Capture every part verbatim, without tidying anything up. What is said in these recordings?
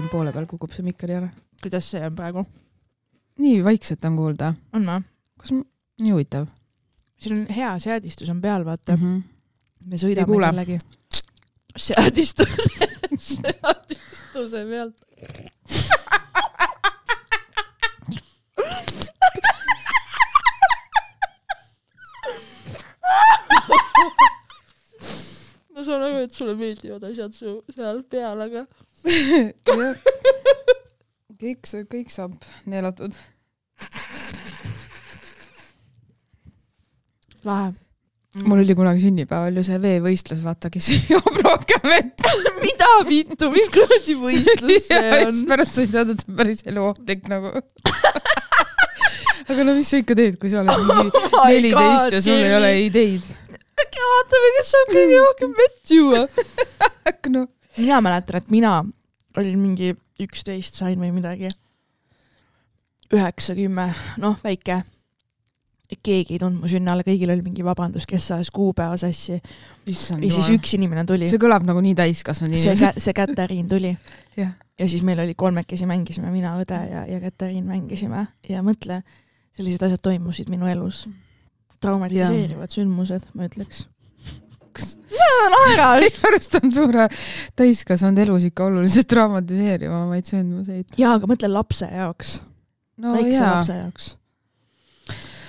on poole peal, kukub see mikker jälle. Kuidas see on praegu? Nii vaikselt on kuulda. On ma? Kas ma... Nii huvitav. Siin on hea seadistus on peal, vaata. Mm -hmm. Me sõidame kellegi. Seadistus. Seadistuse pealt. Ma saan aru, et sulle meeldivad asjad su seal peal, aga kõik, kõik saab neelatud. Lahe. Mm. Mul oli kunagi sünnipäeval ju see veevõistlus, vaata, kes joob rohkem vett. Mida vittu, mis kuradi võistlus see on? Pärast sa ei teada, et see on päris eluohtlik nagu. Aga no mis sa ikka teed, kui sa oled mingi neliteist ja sul ei ole ideid? Äkki vaatame, kes saab kõige rohkem vett juua. No. Mina mäletan, et mina olin mingi üksteist sain või midagi. üheksakümmend, noh, väike. Keegi ei tundnud mu sünnale, kõigil oli mingi vabandus, kes saas kuupäeva sassi. Issand, ja siis üks inimene tuli. See kõlab nagu nii täiskasvanud inimene. See, see Käteriin tuli. ja. ja siis meil oli kolmekesi mängisime, mina, õde ja, ja Käteriin mängisime. Ja mõtle, sellised asjad toimusid minu elus. Traumatiseerivad sündmused, ma ütleks. Kas... naeral! Pärast on suure täiskasvanud elus ikka oluliselt traumatiseerivamaid sündmuseid. Jaa, aga mõtle lapse jaoks. No, väikse jaa. lapse jaoks.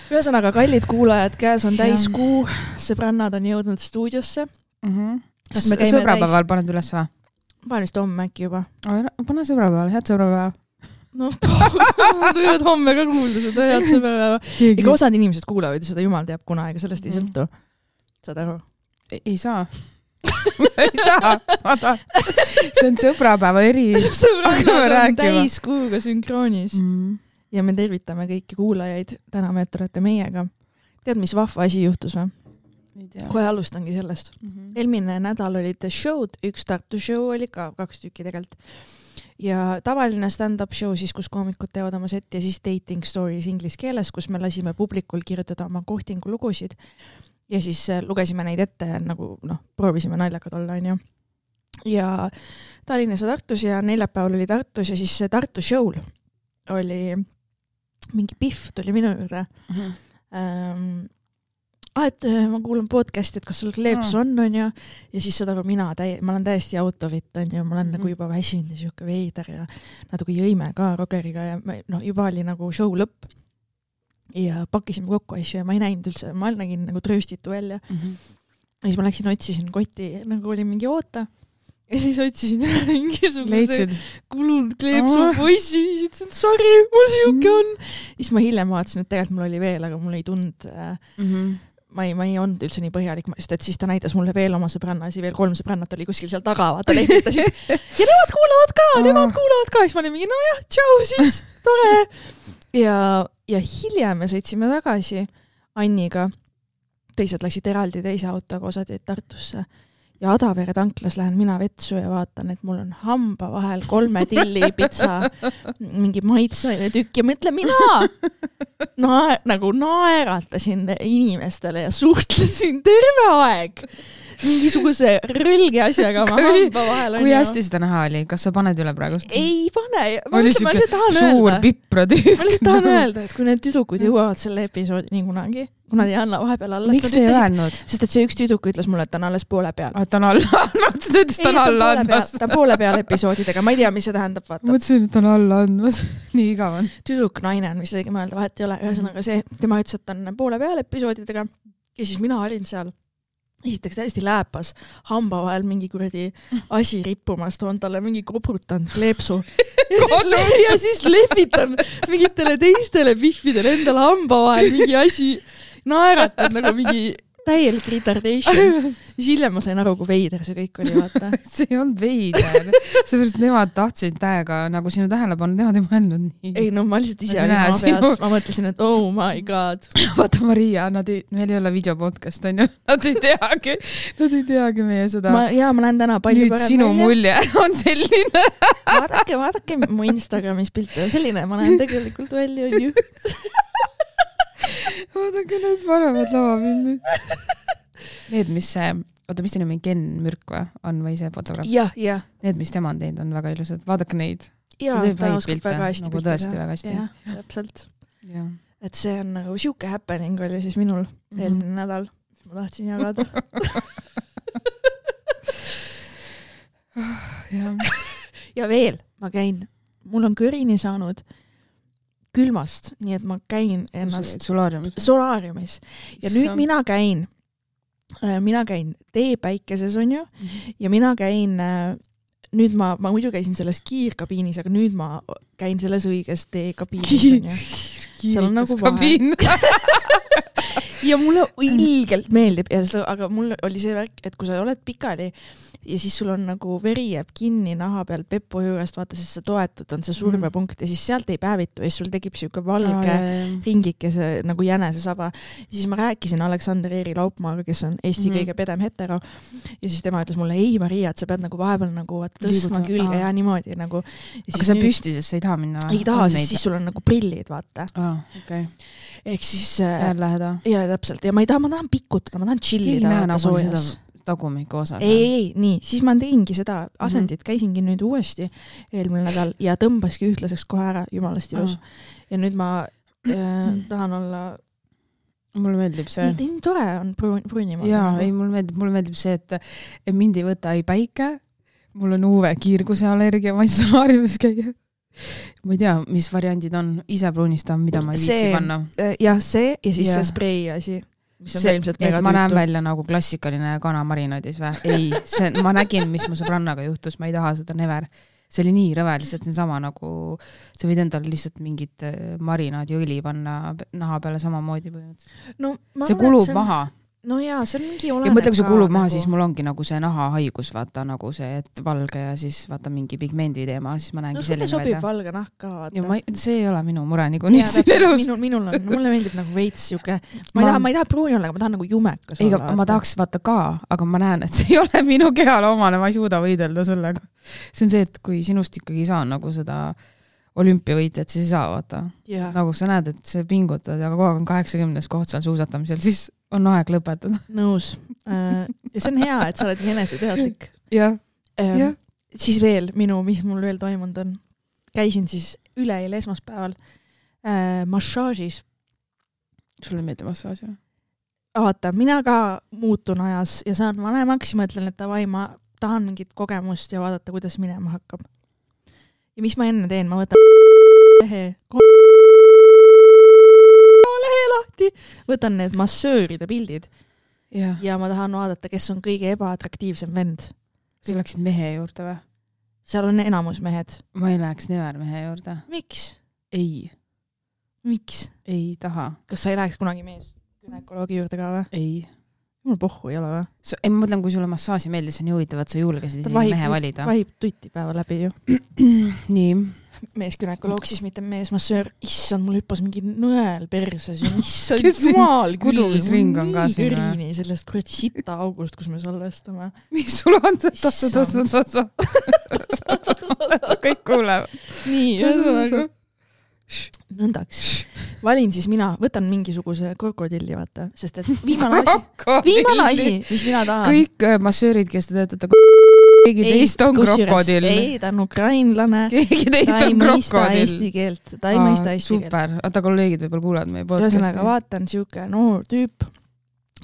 Ühesõnaga, kallid kuulajad, käes on täiskuu, sõbrannad on jõudnud stuudiosse. Mm-hmm. Sõbrapäeval täis... paned üles või? Panen vist homme äkki juba. Pane sõbrapäeval, head sõbrapäeva. No, võivad homme ka kuulda seda head sõbrapäeva. Ega osad inimesed kuulavad seda jumal teab kuna, ega sellest ei sõltu. Saad aru? Ei, ei saa. ei saa. See on sõbrapäeva eri. Sõbrannad on täiskuuga sünkroonis. Mm. Ja me tervitame kõiki kuulajaid. Täname, et olete meiega. Tead, mis vahva asi juhtus või? Kohe alustangi sellest. Mm-hmm. Eelmine nädal olid show'd, üks Tartu show oli ka kaks tükki tegelikult. Ja tavaline stand-up show siis, kus koomikud teevad oma setti ja siis dating stories inglis keeles, kus me lasime publikul kirjutada oma kohtingu lugusid ja siis lugesime neid ette nagu, noh, proovisime naljakad olla, on ju. Ja Tallinnas ja Tartus ja neljapäeval oli Tartus ja siis Tartu show'l oli mingi Pihv tuli minu juurde. Mm-hmm. Ähm, ah, et ma kuulan podcasti, et kas sul kleeps on, on ju, ja siis saad aru, mina täi- ma olen täiesti autovit, on ju, ma olen mm-hmm. nagu juba väsinud ja siuke veider ja natuke jõime ka Rogeriga ja no, juba oli nagu show lõpp ja pakkisime kokku asju ja ma ei näinud üldse, ma nägin nagu trööstitu välja. Mm-hmm. Ja siis ma läksin, otsisin kotti, nagu oli mingi oota ja siis otsisin mingisuguse kulunud kleepsu oh. poissi ja siis ütlesin, sorry, mul siuke on. Ja siis ma hiljem vaatasin, et tegelikult mul oli veel, aga mul ei tund mm-hmm. ma ei, ma ei olnud üldse nii põhjalik, sest et siis ta näitas mulle veel oma sõbrannasi, veel kolm sõbrannat oli kuskil seal taga, vaata lehvitasid. Ja nemad kuulavad ka, oh. nemad kuulavad ka. Ja siis ma olin mingi, no jah, tšau siis, tore. Ja, ja hiljem me sõitsime tagasi Anniga. Teised läksid eraldi teise autoga, osad jäid Tartusse. Ja Adavere tanklas lähen mina vetsu ja vaatan, et mul on hamba vahel kolme tilli pitsa, mingi maitsaine tükk ja mõtle mina Nae, nagu naeratasin inimestele ja suhtlesin terve aeg mingisuguse rõlge asjaga oma hamba vahel. Kui hästi seda näha oli? Kas sa paned üle praegust? Ei pane. Ma oli mõtlen, siuke suur pipra tükk. Ma lihtsalt tahan öelda, et kui need tüdrukud jõuavad selle episoodi nii kunagi, kuna ei anna vahepeal alla. Miks te ei öelnud? Sest et see üks tüdruk ütles mulle, et ta on alles poole peal. Ah, ta on alla andmas. Ta ütles, ta on alla andmas. Ta on poole peal episoodidega. Ma ei tea, mis see tähendab. Vaata. Mõtlesin, et ta on alla andmas. Nii igav on. Tüdruk naine on, mis õige mõelda, vahet ei ole. Ühesõnaga see, tema ütles, et ta on poole peal episoodidega. Ja siis mina olin seal. Esiteks täiesti lääpas, hamba vahel mingi kuradi asi rippumas, toon talle mingi koprutan kleepsu ja siis, le- ja siis lehvitan mingitele teistele pihvidele endale hamba vahel mingi asi, naeratan nagu mingi täielik retardation. Siis hiljem ma sain aru, kui veider see kõik oli, vaata. See ei olnud veider. Seepärast nemad tahtsid täiega, nagu sinu tähelepanu, nemad ei mõelnud nii. Ei, no ma lihtsalt ise olin oma peas. Sinu... Ma mõtlesin, et oh my god. Vaata, Maria, nad ei, meil ei ole videopodcast, on ju. Nad ei teagi, nad ei teagi meie seda. Ma, jaa, ma lähen täna palju nüüd sinu välja. Mulje on selline. Vaadake, vaadake mu Instagramis pilte. Selline ma lähen tegelikult välja, on ju. Vaadake need parevad lavapildid. Need, mis oota, mis ta nimi, Ken Mürk või on või see fotograaf? jah, jah. Need, mis tema on teinud, on väga ilusad. Vaadake neid. Jaa, ta oskab väga hästi nagu tõesti väga hästi. Jah, täpselt. Ja. Et see on nagu siuke happening oli siis minul mm-hmm. eelmine nädal. Ma tahtsin jagada. ja. ja veel, ma käin, mul on kõrini saanud külmast, nii et ma käin ennast solaariumis. solaariumis. Ja nüüd Sam... mina käin, mina käin teepäikeses on ju, mm-hmm. ja mina käin nüüd ma, ma muidu käisin selles kiirkabiinis, aga nüüd ma käin selles õiges teekabiinis. Seal on nagu vahe. ja mulle ilgelt meeldib, ja seda, aga mul oli see värk, et kui sa oled pikali ja siis sul on nagu veri jääb kinni naha peal Peppu juurest, vaata, siis sa toetud, on see survepunkt mm. ja siis sealt ei päevitu ja siis sul tekib siuke valge oh, ringikese nagu jänesesaba. Ja siis ma rääkisin Aleksander Eeri Laupmaaga, kes on Eesti mm. kõige pedem hetero ja siis tema ütles mulle, ei Maria, et sa pead nagu vahepeal nagu tõstma külge ah. ja niimoodi nagu. Ja aga sa nüüd... püsti, sest sa ei taha minna? Ei taha, sest siis sul on nagu prillid, vaata. Ah, okay. Ehk siis... Tähed läheda. Ja täpselt, ja ma ei taha, ma tahan pikutada, ma tahan chillida vaata soojas. Tagumikku osa. Ei, ei, nii, siis ma teingi seda asendit, käisingi nüüd uuesti eelmine nädal ja tõmbaski ühtlaseks kohe ära, jumalast ilus. Ah. Ja nüüd ma äh, tahan olla... Mulle meeldib see. Nii, nii tore on pruunimaa. Jaa, ei, mulle meeldib, mulle meeldib see, et mind ei võta ei päike, mul on uue kiirguse allergia, ma ei saa haarimis käia. Ma ei tea, mis variandid on, ise pruunistan, mida ma ei viitsi see, panna. Jah, see ja siis ja. See sprei asi. Mis on see, et ma näen välja nagu klassikaline kana marinaadis või? Ei, see, ma nägin, mis mu sõbrannaga juhtus, ma ei taha seda never. See oli nii rõve, lihtsalt see on sama nagu, sa võid endale lihtsalt mingit marinaadi õli panna naha peale samamoodi põhimõtteliselt. No, see kulub on... maha. No jaa, see on mingi oleneb ja mõtle, kui see kulub maha, nagu... siis mul ongi nagu see nahahaigus, vaata nagu see, et valge ja siis vaata mingi pigmendi teema, siis ma näengi no, selline sobib välja. valge nahk ka, vaata. Ja ma, see ei ole minu mure nagu nii siin elus. Minul, minul on, mulle meeldib nagu veits siuke, ma, ma... ei taha, ma ei taha pruuni olla, aga ma tahan nagu jumekas Eiga, olla. Ma tahaks vaata ka, aga ma näen, et see ei ole minu kehale omane, ma ei suuda võidelda sellega. See on see, et kui sinust ikkagi ei saa nagu seda olümpiavõitjat, siis ei saa vaata. Yeah. Nagu sa näed, et see pingutad ja kogu aeg on kaheksakümnes koht seal suusatamisel, siis on aeg lõpetada. Nõus. Ja see on hea, et sa oled nii eneseteadlik. Jah. Ähm, ja. Siis veel minu, mis mul veel toimunud on. Käisin siis üleeile esmaspäeval äh, massaažis. Sulle meeldib massaaž, jah? Vaata, mina ka muutun ajas ja saan vanemaks ja mõtlen, et tavai, ma tahan mingit kogemust ja vaadata, kuidas minema hakkab. Ja mis ma enne teen? Ma võtan lehe, lehe lahti, võtan need massööride pildid ja. ja ma tahan vaadata, kes on kõige ebaatraktiivsem vend. Sa läksid mehe juurde või? Seal on enamus mehed. Ma ei läheks never mehe juurde. Miks? Ei. Miks? Ei taha. Kas sa ei läheks kunagi mees günekoloogi juurde ka või? Ei. Mul pohhu ei ole või? So, ei, ma mõtlen, kui sulle massaaži meeldis, on ju huvitav, et sa julgesid isegi mehe valida. Ta vahib tutti päeva läbi ju. Nii. Mees gynekoloog, siis mitte mees massöör. Issand, mul hüppas mingi nõel perses. Issand, jumal küll. Kudumisring on ka siin. Kõrini sellest kuradi sita august, kus me salvestame. Mis sul on see tassa, tassa, tassa? Kõik kuulevad. Nii, ühesõnaga. Nõndaks. Valin siis mina, võtan mingisuguse krokodilli, vaata, sest et viimane asi, viimane asi, mis mina tahan. Kõik massöörid, kes te töötate, keegi teist on krokodill. Ei, ta on ukrainlane. Keegi teist on krokodill. Ta ei mõista eesti keelt. Ta ei mõista eesti keelt. Super. Ata kolleegid võib-olla kuulavad meie podcasti. Ühesõnaga, vaatan siuke noor tüüp.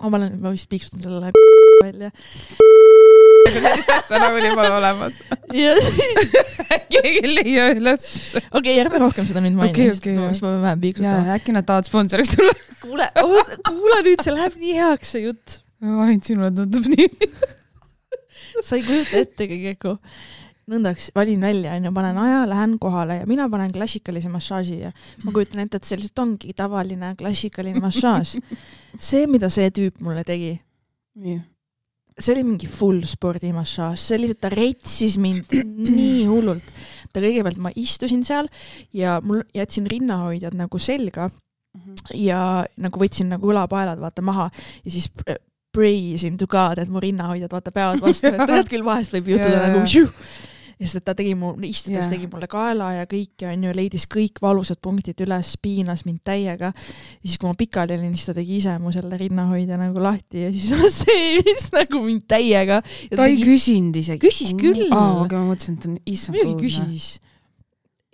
Ma olen, ma vist piiksutan sellele välja. See nagu oli pole olemas. Ja siis... Keegi leia üles. Okei, okay, järve rohkem seda nüüd mainin. Okay, okay, no, siis ma vähem piiksutan. Ja, äkki nad tahavad sponsoriks tulla. Kuule, kuule nüüd, see läheb nii heaks see jutt. Ainult sinule tundub nii. Sa ei kujuta ette kõigeko. Nõndaks, valin välja, ja panen aja, lähen kohale ja mina panen klassikalise massaaži ja ma kujutan ette, et see lihtsalt ongi tavaline klassikaline massaaž. See, mida see tüüp mulle tegi, nii. See oli mingi full spordimassaaž, see lihtsalt, ta reitsis mind nii hullult. Ta kõigepealt ma istusin seal ja mul jätsin rinnahoidjad nagu selga ja nagu võtsin nagu õlapaelad vaata maha ja siis praise in to God, et mu rinnahoidjad vaata peavad vastu, et tead küll vahest võib juhtuda nagu šiu. sest et ta tegi mu, istudes Yeah. tegi mulle kaela ja kõik ja on ju, leidis kõik valusad punktid üles, piinas mind täiega. Ja siis kui ma pikali olin, siis ta tegi ise mu selle rinnahoidja nagu lahti ja siis seeris nagu mind täiega. Ja ta ei tegi... küsinud isegi. Küsis küll. Aa, aga ma mõtlesin, et ta on issand kuudne. Küsis.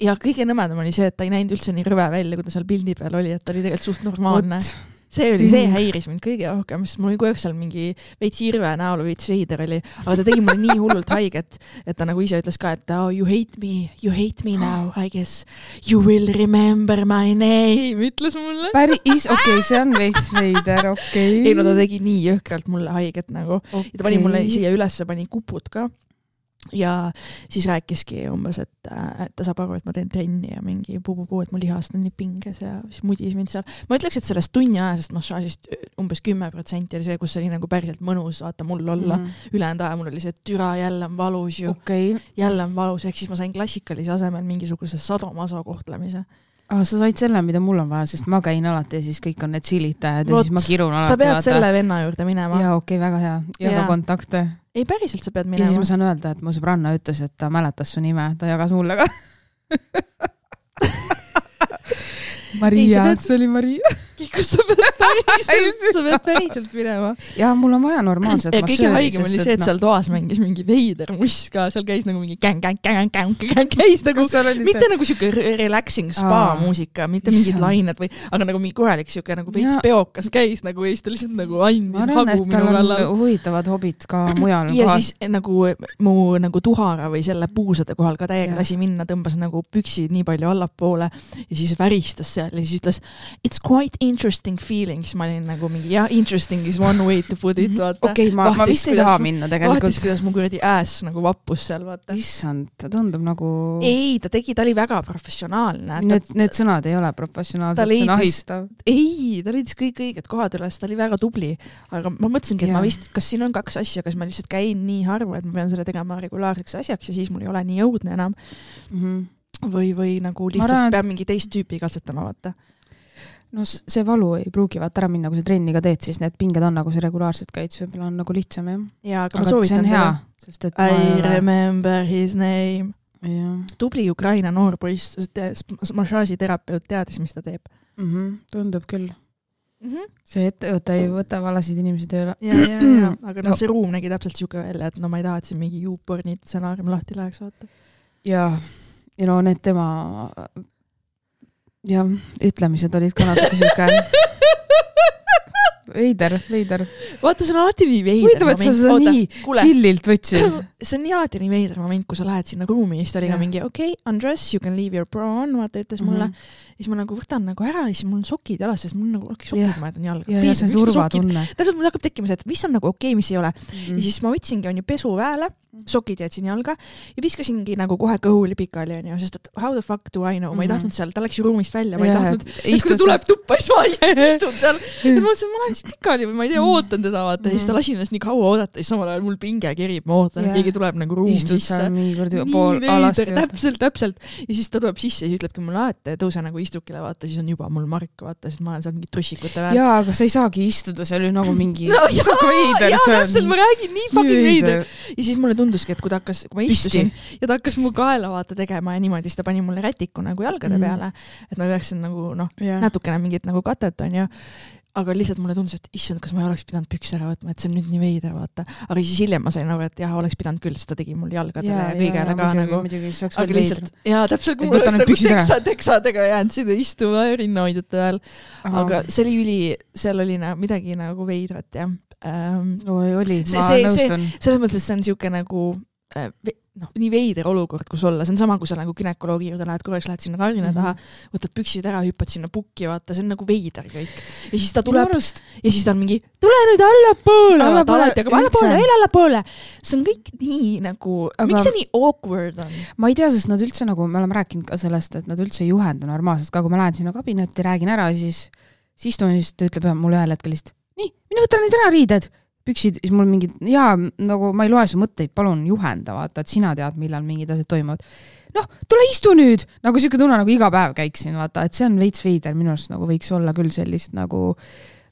Ja kõige nõmedam oli see, et ta ei näinud üldse nii rõve välja, kui ta seal pildi peal oli, et ta oli tegelikult suht normaalne. What? See oli, see häiris mind kõige rohkem, sest mul oli kogu aeg seal mingi veits irve näol, veits veider oli, aga ta tegi mulle nii hullult haiget, et ta nagu ise ütles ka, et oh, you hate me, you hate me now, I guess you will remember my name, ütles mulle. Päris, okei, okay, see on veits veider, okei. Okay. Ei, no ta tegi nii jõhkralt mulle haiget nagu. Okay. Ja ta pani mulle siia ülesse, pani kupud ka. Ja siis rääkiski umbes, et, et ta saab aru, et ma teen trenni ja mingi puu-puu-puu, et mu lihast on nii pinges ja siis mudis mind seal. Ma ütleks, et sellest tunni ajasest massaažist umbes kümme protsenti oli see, kus oli nagu päriselt mõnus vaata mul olla. Mm. Ülejäänud aja mul oli see, et türa jälle on valus ju. Okay. Jälle on valus, ehk siis ma sain klassikalise asemel mingisuguse sadomaso kohtlemise. Ah, sa said selle, mida mul on vaja, sest ma käin alati ja siis kõik on need silitajad ja Vot, siis ma kirun alati. Sa pead vaata. Selle venna juurde minema. Jaa, okei, okay, väga hea. Ja ka kontakte. Ei, päriselt sa pead minema. Ja siis ma saan öelda, et mu sõbranna ütles, et ta mäletas su nime, ta jagas mulle ka. Maria, pead... see oli Maria. Kus sa pead päriselt, sa pead päriselt minema. Ja mul on vaja normaalselt. Ja kõige haigem oli see, et seal toas mängis mingi veider muss ka, seal käis nagu mingi gäng, gäng, gäng, gäng, gäng, käis nagu, mitte see? Nagu siuke relaxing spa Aa, muusika, mitte mingid lained või, aga nagu mingi korralik siuke nagu veits ja. Peokas käis nagu ja siis ta lihtsalt nagu andis hagu minu kallal. Ma arvan, et tal on huvitavad hobid ka mujal. Ja kohal. Siis nagu mu nagu tuhara või selle puusade kohal ka täiega lasi minna, tõmbas nagu püksid nii palju allapoole ja siis väristas seal ja siis ütles, it's quite interesting feelings, ma olin nagu mingi, jah, interesting is one way to put it, vaata. Okei, okay, ma, ma vist ei taha minna tegelikult. Vaatis, kuidas mu kuradi ääs nagu vappus seal, vaata. Issand, ta tundub nagu... Ei, ta tegi, ta oli väga professionaalne. Need, ta... need sõnad ei ole professionaalsed, see on ahistav. Ei, ta leidis kõik õiged kohad üles, ta oli väga tubli. Aga ma mõtlesingi, et ja. Ma vist, kas siin on kaks asja, kas ma lihtsalt käin nii harva, et ma pean selle tegema regulaarseks asjaks ja siis mul ei ole nii jõudne enam. Mm-hmm. Või, või nagu lihtsalt arvan, peab mingi teist tüüpi katsetama, vaata. No see valu ei pruugi vaata ära minna, kui sa trenniga teed, siis need pinged on nagu see regulaarselt käid, see võib-olla on nagu lihtsam, jah. Ja, aga, aga ma soovitan hea, sest, et I ole... remember his name. Ja. Tubli Ukraina noorpoiss, massaažiterapeut teadis, mis ta teeb. Mm-hmm, tundub küll. Mm-hmm. See ettevõte ei võta valasid inimesi tööle. Ja, ja, ja, aga no, no see ruum nägi täpselt siuke välja, et no ma ei taha, et siin mingi juuporni stsenaarium lahti läheks, vaata. Ja, ja no need tema... Ja ütlemised olid ka natuke siuke veider, veider. Vaata, see on alati nii veider. Huvitav, et sa seda Oota, nii kuule. Chillilt võtsid. See on nii alati nii veider moment, kui sa lähed sinna ruumi, siis ta oli ka mingi, okei, okay, undress, you can leave your bra on, vaata, ütles mulle. Mm-hmm. Ja siis ma nagu võtan nagu ära ja siis mul on sokid jalas, sest mul nagu okei, sokid yeah. ma jätan jalga. Ja, ja see turvatunne. Täpselt mul hakkab tekkima see, et mis on nagu okei, okay, mis ei ole. Mm-hmm. Ja siis ma võtsingi on ju pesu väele, sokid jätsin jalga ja viskasingi nagu kohe kõhuli pikali on ju, sest et how the fuck do I know, ma ei tahtnud seal, ta läks ju ruumist välja, ma ei yeah. tahtnud, et kui ta tuleb tuppa, siis ma istun, istun seal. Et ma mõtlesin, ma lähen siis pikali või ma ei tea, ootan teda vaata ja siis ta lasin ennast nii kaua oodata ja siis samal ajal mul pinge kerib, ma ootan, et keegi tuleb nagu ruumi Istud sisse. Nii pool alasti. Täpselt, täpselt. Ja siis ta tuleb sisse ja ütlebki mulle, et tõuse nagu istukile vaata, siis on juba mul mark vaata, sest ma olen seal mingi trussikute väär. Jaa, aga sa ei saagi istuda, see oli nagu mingi no, jaa, veider, jaa, täpselt, ma räägin nii fucking veider. Ja siis mulle tunduski, et kui ta hakkas, kui ma istusin Pisti. Ja ta hakkas mu kaela vaata tegema ja niimoodi, siis ta pani mulle rätiku nagu jalgade mm. peale, et ma peaksin nagu noh, yeah. natukene mingit nagu katet on ja aga lihtsalt mulle tundus, et issand, kas ma ei oleks pidanud püks ära võtma, et see on nüüd nii veide, vaata. Aga siis hiljem ma sain aru, et jah, oleks pidanud küll, sest ta tegi mul jalgadele ja, ja kõigele ka muidugi, nagu. Muidugi, aga lihtsalt, jaa, täpselt, mul oleks nagu teksa, teksadega jäänud sinna istuma rinnahoidjate ajal. Aga see oli üli, seal oli na, midagi nagu veidrat, jah. Ähm, Oi, oli, see, ma see, nõustun. See, selles mõttes, see on siuke nagu äh, noh, nii veider olukord, kus olla. See on sama, kui sa nagu gynekoloogi juurde lähed, korraks lähed sinna karina taha, võtad püksid ära, hüppad sinna pukki, vaata, see on nagu veider kõik. Ja siis ta tuleb Norust. Ja siis ta on mingi, tule nüüd allapoole, vaata, alati, aga allapoole, veel allapoole. See on kõik nii nagu, aga miks see nii awkward on? Ma ei tea, sest nad üldse nagu, me oleme rääkinud ka sellest, et nad üldse ei juhenda normaalselt, ka kui ma lähen sinna kabinetti, räägin ära, siis, siis istun, siis ta ütleb mulle ühel hetkel lihtsalt, nii, minu võtta nüüd ära riided. Püksid, siis mul mingid, jaa, nagu ma ei loe su mõtteid, palun juhenda, vaata, et sina tead, millal mingid asjad toimuvad. Noh, tule istu nüüd! Nagu siuke tunne, nagu iga päev käiksin, vaata, et see on veits veider, minu arust nagu võiks olla küll sellist nagu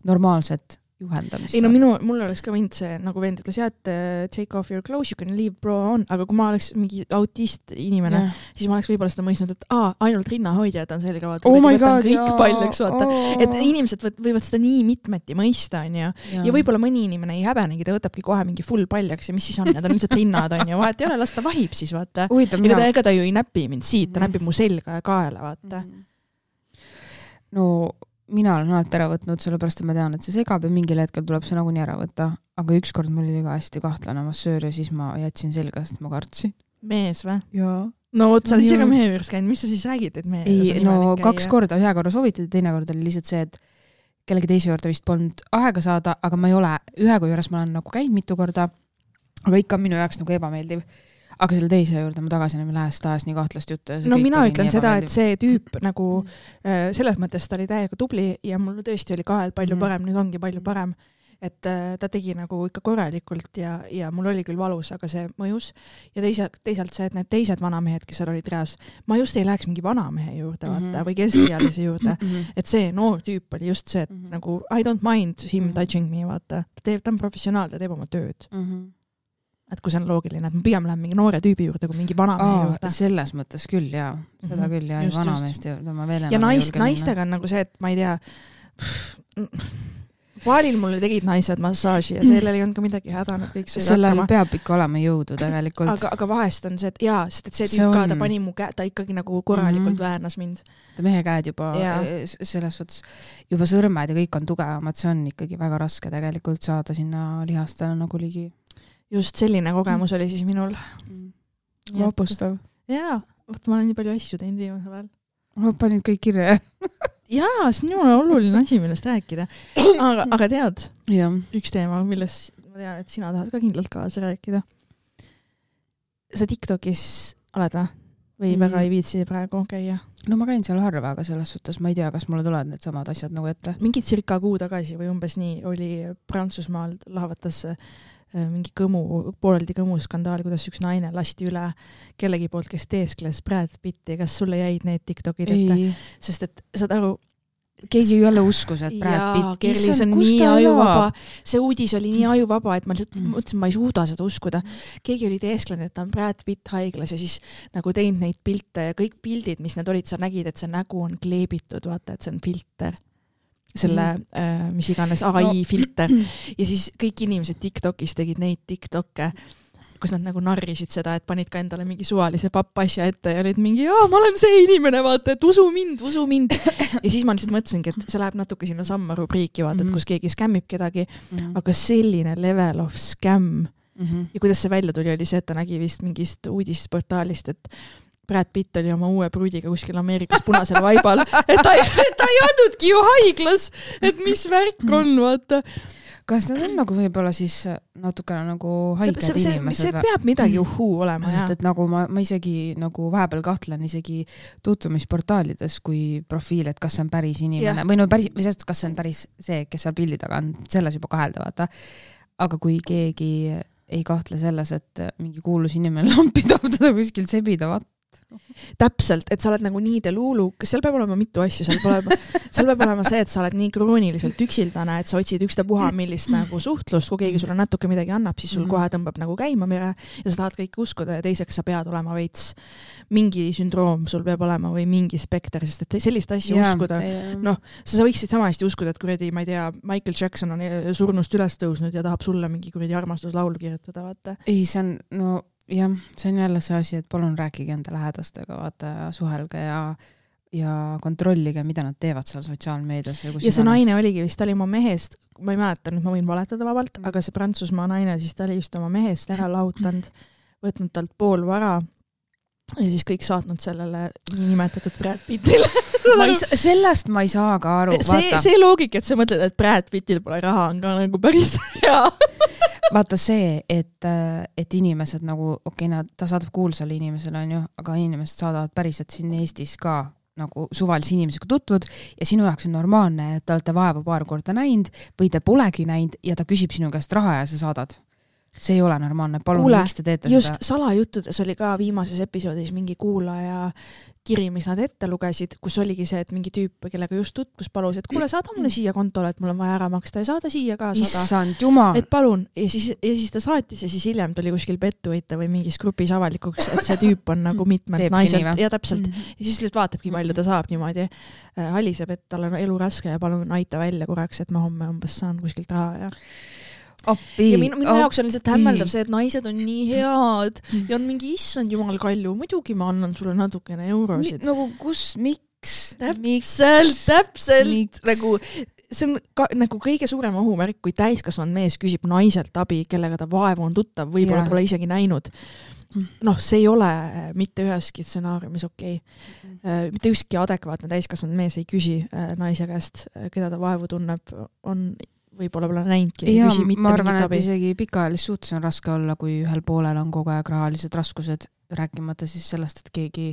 normaalset juhendamist. ei no minu, mul oleks ka võinud see, nagu vend ütles, jah, et take off your clothes, you can leave bro on, aga kui ma oleks mingi autist inimene, yeah. siis ma oleks võib-olla seda mõistnud, et aa, ainult rinnahoidjad on sellega, vaata, oh võtan God, kõik jaa. paljaks, vaata, oh. et inimesed võivad seda nii mitmeti mõista, on ju, ja, ja võib-olla mõni inimene ei häbenegi, ta võtabki kohe mingi full paljaks ja mis siis on, need on lihtsalt rinnad, on ju, vahet ei ole, las ta vahib siis, vaata. Uitab, ega, ta, ega ta ju ei näpi mind siit, ta mm. näpib mu selga ja kaela, vaata. No mina olen alati ära võtnud, sellepärast et ma tean, et see segab ja mingil hetkel tuleb see nagunii ära võtta. Aga ükskord mul oli ka hästi kahtlane massöör ja siis ma jätsin selga, sest ma kartsin. Mees või? Jaa. No oot, sa olid ise ka mehe juures käinud, mis sa siis räägid, et mehe ei, no kaks korda, ühe korra soovitati, teine kord oli lihtsalt see, et kellegi teise juurde vist polnud aega saada, aga ma ei ole, ühe kui juures ma olen nagu käinud mitu korda, aga ikka minu jaoks nagu ebameeldiv. Aga selle teise juurde ma tagasi enam lähest taas nii kahtlast juttu. No mina ütlen seda, et see tüüp nagu äh, selles mõttes ta oli täiega tubli ja mul tõesti oli kahel palju mm. parem, nüüd ongi palju parem. Et äh, ta tegi nagu ikka korralikult ja, ja mul oli küll valus, aga see mõjus. Ja teise, teisalt see, et need teised vanamehed, kes seal olid reas, ma just ei läheks mingi vanamehe juurde mm-hmm. vaata, või keskealise juurde. Mm-hmm. Et see noor tüüp oli just see, et mm-hmm. nagu I don't mind him mm-hmm. touching me, vaata. Ta, teeb, ta on professionaal, ta teeb oma tööd. Mm-hmm. Et kui see on loogiline, et ma pigem lähen mingi noore tüübi juurde kui mingi vanamehe Aa, juurde. Selles mõttes küll, jaa. Seda mm-hmm. küll, jaa. Vanameest juurde ma veel ja naist, naistega on nagu see, et ma ei tea, paalil mulle tegid naised massaaži ja sellel ei olnud ka midagi häda, nad kõik sõid sellel hakkama. Peab ikka olema jõudu tegelikult. Aga, aga vahest on see, et jaa, sest et see tüüp ka, ta pani mu käe, ta ikkagi nagu korralikult mm-hmm. väärnas mind. Ta mehe käed juba ja. selles suhtes, juba sõrmed ja kõik on tugevamad, see on ikkagi väga raske tegelikult saada sinna lihastele nagu ligi. Just selline kogemus oli siis minul. Vapustav. Jaa, võt, ma olen nii palju asju teinud viimasel ajal. Ma panin kõik kirja. Jaa, see on jumala oluline asi, millest rääkida. Aga, aga tead, ja. Üks teema, milles ma tean, et sina tahad ka kindlalt kaasa rääkida. Sa TikTokis oled või? Või mm. väga ei viitsi praegu käia? No ma käin seal harva, aga selles suhtes ma ei tea, kas mulle tulevad need samad asjad nagu ette. Mingi cirka kuu tagasi või umbes nii oli Prantsusmaal lahvatas mingi kõmu, pooleldi kõmu skandaal, kuidas üks naine lasti üle kellegi poolt, kes teeskles Brad Pitti. Kas sulle jäid need TikTokid ette? Sest et saad aru, keegi jälle uskus, et Brad Pitt. Kerli, see on nii ajuvaba. See uudis oli nii ajuvaba, et ma lihtsalt mõtlesin, ma ei suuda seda uskuda. Keegi oli teesklenud, et ta on Brad Pitt haiglas ja siis nagu teinud neid pilte ja kõik pildid, mis need olid, sa nägid, et see nägu on kleebitud, vaata, et see on filter. Selle, mm. mis iganes A I no. filter. Ja siis kõik inimesed TikTokis tegid neid TikTokke, kus nad nagu narrisid seda, et panid ka endale mingi suvalise pappasja ette ja olid mingi, jaa, ma olen see inimene, vaata, et usu mind, usu mind. Ja siis ma lihtsalt mõtlesingi, et see läheb natuke sinna samma rubriiki, vaata, et kus keegi skämmib kedagi, mm-hmm. aga selline level of scam. Mm-hmm. Ja kuidas see välja tuli, oli see, et ta nägi vist mingist uudisportaalist, et Brad Pitt oli oma uue pruudiga kuskil Ameerikas punasel vaibal, et ta ei, ta ei andnudki ju haiglas, et mis värk on, vaata. Kas need on nagu võib-olla siis natukene nagu haiged see, see, inimesed? See peab midagi uhuu olema. Sest et nagu ma, ma isegi nagu vahepeal kahtlen isegi tutvumisportaalides kui profiil, et kas see on päris inimene. Ja. Või no päris, või sest, kas see on päris see, kes seal pildi taga on, selles juba kahelda, vaata. Aga kui keegi ei kahtle selles, et mingi kuulus inimene lampi tahab teda kuskil sebida, vaata. Täpselt, et sa oled nagu nii deluulu, kas seal peab olema mitu asju, seal peab olema, seal peab olema see, et sa oled nii krooniliselt üksildane, et sa otsid ükstapuha millist nagu suhtlust, kui keegi sulle natuke midagi annab, siis sul kohe tõmbab nagu käima mere ja sa tahad kõike uskuda ja teiseks sa pead olema veits mingi sündroom sul peab olema või mingi spekter, sest et sellist asja yeah, uskuda, noh, sa võiksid sama hästi uskuda, et kuradi, ma ei tea, Michael Jackson on surnust üles tõusnud ja tahab sulle mingi kuradi armastuslaulu kirjutada, vaata. Ei, see on, no jah, see on jälle see asi, et palun rääkige enda lähedastega, vaata, suhelge ja, ja kontrollige, mida nad teevad seal sotsiaalmeedias. Ja, ja see naine oligi vist, ta oli oma mehest, ma ei mäleta, nüüd ma võin valetada vabalt, mm. aga see Prantsusmaa naine, siis ta oli just oma mehest ära lahutanud, võtnud talt pool vara ja siis kõik saatnud sellele nimetatud Brad Pittile. Ma ei, sellest ma ei saa ka aru. See, see loogik, et sa mõtled, et Brad Pittil pole raha, on ka nagu päris hea. Vaata see, et, et inimesed nagu, okei, okay, ta saadab kuulsale inimesele, on ju, aga inimesed saadavad päriselt siin Eestis ka nagu suvalise inimesega tutvud ja sinu jaoks on normaalne, et te olete vaeva paar korda näinud või te polegi näinud ja ta küsib sinu käest raha ja sa saadad. see ei ole normaalne, palun, Kuule, miks te teete just seda? salajuttudes oli ka viimases episoodis mingi kuulaja kiri, mis nad ette lugesid, kus oligi see, et mingi tüüp, kellega just tutvus palus, et kuule, saada mulle siia kontole, et mul on vaja ära maksta ja saada siia ka sada. Issand jumal. Et palun, ja siis, ja siis ta saatis ja siis hiljem tuli kuskil pettuita või mingis grupis avalikuks, et see tüüp on nagu mitmelt naiselt ja täpselt. Mm-hmm. Ja siis lihtsalt vaatabki, palju ta saab niimoodi. Haliseb, et tal on elu raske ja palun aita välja korraks, et ma homme umbes saan kuskilt raha ja Oppi, ja minu, minu jaoks on lihtsalt hämmeldav see, et naised on nii head ja on mingi issand jumal kalju, muidugi ma annan sulle natukene eurosid. Mi, nagu kus, miks? Täpselt, täpselt. Miks? Nagu, see on ka, nagu kõige suurem ohumärk, kui täiskasvanud mees küsib naiselt abi, kellega ta vaevu on tuttav, võib-olla pole isegi näinud. Noh, see ei ole mitte üheski stsenaariumis okei. Okay. Mitte ükski adekvaatne täiskasvanud mees ei küsi naise käest, keda ta vaevu tunneb, on võib-olla pole näinudki. Ja, ma arvan, et isegi pikaajalist suhtes on raske olla, kui ühel poolel on kogu aeg rahalised raskused, rääkimata siis sellest, et keegi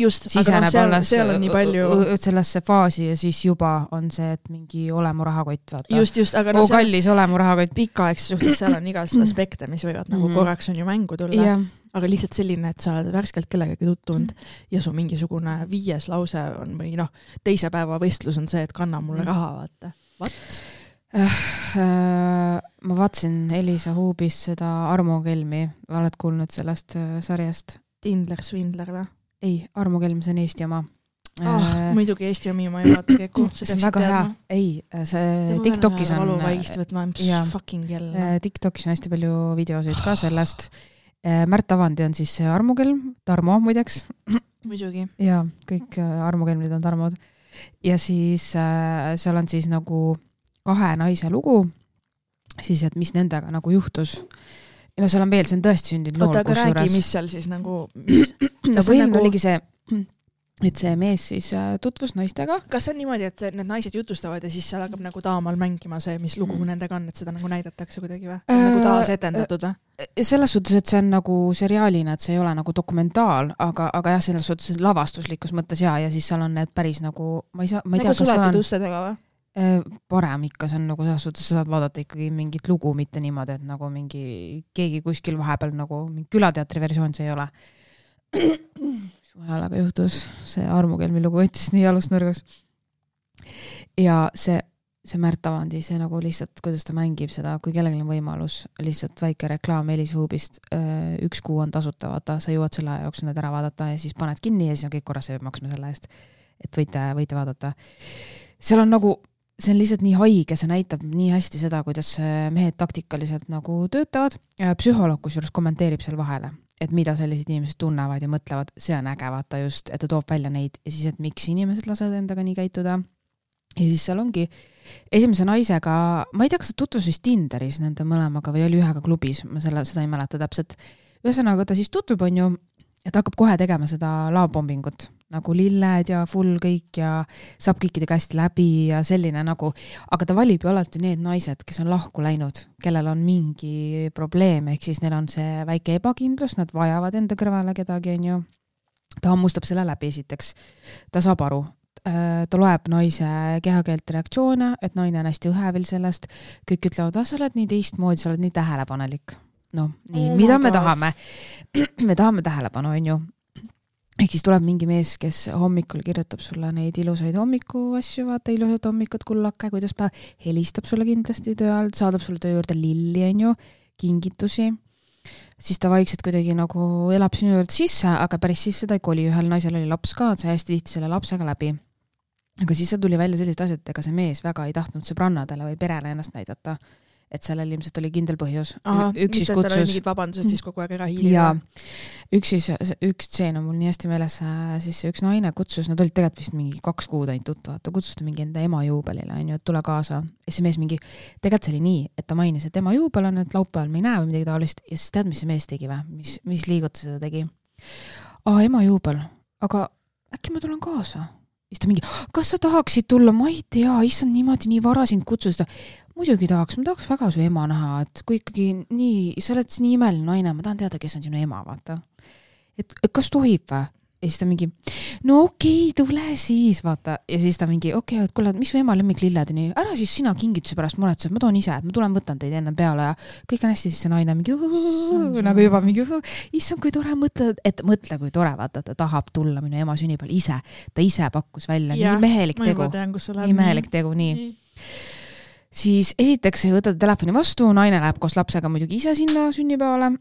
just, aga no, seal, seal on nii palju sellesse faasi ja siis juba on see, et mingi olemu rahakott vaata. Just, just, aga no oo, kallis olemu rahakott. Pikaaegse suhtes seal on igast aspekte, mis võivad nagu korraks on ju mängu tulla. Yeah. Aga lihtsalt selline, et sa oled värskelt kellegagi tuttunud ja su mingisugune viies lause on või noh, teise päeva võistlus on see, et kanna mulle raha, vaata. What? Ma vaatsin Elisa Huubis seda Armo Kelmi, oled kuulnud sellest sarjast? Tindler, Svindler või? Ei, Armo Kelm, see on Eesti oma. Oh, muidugi Eesti omi ma ei vaata keku. See on väga hea. Ei, see TikTokis on... Valuvaigist võtma, mis fucking jälle. TikTokis on hästi palju videosid ka sellest. Märt Avandi on siis Armo Kelm, Tarmo muideks. Muidugi. Ja, kõik Armo Kelmid on Tarmod. Ja siis seal on siis nagu kahe naise lugu, siis et mis nendega nagu juhtus. Ja no seal on veel, see on tõesti sündinud lool. Oota, aga räägi, mis seal siis nagu... Mis... no põhimõtteliselt nagu... oligi see, et see mees siis tutvus naistega. Kas see on niimoodi, et need naised jutustavad ja siis seal hakkab nagu taamal mängima see, mis lugu nendega on, et seda nagu näidatakse kuidagi või? Äh, nagu taas etendatud või? Selles suhtes, et see on nagu seriaalina, et see ei ole nagu dokumentaal, aga, aga jah, selles suhtes lavastuslikus mõttes ja, ja siis seal on need päris nagu... Ma ei saa, ma ei nagu tea, suletud ustedega või? Parem ikka, see on nagu selles suhtes, sa saad vaadata ikkagi mingit lugu, mitte niimoodi, et nagu mingi keegi kuskil vahepeal nagu mingi külateatri versioon see ei ole. Suhelaga juhtus, see Armo Kelmi lugu võttis nii alusnurgas. Ja see, see Märt Avandi, see nagu lihtsalt, kuidas ta mängib seda, kui kellelgi on võimalus, lihtsalt väike reklaam Elisa Huubist, üks kuu on tasuta, vaata, sa jõuad selle jaoks need ära vaadata ja siis paned kinni ja siis on kõik korras, sa peab maksma selle eest, et võite, võite vaadata. Seal on nagu see on lihtsalt nii haige, see näitab nii hästi seda, kuidas mehed taktikaliselt nagu töötavad. Psühholoog kusjuures kommenteerib seal vahele, et mida sellised inimesed tunnevad ja mõtlevad, see on äge vaata just, et ta toob välja neid ja siis, et miks inimesed lasevad endaga nii käituda. Ja siis seal ongi esimese naisega, ma ei tea, kas ta tutvus vist Tinderis nende mõlemaga või oli ühega klubis, ma selle, seda ei mäleta täpselt. Ühesõnaga ta siis tutvub on ju, et hakkab kohe tegema seda laobombingut, nagu lilled ja full kõik ja saab kõikide käest läbi ja selline nagu, aga ta valib ju alati need naised, kes on lahku läinud, kellel on mingi probleem, ehk siis neil on see väike ebakindlus, nad vajavad enda kõrvale kedagi, on ju. Ta hammustab selle läbi esiteks, ta saab aru, ta loeb naise kehakeelt reaktsioone, et naine on hästi õhevil sellest, kõik ütlevad, ah, sa oled nii teistmoodi, sa oled nii tähelepanelik. No, nii, oh mida me God. tahame? Me tahame tähelepanu, on ju. Ehk siis tuleb mingi mees, kes hommikul kirjutab sulle neid ilusaid hommiku asju, vaata ilusad hommikud, kullake, kuidas päev, helistab sulle kindlasti töö all, saadab sulle töö juurde lilli, on ju, kingitusi. Siis ta vaikselt kuidagi nagu elab sinu juurde sisse, aga päris sisse ta ei koli, ühel naisel oli laps ka, et sa hästi tihti selle lapsega läbi. Aga siis tuli välja sellised asjad, ega see mees väga ei tahtnud sõbrannadele või perele ennast näidata. Et sellel ilmselt oli kindel põhjus. Aha, üks siis kutsus... oli mingid vabandused siis kogu aeg ära hiili. Ja üks, siis, üks tseen on mul nii hästi meeles, siis üks naine kutsus, nad olid tegelikult vist mingi kaks kuud ainult tutvad, ta kutsus ta mingi enda ema juubelile, on ju, et tule kaasa. Ja see mees mingi, tegelikult see oli nii, et ta mainis, et ema juubel on, et laupäeval me ei näe või midagi taolist, ja siis tead, mis see mees tegi või? Mis, mis liigutus seda tegi? Aa, ema juubel, aga äkki ma tulen kaasa? Siis ta mingi, kas sa tahaksid tulla? Ma ei tea, issand niimoodi nii vara sind kutsusta. Muidugi tahaks, ma tahaks väga su ema näha, et kui ikkagi nii, sa oled nii imeline naine, ma tahan teada, kes on sinu ema, vaata. Et, et kas tohib või? Ja siis ta mingi, no okei okay,, tule siis, vaata. Ja siis ta mingi, okei okay,, et kuule, mis su ema lemmiklilled nii, ära siis sina kingituse pärast muretsed, ma toon ise, ma tulen võtan teid enne peale ja kõik on hästi, siis see naine mingi uhuhu, nagu juba mingi uhuhu, issand, kui tore mõtle, et mõtle, kui tore, vaata, ta tahab tulla minu ema sünnipäeval ise, ta ise pakkus välja, ja, nii mehelik tegu, nii mehelik tegu, nii, nii. Siis esiteks võtad telefoni vastu, naine läheb koos lapsega muidugi ise sinna sünnipäevale.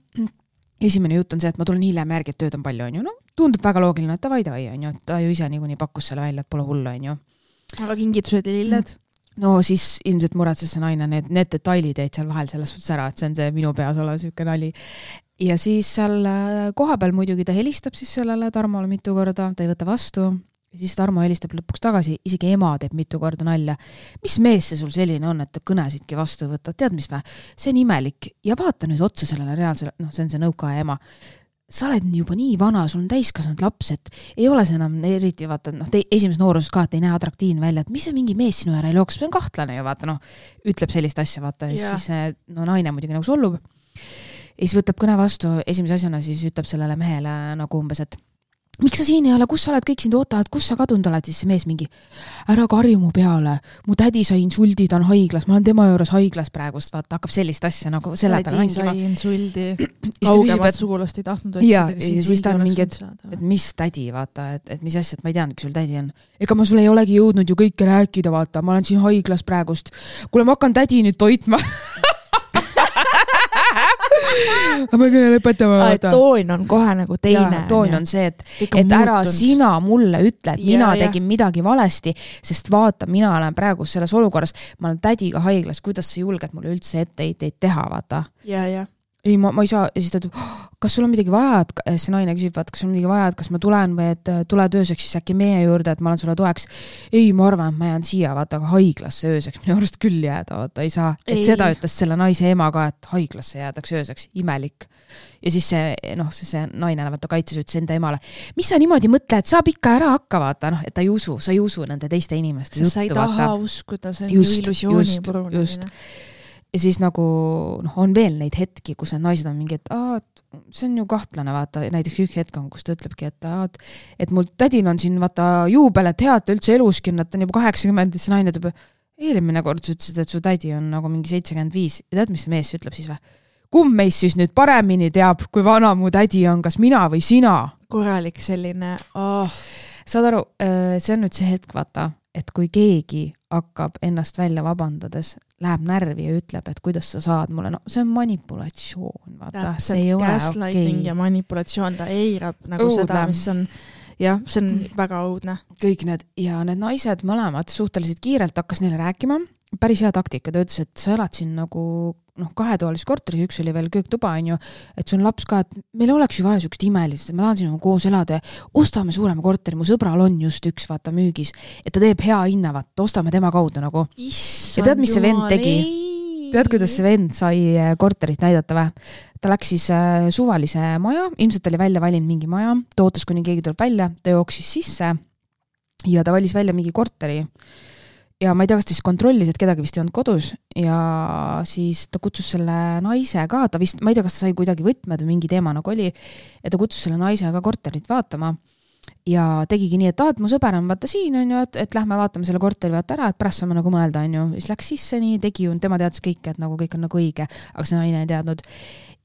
Esimene jutt on see, et ma tulen hiljem järgi, et tööd on palju, on ju. No, tundub väga loogiline, et ta vaida vai, on ju. Ta ju ise niikuinii pakkus selle välja, et pole hullu, on ju. Aga kingitused ja lilled? No siis ilmselt muretses see naine, need, need detailid jäid seal vahel selles suhtes ära, et see on see minu peas olev süüke nali. Ja siis seal kohapeal muidugi ta helistab siis sellele Tarmole mitu korda, ta ei võta vastu. Ja siis Tarmo helistab lõpuks tagasi, isegi ema teeb mitu korda nalja. Mis mees see sul selline on, et ta kõnesidki vastu võtta? Tead, mis vä? See on imelik. Ja vaata nüüd otsa sellele reaalsele, noh, see on see nõukaja ema. Sa oled juba nii vana, sul on täiskasvanud laps, et ei ole see enam eriti, vaata, noh, te, esimeses nooruses ka, et ei näe atraktiivne välja, et mis see mingi mees sinu ära ei looks, see on kahtlane ju, vaata, noh, ütleb sellist asja, vaata, ja siis see, no, naine muidugi nagu sollub. Ja siis võtab kõne vastu, esimese asjana siis ütleb sellele mehele nagu umbes, et miks sa siin ei ole, kus sa oled, kõik sind ootavad, kus sa kadunud oled, siis see mees mingi, ära karju mu peale, mu tädi sai insuldi, ta on haiglas, ma olen tema juures haiglas praegust, vaata, hakkab sellist asja nagu selle peale mängima. Tädi sai insuldi, kaugemat sugulast ei tahtnud otsida. Ja, ja siis ta on mingi, et, et mis tädi, vaata, et, et mis asja, et ma ei teadnud, kui sul tädi on. Ega ma sul ei olegi jõudnud ju kõike rääkida, vaata, ma olen siin haiglas praegust. Kuule, ma hakkan tädi nüüd toitma. Aga ma kõne lõpetama vaata. Toon on kohe nagu teine. Ja, toon on see, et, et ära sina mulle ütle, et ja, mina ja. tegin midagi valesti, sest vaata, mina olen praegu selles olukorras, ma olen tädiga haiglas, kuidas sa julged mulle üldse etteid teha, vaata. Ja, ja. Ei, ma, ma ei saa, ja siis ta ütleb, kas sul on midagi vaja, et see naine küsib, vaat, kas sul on midagi vaja, et kas ma tulen või et tule tööseks siis äkki meie juurde, et ma olen sulle toeks. Ei, ma arvan, et ma jään siia, vaata, aga haiglasse ööseks, minu arust küll jääda, vaata, ei saa. Et ei. Seda ütles selle naise ema ka, et haiglasse jäädaks ööseks, imelik. Ja siis see, noh, see, see naine vaata kaitses ütles enda emale, mis sa niimoodi mõtle, et saab ikka ära hakka, vaata, noh, et ta ei usu, sa ei usu nende teiste inimeste juttu, vaata. Sa ei taha uskuda selle illusiooni purunamine. Ja siis nagu, noh, on veel neid hetki, kus need naised on mingi, et aa, see on ju kahtlane, vaata, näiteks üks hetk on, kus ta ütlebki, et aa, et mul tädin on siin, vaata, juubel, et head ta üldse eluski, et ta on juba kaheksakümmend, siis naine ütleb, eelmine kord sa ütlesid, et su tädi on nagu mingi seitsekümmend viis. Ja tead, mis see mees ütleb siis või? Kumb meist siis nüüd paremini teab, kui vana mu tädi on, kas mina või sina? Korralik selline, oh. Saad aru, see on nüüd see hetk, vaata, et kui keegi hakkab ennast välja vabandades, läheb närvi ja ütleb, et kuidas sa saad mulle, no see on manipulatsioon, vaata, see ei ole gaslighting okay. Ja manipulatsioon, ta eirab nagu õudne. Seda, mis on, jah, see on väga õudne. Kõik need, ja need naised mõlemad suhteliselt kiirelt hakkas neile rääkima, päris hea taktika, ta ütles, et sa elad siin nagu noh, kahetoalises korteris, üks oli veel kööktuba, on ju, et sul on laps ka, et meil oleks ju vaja sükst imelist, et ma tahan sinuga koos elada ja ostame suurema korteri, mu sõbral on just üks, vaata, müügis, et ta teeb hea hinna, vaata, ostame tema kaudu nagu. Issand ja tead, mis see vend tegi? Tead, kuidas see vend sai korterit näidata või? Ta läks siis äh, suvalise maja, ilmselt oli välja valinud mingi maja, ta ootas, kuni keegi tuleb välja, ta jooksis sisse ja ta valis välja mingi korteri. Ja ma ei tea, kas ta siis kontrollis, et kedagi vist ei olnud kodus ja siis ta kutsus selle naise ka, ta vist, ma ei tea, kas ta sai kuidagi võtmed või mingi teema nagu oli, ja ta kutsus selle naise ka korterit vaatama ja tegigi nii, et ah, et mu sõber on vaata siin, on ju, et, et lähme vaatame selle korteri vaata ära, et pärast saame nagu mõelda, on ju, siis läks sisse nii, tegi ju, tema teadis kõike, et nagu kõik on nagu õige, aga see naine ei teadnud.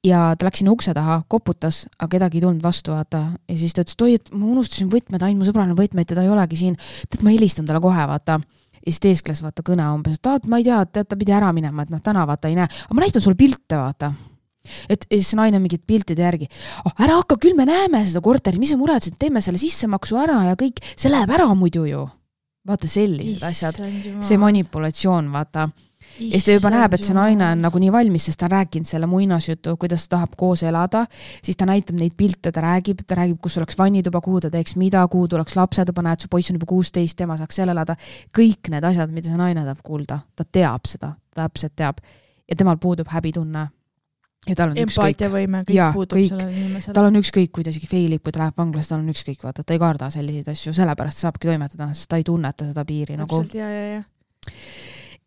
Ja ta läks sinna ukse taha, koputas, aga kedagi ei tulnud vastu, vaata. Ja siis ta ütles, et oi, et ma unustasin võtmed, ainult mu sõbrane võtmeid, teda ei olegi siin, et ma helistan talle kohe, vaata. Ja siis teeskles vaata kõne umbes, et ah, ma ei tea, et ta pidi ära minema, et noh, täna vaata ei näe. Aga ma näitan sulle pilte, vaata. Et siis naine mingid piltide järgi. Oh, ära hakka, küll me näeme seda korteri, mis sa muretsid, teeme selle sissemaksu ära ja kõik, see läheb ära muidu ju. Vaata sellised asjad, see manipulatsioon, vaata. Ja siis ta juba näeb, et see naine on nagu nii valmis, sest ta on rääkinud selle muinasjutu, kuidas ta tahab koos elada, siis ta näitab neid pilte, ta räägib, ta räägib, kus oleks vannituba, kuhu ta teeks mida, kuhu tuleks lapsetuba, näed, su poiss on juba kuusteist, tema saaks seal elada. Kõik need asjad, mida see naine tahab kuulda, ta teab seda, ta täpselt teab. Ja temal puudub häbitunne. Ja tal on ükskõik. Võime, kõik ja, puudub kõik. Sellele inimesele. Tal on ükskõik, kui ta isegi feilib, kui ta läheb vanglas, tal on ükskõik, vaata, ta ei karda selliseid asju, sellepärast saabki toimetada, sest ta ei tunneta seda piiri. Täpselt, nagu. ja, ja, ja.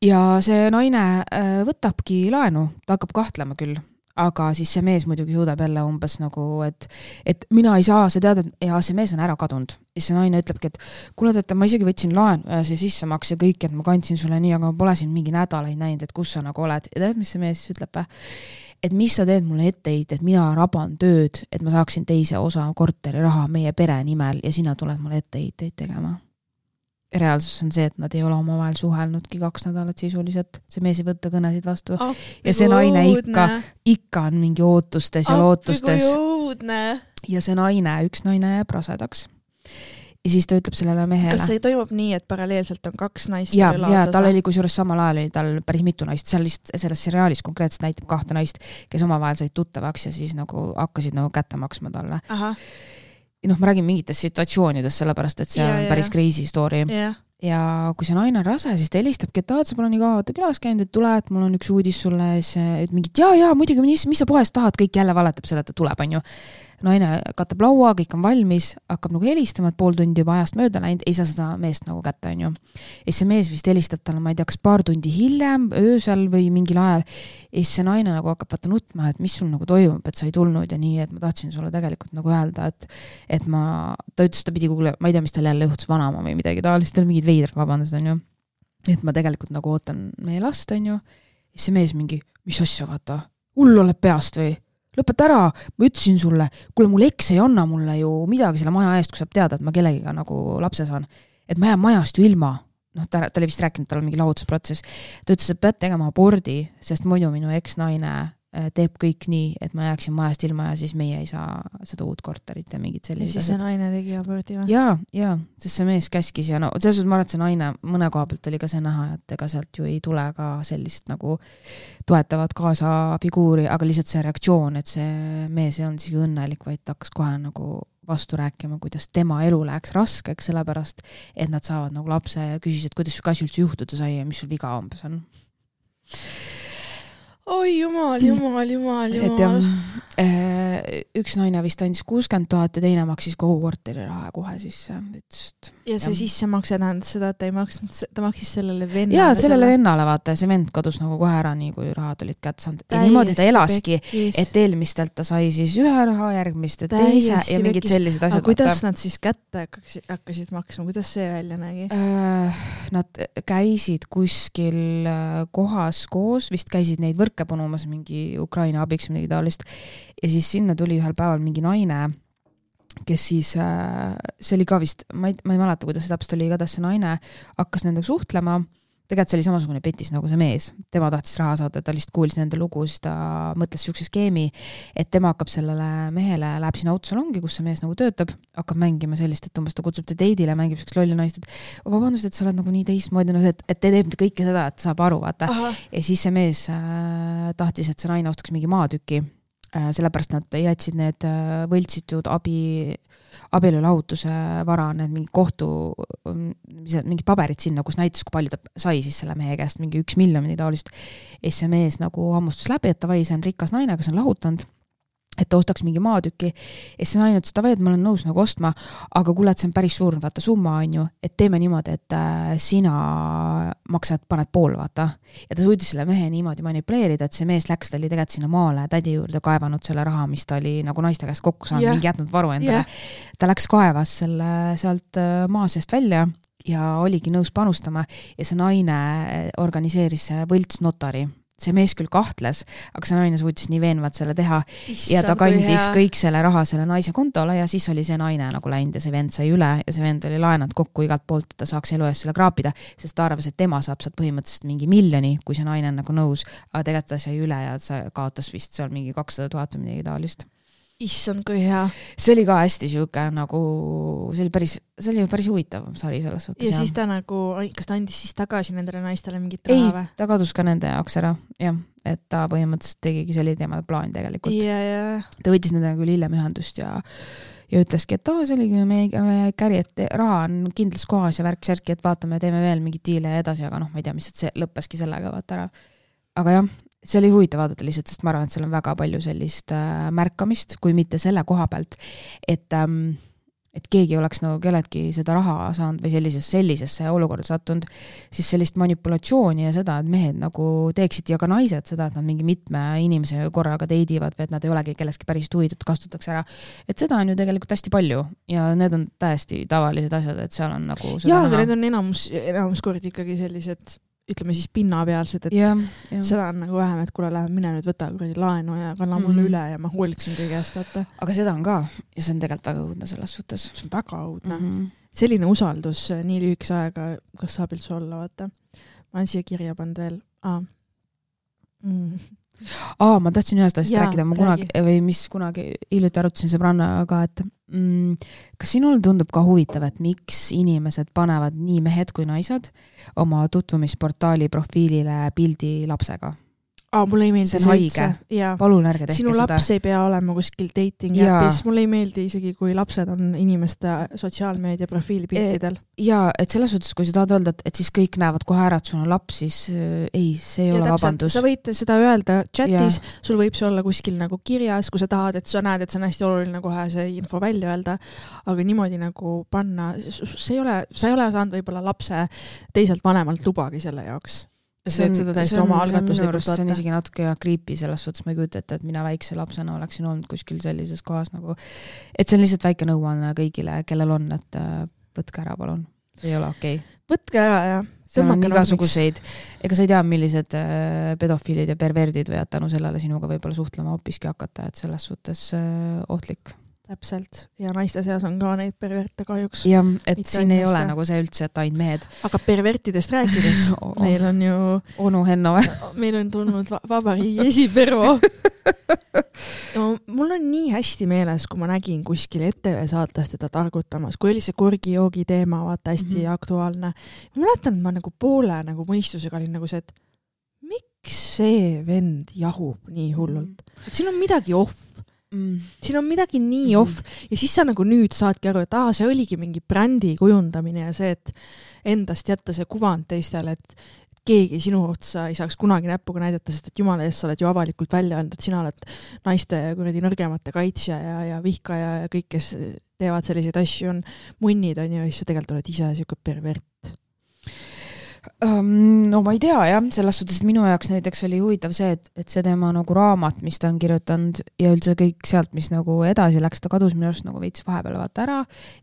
Ja see naine võtabki laenu, ta hakkab kahtlema küll, aga siis see mees muidugi suudab jälle umbes nagu, et, et mina ei saa, sa tead, et ja see mees on ära kadunud. Ja see naine ütlebki, et kuule, et ma isegi võtsin laen ja see sissemaks ja kõik, et ma kandsin sulle nii, aga ma pole siin mingi nädalaid näinud, et kus sa nagu oled. Ja tead, mis see mees ütleb? Et mis sa teed mulle etteid, et mina raban tööd, et ma saaksin teise osa korteri raha meie pere nimel ja sina tuled mulle etteid tegema. Reaalsus on see, et nad ei ole omavahel suhelnudki kaks nädalat sisuliselt, see mees ei võtta kõnesid vastu oh, ja see naine ikka, ikka on mingi ootustes ja oh, lootustes ja see naine, üks naine jääb rasedaks ja siis ta ütleb sellele mehele. Kas see toimub nii, et paralleelselt on kaks naist? Ja, ja tal oli kusjuures samal ajal oli tal päris mitu naist, seal lihtsalt selles seriaalis konkreetselt näitab kahte naist, kes omavahel said tuttavaks ja siis nagu hakkasid nagu kätte maksma talle. Aha. Ja noh, ma räägin mingitest situatsioonidest, sellepärast, et see ja, on päris ja. Crazy story. Ja. ja kui see naine on rase, siis ta helistabki, et tahad sa pole nii kaua külas käinud, et tule, et mul on üks uudis sulle, et mingid, jaa, jaa, muidugi, mis, mis sa pohest tahad, kõik jälle valetab selle, et ta tuleb, on ju. Naine katab laua, kõik on valmis, hakkab nagu helistama, et pool tundi juba ajast mööda läinud, ei saa seda meest nagu kätte, on ju. Ja see mees vist helistab talle, ma ei tea, kas paar tundi hiljem, öösel või mingil ajal, ja see naine nagu hakkab vaata nutma, et mis sul nagu toimub, et sa ei tulnud ja nii, et ma tahtsin sulle tegelikult nagu öelda, et, et ma, ta ütles, ta pidi kuule, ma ei tea, mis tal jälle juhtus vanama või midagi, ta lihtsalt mingid veidrad vabandused, on ju. Et ma tegelikult nagu ootan meie last, on ju. Ja see mees mingi, mis asja vaata, hull oled peast või? Lõpeta ära, ma ütlesin sulle, kuule mul eks ei anna mulle ju midagi selle maja eest, kui saab teada, et ma kellegiga nagu lapse saan. Et ma jään majast ju ilma. Noh, ta, ta oli vist rääkinud, tal on mingi lahutusprotsess. Ta ütles, et pead tegema abordi, sest muidu minu eks-naine teeb kõik nii, et ma jääksin majast ilma ja siis meie ei saa seda uut korterit ja mingid sellised. Ja siis see naine tegi abordi või? Jaa, jaa, sest see mees käskis ja no, selles suhtes ma arvan, et see naine mõne koha pealt oli ka see näha, et ega sealt ju ei tule ka sellist nagu toetavat kaasa figuuri, aga lihtsalt see reaktsioon, et see mees ei olnud isegi õnnelik, vaid ta hakkas kohe nagu vastu rääkima, kuidas tema elu läheks raskeks, sellepärast, et nad saavad nagu lapse ja küsis, et kuidas su kasi üldse juhtuda sai ja mis sul viga umbes on. Oi jumal, jumal, jumal, jumal. Et ja, üks naine vist andis kuuskümmend tuhat ja teine maksis kogu korteri raha kohe sisse. Ütst, ja see ja. Sisse makse tähendas seda, et ta ei maksnud, ta maksis sellele vennale. Jaa, sellele selle... vennale vaata, see vend kadus nagu kohe ära nii, kui rahad olid kätte saanud. Ja niimoodi ta elaski, pekkis. Et eelmistelt ta sai siis ühe raha, järgmist ja teise ja mingid pekkis. Sellised asjad. Aga kuidas vaata. Nad siis kätte hakkasid, hakkasid maksma? Kuidas see välja nägi? Äh, nad käisid kuskil kohas koos, vist käisid neid võrke punumas mingi Ukraina abiks midagi taolist ja siis sinna tuli ühel päeval mingi naine, kes siis, see oli ka vist, ma ei, ma ei mäleta, kuidas see täpselt oli, igatahes see naine hakkas nendega suhtlema, tegelikult see oli samasugune petis nagu see mees, tema tahtis raha saada, ta lihtsalt kuulis nende lugu, siis ta mõtles siukse skeemi, et tema hakkab sellele mehele, läheb sinna autosalongi, kus see mees nagu töötab, hakkab mängima sellist, et umbes ta kutsub ta teidile, mängib siukest lolli naist, et vabandust, et sa oled nagu nii teistmoodi, no, et, et te teeb kõike seda, et saab aru, vaata. Aha. Ja siis see mees äh, tahtis, et see naine ostaks mingi maatüki, äh, sellepärast nad jätsid need äh, võltsitud abi abielulahutuse vara, need mingi kohtu, mingid paberid sinna, kus näitas, kui palju ta sai siis selle mehe käest, mingi üks miljon või taolist. Ja see mees nagu hammustus läbi, et ta vai, see on rikas naine, kes on lahutanud, et ta ostaks mingi maatüki. Ja see naine ütles, ta vai, et ma olen nõus nagu ostma, aga kuule, et see on päris suur, vaata, summa on ju, et teeme niimoodi, et äh, sina maksad, paned pool, vaata. Ja ta suutis selle mehe niimoodi manipuleerida, et see mees läks, ta oli tegelikult sinna maale tädi juurde kaevanud selle raha, mis ta oli nagu naiste käest kokku saanud, yeah. mingi jätnud varu endale. Yeah. Ta läks kaevas selle sealt maa seest välja ja oligi nõus panustama ja see naine organiseeris võlts notari. See mees küll kahtles, aga see naine suutis nii veenvalt selle teha Issand, ja ta kandis kõik selle raha selle naise kontole ja siis oli see naine nagu läinud ja see vend sai üle ja see vend oli laenanud kokku igalt poolt, et ta saaks elu eest selle kraapida, sest ta arvas, et tema saab sealt põhimõtteliselt mingi miljoni, kui see naine on nagu nõus, aga tegelikult ta sai üle ja ta kaotas vist seal mingi kakssada tuhat või midagi taolist. Issand, kui hea. See oli ka hästi siuke nagu, see oli päris, see oli päris huvitav sari selles suhtes. Ja siis ta nagu, kas ta andis siis tagasi nendele naistele mingit raha või? Ei, ta kadus ka nende jaoks ära, jah, et ta põhimõtteliselt tegigi, see oli teema plaan tegelikult. Ja, ja. Ta võttis nendega küll hiljem ühendust ja, ja ütleski, et oh, see oligi meie, meie käri, et raha on kindlas kohas ja värk-särki, et vaatame, teeme veel mingit diile ja edasi, aga noh, ma ei tea, mis see lõppeski sellega vaata ära. Aga jah, see oli huvitav vaadata lihtsalt, sest ma arvan, et seal on väga palju sellist äh, märkamist, kui mitte selle koha pealt, et ähm, et keegi oleks nagu kelledki seda raha saanud või sellises, sellisesse olukorda sattunud, siis sellist manipulatsiooni ja seda, et mehed nagu teeksid ja ka naised seda, et nad mingi mitme inimese korraga teidivad või et nad ei olegi kellestki päris huvitatud, kasutatakse ära. Et seda on ju tegelikult hästi palju ja need on täiesti tavalised asjad, et seal on nagu jaa, aga need on enamus, enamus kord ikkagi sellised ütleme siis pinnapealsed, et ja, ja. Seda on nagu vähem, et kuule, lähe mine nüüd võta kuradi laenu ja kanna mulle mm. üle ja ma hoolitsen kõige eest, vaata. Aga seda on ka ja see on tegelikult väga õudne selles suhtes. See on väga õudne. Mm -hmm. Selline usaldus nii lühikese aega, kas saab üldse olla, vaata. Ma olen siia kirja pannud veel. Aa. Mm. Aa, ma tahtsin ühest asjast ja, rääkida, ma kunagi, räägi. Või mis kunagi hiljuti arutasin sõbrannaga, et mm, kas sinul tundub ka huvitav, et miks inimesed panevad nii mehed kui naised oma tutvumisportaali profiilile pildi lapsega? Aa, mulle ei meeldi see on haige. Palun ärge tehke sinu seda. Sinu laps ei pea olema kuskil dating appis. Mulle ei meeldi isegi, kui lapsed on inimeste sotsiaalmeedia profiilipiltidel. Ja, et selles suhtes, kui sa tahad öelda, et, et siis kõik näevad kohe ära, et sul on laps, siis äh, ei, see ei ja ole täpselt, vabandus. Sa võid seda öelda chatis, ja. Sul võib see olla kuskil nagu kirjas, kui sa tahad, et sa näed, et see on hästi oluline kohe see info välja öelda, aga niimoodi nagu panna, see ei ole, sa ei ole saanud võib-olla lapse teiselt vanemalt lubagi selle jaoks. See on, seda see, on, oma see, on arust, see on isegi natuke kriipi selles suhtes, ma ei kujuta ette, et mina väikse lapsena oleksin olnud kuskil sellises kohas nagu, et see on lihtsalt väike nõuanne kõigile, kellel on, et võtke ära, palun. See ei ole okei. Okay. Võtke ära, jah. See on igasuguseid, ega sa ei tea, millised pedofiilid ja perverdid võivad tänu sellele sinuga võib-olla suhtlema hoopiski hakata, et selles suhtes ohtlik. Täpselt. Ja naiste seas on ka neid perverte kahjuks. Ja, et Mitte siin ei naiste. Ole nagu see üldse, et ainult mehed. Aga pervertidest rääkides, meil on ju... Onu Henno või? Meil on tulnud va vabariigi esipervo. No, mul on nii hästi meeles, kui ma nägin kuskil E T V saates teda targutamas, kui oli see korgijoogi teema, vaata hästi mm -hmm. aktuaalne. Ma mäletan, et ma nagu poole nagu mõistusega olin nagu see, et miks see vend jahub nii hullult? Mm -hmm. Et siin on midagi off. Mm. Siin on midagi nii off mm. ja siis sa nagu nüüd saadki aru, et aa, see oligi mingi brändi kujundamine ja see, et endast jätta see kuvand teistele, et keegi sinu otsa ei saaks kunagi näpuga näidata, sest et jumala eest sa oled ju avalikult välja öelnud, et sina oled naiste kuradi nõrgemate kaitsja ja, ja vihkaja ja kõik, kes teevad selliseid asju, on munnid, on ju, ja siis sa tegelikult oled ise siuke pervert. Um, no ma ei tea, jah, selles suhtes, et minu jaoks näiteks oli huvitav see, et, et see tema nagu raamat, mis ta on kirjutanud ja üldse kõik sealt, mis nagu edasi läks, ta kadus minu arust nagu veits vahepeal vaata ära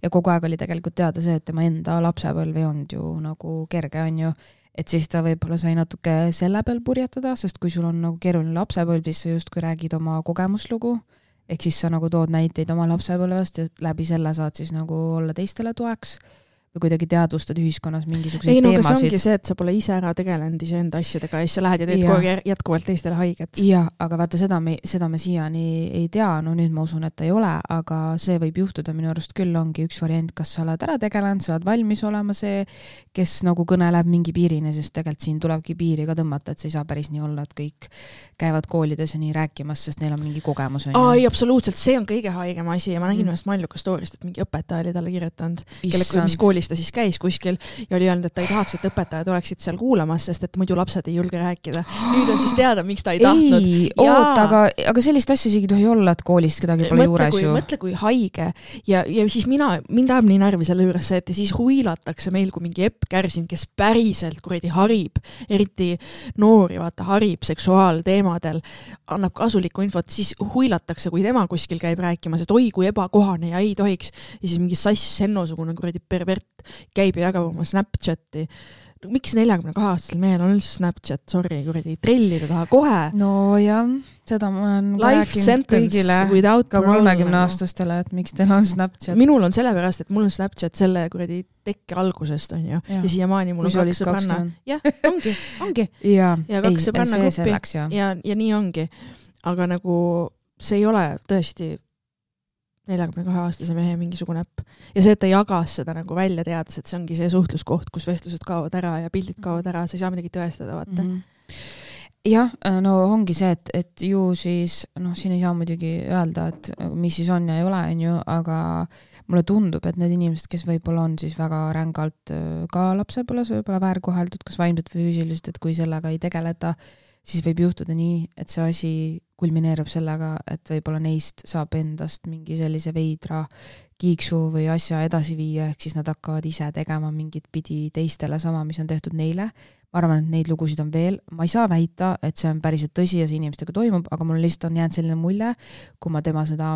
ja kogu aeg oli tegelikult teada see, et tema enda lapsepõlv ei olnud ju nagu kerge, on ju, et siis ta võib-olla sai natuke selle peal purjetada, sest kui sul on nagu keeruline lapsepõlv, siis sa just kui räägid oma kogemuslugu, ehk siis sa nagu tood näiteid oma lapsepõlvest ja läbi selle saad siis nagu olla teistele toeks või kuidagi teadvustad ühiskonnas mingisuguseid ei, no, teemasid. Ei, no see ongi see, et sa pole ise ära tegelenud iseenda asjadega ja siis sa lähed ja teed ja. Kogu aeg jätkuvalt teistele haiget. Jah, aga vaata, seda me, seda me siiani ei tea, no nüüd ma usun, et ei ole, aga see võib juhtuda minu arust küll ongi üks variant, kas sa oled ära tegelenud, sa oled valmis olema see, kes nagu kõneleb mingi piirini, sest tegelikult siin tulebki piiri ka tõmmata, et sa ei saa päris nii olla, et kõik käivad koolides ja nii rääkimas, sest neil on mingi kogemus. On Aa, ei, absoluutselt, see on kõige haigem asi ja ma nägin mm. ühest Malluka storyst, et mingi õpetaja oli talle kirjutanud, kelle, mis koolis ta siis käis kuskil ja oli öelnud, et ta ei tahaks, et õpetajad oleksid seal kuulamas, sest et muidu lapsed ei julge rääkida. Nüüd on siis teada, miks ta ei tahtnud. Ei, oot, aga, aga sellist asja isegi tohi olla, et koolist kedagi pole mõtle, juures kui, ju. Mõtle, kui haige ja, ja siis mina, mind ajab nii närvi selle juures see, et siis huilatakse meil kui mingi Epp Kärsin, kes päriselt kuradi harib, eriti noori, vaata, harib seksuaalteemadel, annab kasulikku infot, siis huilatakse, kui tema kuskil käib rääkimas, et oi, kui ebakohane ja ei tohiks. Ja siis mingi sass Henno-sugune kuradi pervert käib ja jagab oma Snapchati. Miks neljakümne kahe aastasel mehel on üldse Snapchat, sorry, kuradi trellida taha kohe? No jah, seda ma olen rääkinud kõigile, ka kolmekümne aastastele, et miks teil on Snapchat. Minul on sellepärast, et mul on Snapchat selle kuradi tekke algusest, on ju. Ja, ja siiamaani mul on kaks sõbranna. Jah, ongi, ongi. ja, ja kaks sõbranna koppi. Ja, ja nii ongi. Aga nagu see ei ole tõesti neljakümne kahe aastase mehe mingisugune äpp. Ja see, et ta jagas seda nagu välja teades, et see ongi see suhtluskoht, kus vestlused kaovad ära ja pildid kaovad ära, sa ei saa midagi tõestada, vaata. Mm -hmm. Jah, no ongi see, et, et ju siis, noh, siin ei saa muidugi öelda, et mis siis on ja ei ole, on ju, aga mulle tundub, et need inimesed, kes võib-olla on siis väga rängalt ka lapsepõles võib-olla väärkoheldud, kas vaimselt või füüsiliselt, et kui sellega ei tegeleta, siis võib juhtuda nii, et see asi kulmineerub sellega, et võib-olla neist saab endast mingi sellise veidra kiiksu või asja edasi viia, ehk siis nad hakkavad ise tegema mingit pidi teistele sama, mis on tehtud neile. Ma arvan, et neid lugusid on veel. Ma ei saa väita, et see on päriselt tõsi ja see inimestega toimub, aga mul lihtsalt on jäänud selline mulje, kui ma tema seda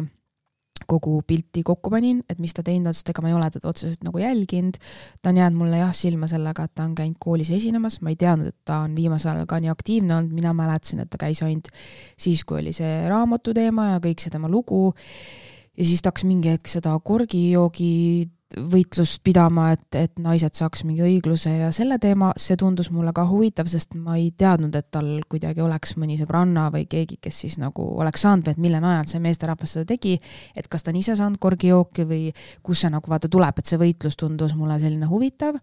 kogu pilti kokku panin, et mis ta teinud, sest ega ma ei ole teda otseselt nagu jälginud. Ta on jäänud mulle jah silma sellega, et ta on käinud koolis esinemas. Ma ei teadnud, et ta on viimasel ajal ka nii aktiivne olnud. Mina mäletasin, et ta käis ainult siis, kui oli see raamatu teema ja kõik see tema lugu. Ja siis ta hakkas mingi hetk seda korgijoogi võitlust pidama, et, et naised saaks mingi õigluse ja selle teema, see tundus mulle ka huvitav, sest ma ei teadnud, et tal kuidagi oleks mõni sõbranna või keegi, kes siis nagu oleks saanud või et mille najal see meesterahvas seda tegi, et kas ta on ise saanud korgijooki või kus see nagu vaata tuleb, et see võitlus tundus mulle selline huvitav,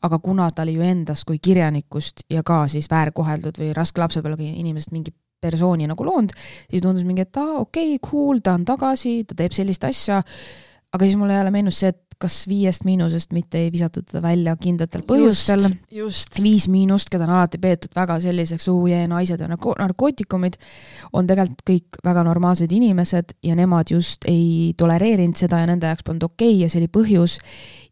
aga kuna ta oli ju endast kui kirjanikust ja ka siis väärkoheldud või raske lapsepõlve inimesest mingi persooni nagu loond, siis tundus mingi, et ta okei, okay, cool, ta on tagasi, ta teeb sellist asja, aga siis mulle jälle meenus see, et kas viiest miinusest mitte ei visatud teda välja kindlatel põhjustel. Just, just. Viis miinust, keda on alati peetud väga selliseks uujee naised ja narkootikumid, on tegelikult kõik väga normaalsed inimesed ja nemad just ei tolereerinud seda ja nende jaoks polnud okei ja see oli põhjus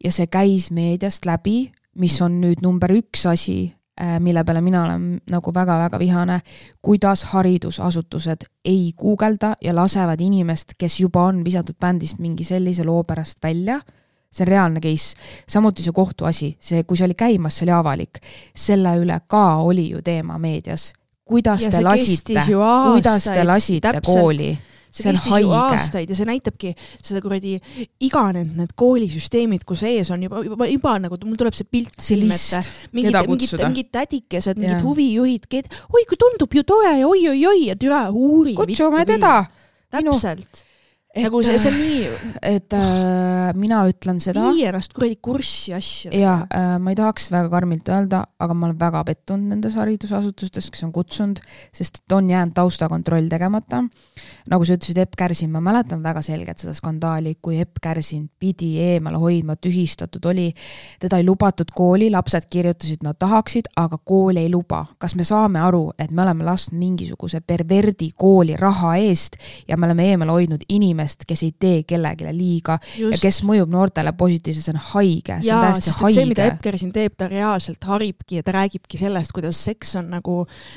ja see käis meediast läbi, mis on nüüd number üks asi, mille peale mina olen nagu väga-väga vihane, kuidas haridusasutused ei guugelda ja lasevad inimest, kes juba on visatud bändist mingi sellise loo pärast välja. See on reaalne case. Samuti see kohtuasi, see, kui see oli käimas, see oli avalik. Selle üle ka oli ju teema meedias. Kuidas ja te lasite, kuidas te lasite täpselt. Kooli? See, see kestis ju aastaid ja see näitabki seda kuradi iganenud need koolisüsteemid, kus ees on juba, juba, juba nagu, mul tuleb see pilt silmette. Mingid, mingid, mingid tädikesed, mingid yeah. huvijuhid, ked, oi kui tundub ju tore ja oi, oi, oi ja türa uuri. Kutsume teda. Täpselt. Et, nagu see, see on nii, et äh, mina ütlen seda. Vii ennast kuradi kurssi asja. Ja äh, ma ei tahaks väga karmilt öelda, aga ma olen väga pettunud nendes haridusasutustes, kes on kutsunud, sest on jäänud taustakontroll tegemata. Nagu sa ütlesid, Epp Kärsin, ma mäletan väga selgelt seda skandaali, kui Epp Kärsin pidi eemale hoidma, tühistatud oli. Teda ei lubatud kooli, lapsed kirjutasid, nad tahaksid, aga kool ei luba. Kas me saame aru, et me oleme lasknud mingisuguse perverdi kooli raha eest ja me oleme eemale hoidnud inimest, kes ei tee kellegile liiga Just. Ja kes mõjub noortele positiivselt, see on haige. See Jaa, on täiesti sest haige. See, mida Epp Kärsin teeb, ta reaalselt haribki ja ta räägibki sellest, kuidas seks on nagu,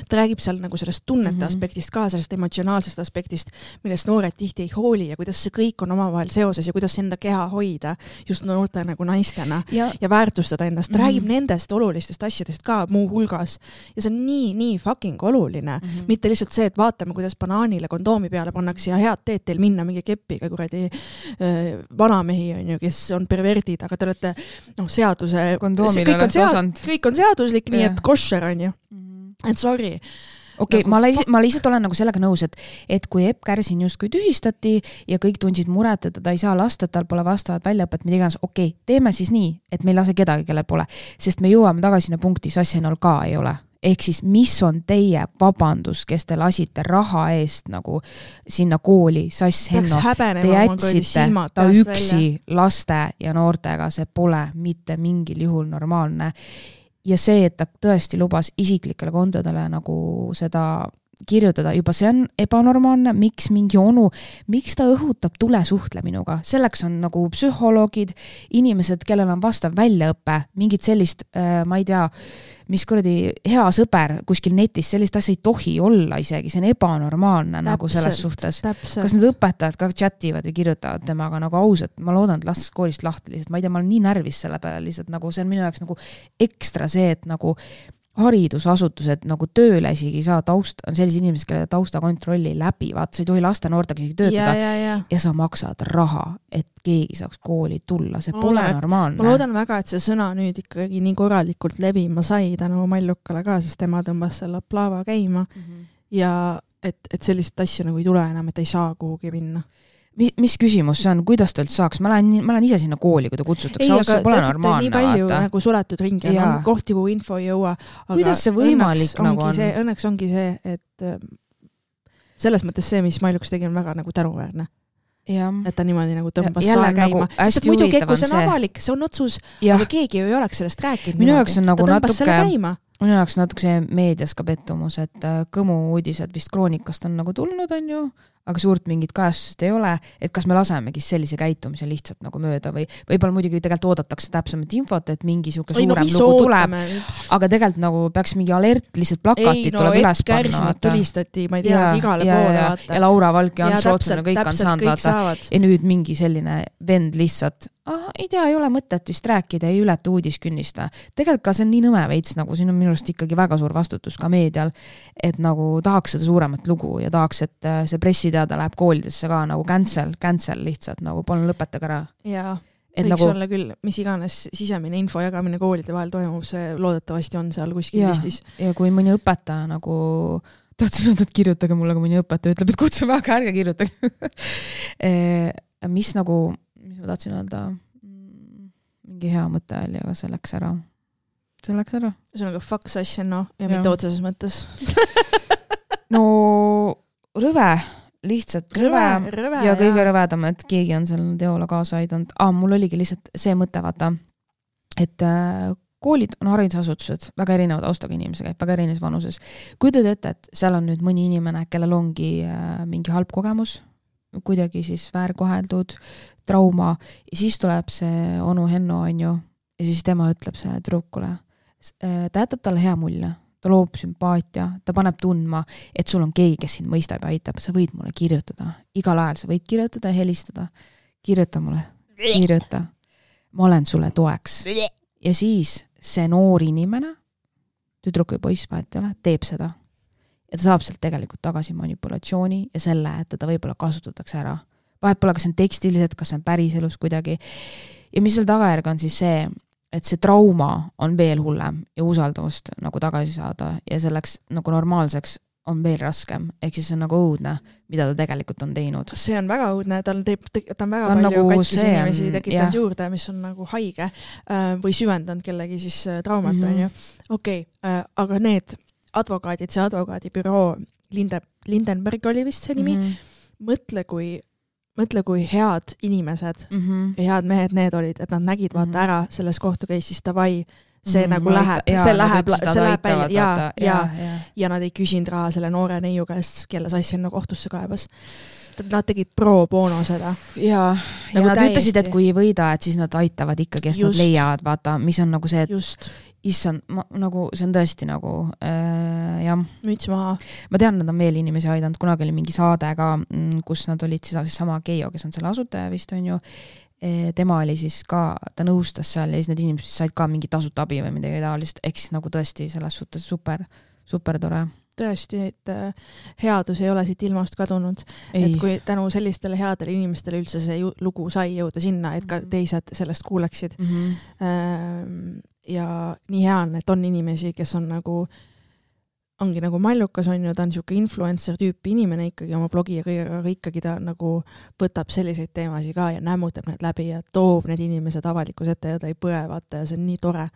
ta räägib seal nagu sellest tunnete mm-hmm. aspektist ka, sellest emotsionaalsest aspektist, millest noored tihti ei hooli ja kuidas see kõik on omavahel seoses ja kuidas enda keha hoida just noorte nagu naistena ja, ja väärtustada ennast. Ta mm-hmm. räägib nendest olulistest asjadest ka muu hulgas ja see on nii, nii fucking oluline. Mm-hmm. Mitte lihtsalt see, et vaatame, kuidas banaanile kondoomi peale pannakse ja head teed teil minna mingi kepiga kuradi äh, vanamehi on ju, kes on perverdid, aga te olete no, seaduse kondoomile kõik on, sead, kõik on seaduslik, yeah. nii et kosher on ju. Mm-hmm. Et sorry. Okei, okay, nagu... ma, ma lihtsalt olen nagu sellega nõus, et, et kui Epp Kärsin justkui tühistati ja kõik tundsid muret, et ta ei saa lasta, et tal pole vastavat väljaõpet, mida iganes, okei, okay, teeme siis nii, et me ei lase kedagi, kelle pole, sest me jõuame tagasi sinna punkti, Sassenal ka ei ole. Ehk siis, mis on teie vabandus, kes te lasite raha eest nagu sinna kooli, Sass Henno, te jätsite ta üksi välja. Laste ja noortega, see pole mitte mingil juhul normaalne. Ja see, et ta tõesti lubas isiklikele kontodele nagu seda kirjutada, juba see on ebanormaalne, miks mingi onu, miks ta õhutab tulesuhtle minuga, selleks on nagu psühholoogid, inimesed, kellel on vastav väljaõppe, mingid sellist, äh, ma ei tea, mis kuradi hea sõber kuskil netis, sellist asja ei tohi olla isegi, see on ebanormaalne täpselt, nagu selles suhtes. Täpselt. Kas need õpetajad ka chativad või kirjutavad temaga nagu ausalt, ma loodan, et lastes koolist lahti lihtsalt, ma ei tea, ma olen nii närvis selle peale lihtsalt, nagu see on minu jaoks nagu ekstra see, et nagu haridusasutused nagu tööle isegi saa taust, on sellised inimesed, kelle taustakontrolli läbi, vaat sa ei tohi laste noortega isegi töötada ja, ja, ja. ja sa maksad raha, et keegi saaks kooli tulla, see pole Ole. normaalne. Ma loodan väga, et see sõna nüüd ikkagi nii korralikult levima sai tänu Mallukale ka, sest tema tõmbas selle plaava käima mm -hmm. ja et, et sellist asja nagu ei tule enam, et ei saa kuhugi minna. Mis, mis küsimus see on, kuidas ta üldse saaks? Ma lähen, ma lähen ise sinna kooli, kui ta kutsutakse. Ei, aga pole normaalne, nii palju vaata. Nagu suletud ringi ja no, kohti, kuhu info ei jõua. Kuidas see võimalik nagu on? See, õnneks ongi see, et selles mõttes see, mis Mailuks tegi, on väga nagu tänuväärne. Ja. Et ta niimoodi nagu tõmbas ja, saa käima. Nagu sest muidugi, kui see on avalik, see on otsus, ja. Aga keegi ju ei oleks sellest rääkinud. Minu jaoks on nagu natuke minu jaoks natuke see meedias ka pettumus, et Kõmu uudised vist Kroonikast on nagu tulnud, on ju, aga suurt mingit kajastust ei ole, et kas me lasemegi sellise käitumise lihtsalt nagu mööda või võib-olla muidugi tegelikult oodatakse täpsemat infot, et mingi siuke suurem no, lugu tuleb, aga tegelikult nagu peaks mingi alert, lihtsalt plakatid ei, no, tuleb üles panna. Kärsinat tulistati, ma ei tea, ja, igale ja, poole ja, vaata. Ja Laura Valk ja Ants Rootsman, kõik on saanud vaata. Ja nüüd mingi selline vend lihtsalt, ah, ei tea, ei ole mõtet vist rääkida, ei ületa uudiskünnista. Tegelikult ka see on nii nõme veits, nagu siin on minu arust ikkagi väga suur vastutus ka meedial, et nagu tahaks seda suuremat lugu ja tahaks, et see pressiteada läheb koolidesse ka nagu cancel, cancel lihtsalt, nagu palun lõpetage ära. Jaa, võiks nagu... olla küll, mis iganes sisemine info jagamine koolide vahel toimub, see loodetavasti on seal kuskil ja, listis. Ja kui mõni õpetaja nagu, tahtsin öelda, et kirjutage mulle, kui mõni õpetaja ütleb, et kutsume, aga ärge kirjutage. mis nagu, mis ma tahtsin öelda, mingi hea mõte oli, aga see läks ära. See läks ära. See on aga fuck asja, no, ja, ja. mitte otseses mõttes. no rõve, lihtsalt rõve, rõve, rõve ja kõige rõvedam, et keegi on seal teola kaasa aidanud. Ah, mul oligi lihtsalt see mõte, vaata, et äh, koolid on haridusasutused, väga erinevad austaga inimesi käib, väga erinevas vanuses. Kuidud ette, et seal on nüüd mõni inimene, kellel ongi äh, mingi halb kogemus, kuidagi siis väärkoheldud, trauma, ja siis tuleb see onu Henno, on ju, ja siis tema ütleb see trukule. Ta jätab talle hea mulje. Ta loob sümpaatia, ta paneb tundma, et sul on keegi, kes sind mõistab ja aitab. Sa võid mulle kirjutada. Igal ajal sa võid kirjutada ja helistada. Kirjuta mulle. Kirjuta. Ma olen sulle toeks. Ja siis see noor inimene, tüdruk või poiss vahet ei ole, teeb seda. Ja ta saab sealt tegelikult tagasi manipulatsiooni ja selle, et teda võib-olla kasutatakse ära. Vahet pole, kas see on tekstiliselt, kas see on päris elus kuidagi. Ja mis seal tagajärg on siis see, et see trauma on veel hullem ja usaldavust nagu tagasi saada ja selleks nagu normaalseks on veel raskem. Ehk siis see on nagu õudne, mida ta tegelikult on teinud. See on väga õudne, ta on, teeb, ta on väga ta on palju nagu katkis inimesi tekitanud juurde, mis on nagu haige või süvendanud kellegi siis traumat. Mm -hmm. Okei, okay, aga need advokaadid, see advokaadibüroo Linde, Lindenberg oli vist see nimi, mm -hmm. mõtle kui mõtle, kui head inimesed mm -hmm. ja head mehed need olid, et nad nägid vaata mm -hmm. ära selles kohtukeissis davai, see mm -hmm. nagu läheb, jaa, see läheb, see läheb välja ja, ja, ja, ja. ja nad ei küsinud raha selle noore neiu käest, kelle sassi enne kohtusse kaebas. Nad tegid pro bono seda. Ja, nagu ja nad täiesti... ütlesid, et kui ei võida, et siis nad aitavad ikkagi, et nad leiavad, vaata, mis on nagu see, et just. Issand, ma, nagu, see on tõesti nagu äh, jah. Müts maha. Ma tean, nad on veel inimesi aidanud, kunagi oli mingi saade ka, kus nad olid siis sama Keijo, kes on selle asutaja vist on ju, e, tema oli siis ka, ta nõustas seal ja siis need inimesed said ka mingi tasuta abi või midagi taolist, ehk siis nagu tõesti selles suhtes super, super tore. Tõesti, et headus ei ole siit ilmast kadunud, ei. Et kui tänu sellistele headele inimestele üldse see ju, lugu sai jõuda sinna, et ka teised sellest kuuleksid. Mm -hmm. Ja nii hea on, et on inimesi, kes on nagu, ongi nagu Mallukas on ju, ta on siuke influencer tüüpi inimene ikkagi oma blogi ja kõigega, aga ikkagi ta nagu võtab selliseid teemasid ka ja nämmutab need läbi ja toob need inimesed avalikus ette ja ta ei põe, vaata, ja see on nii tore.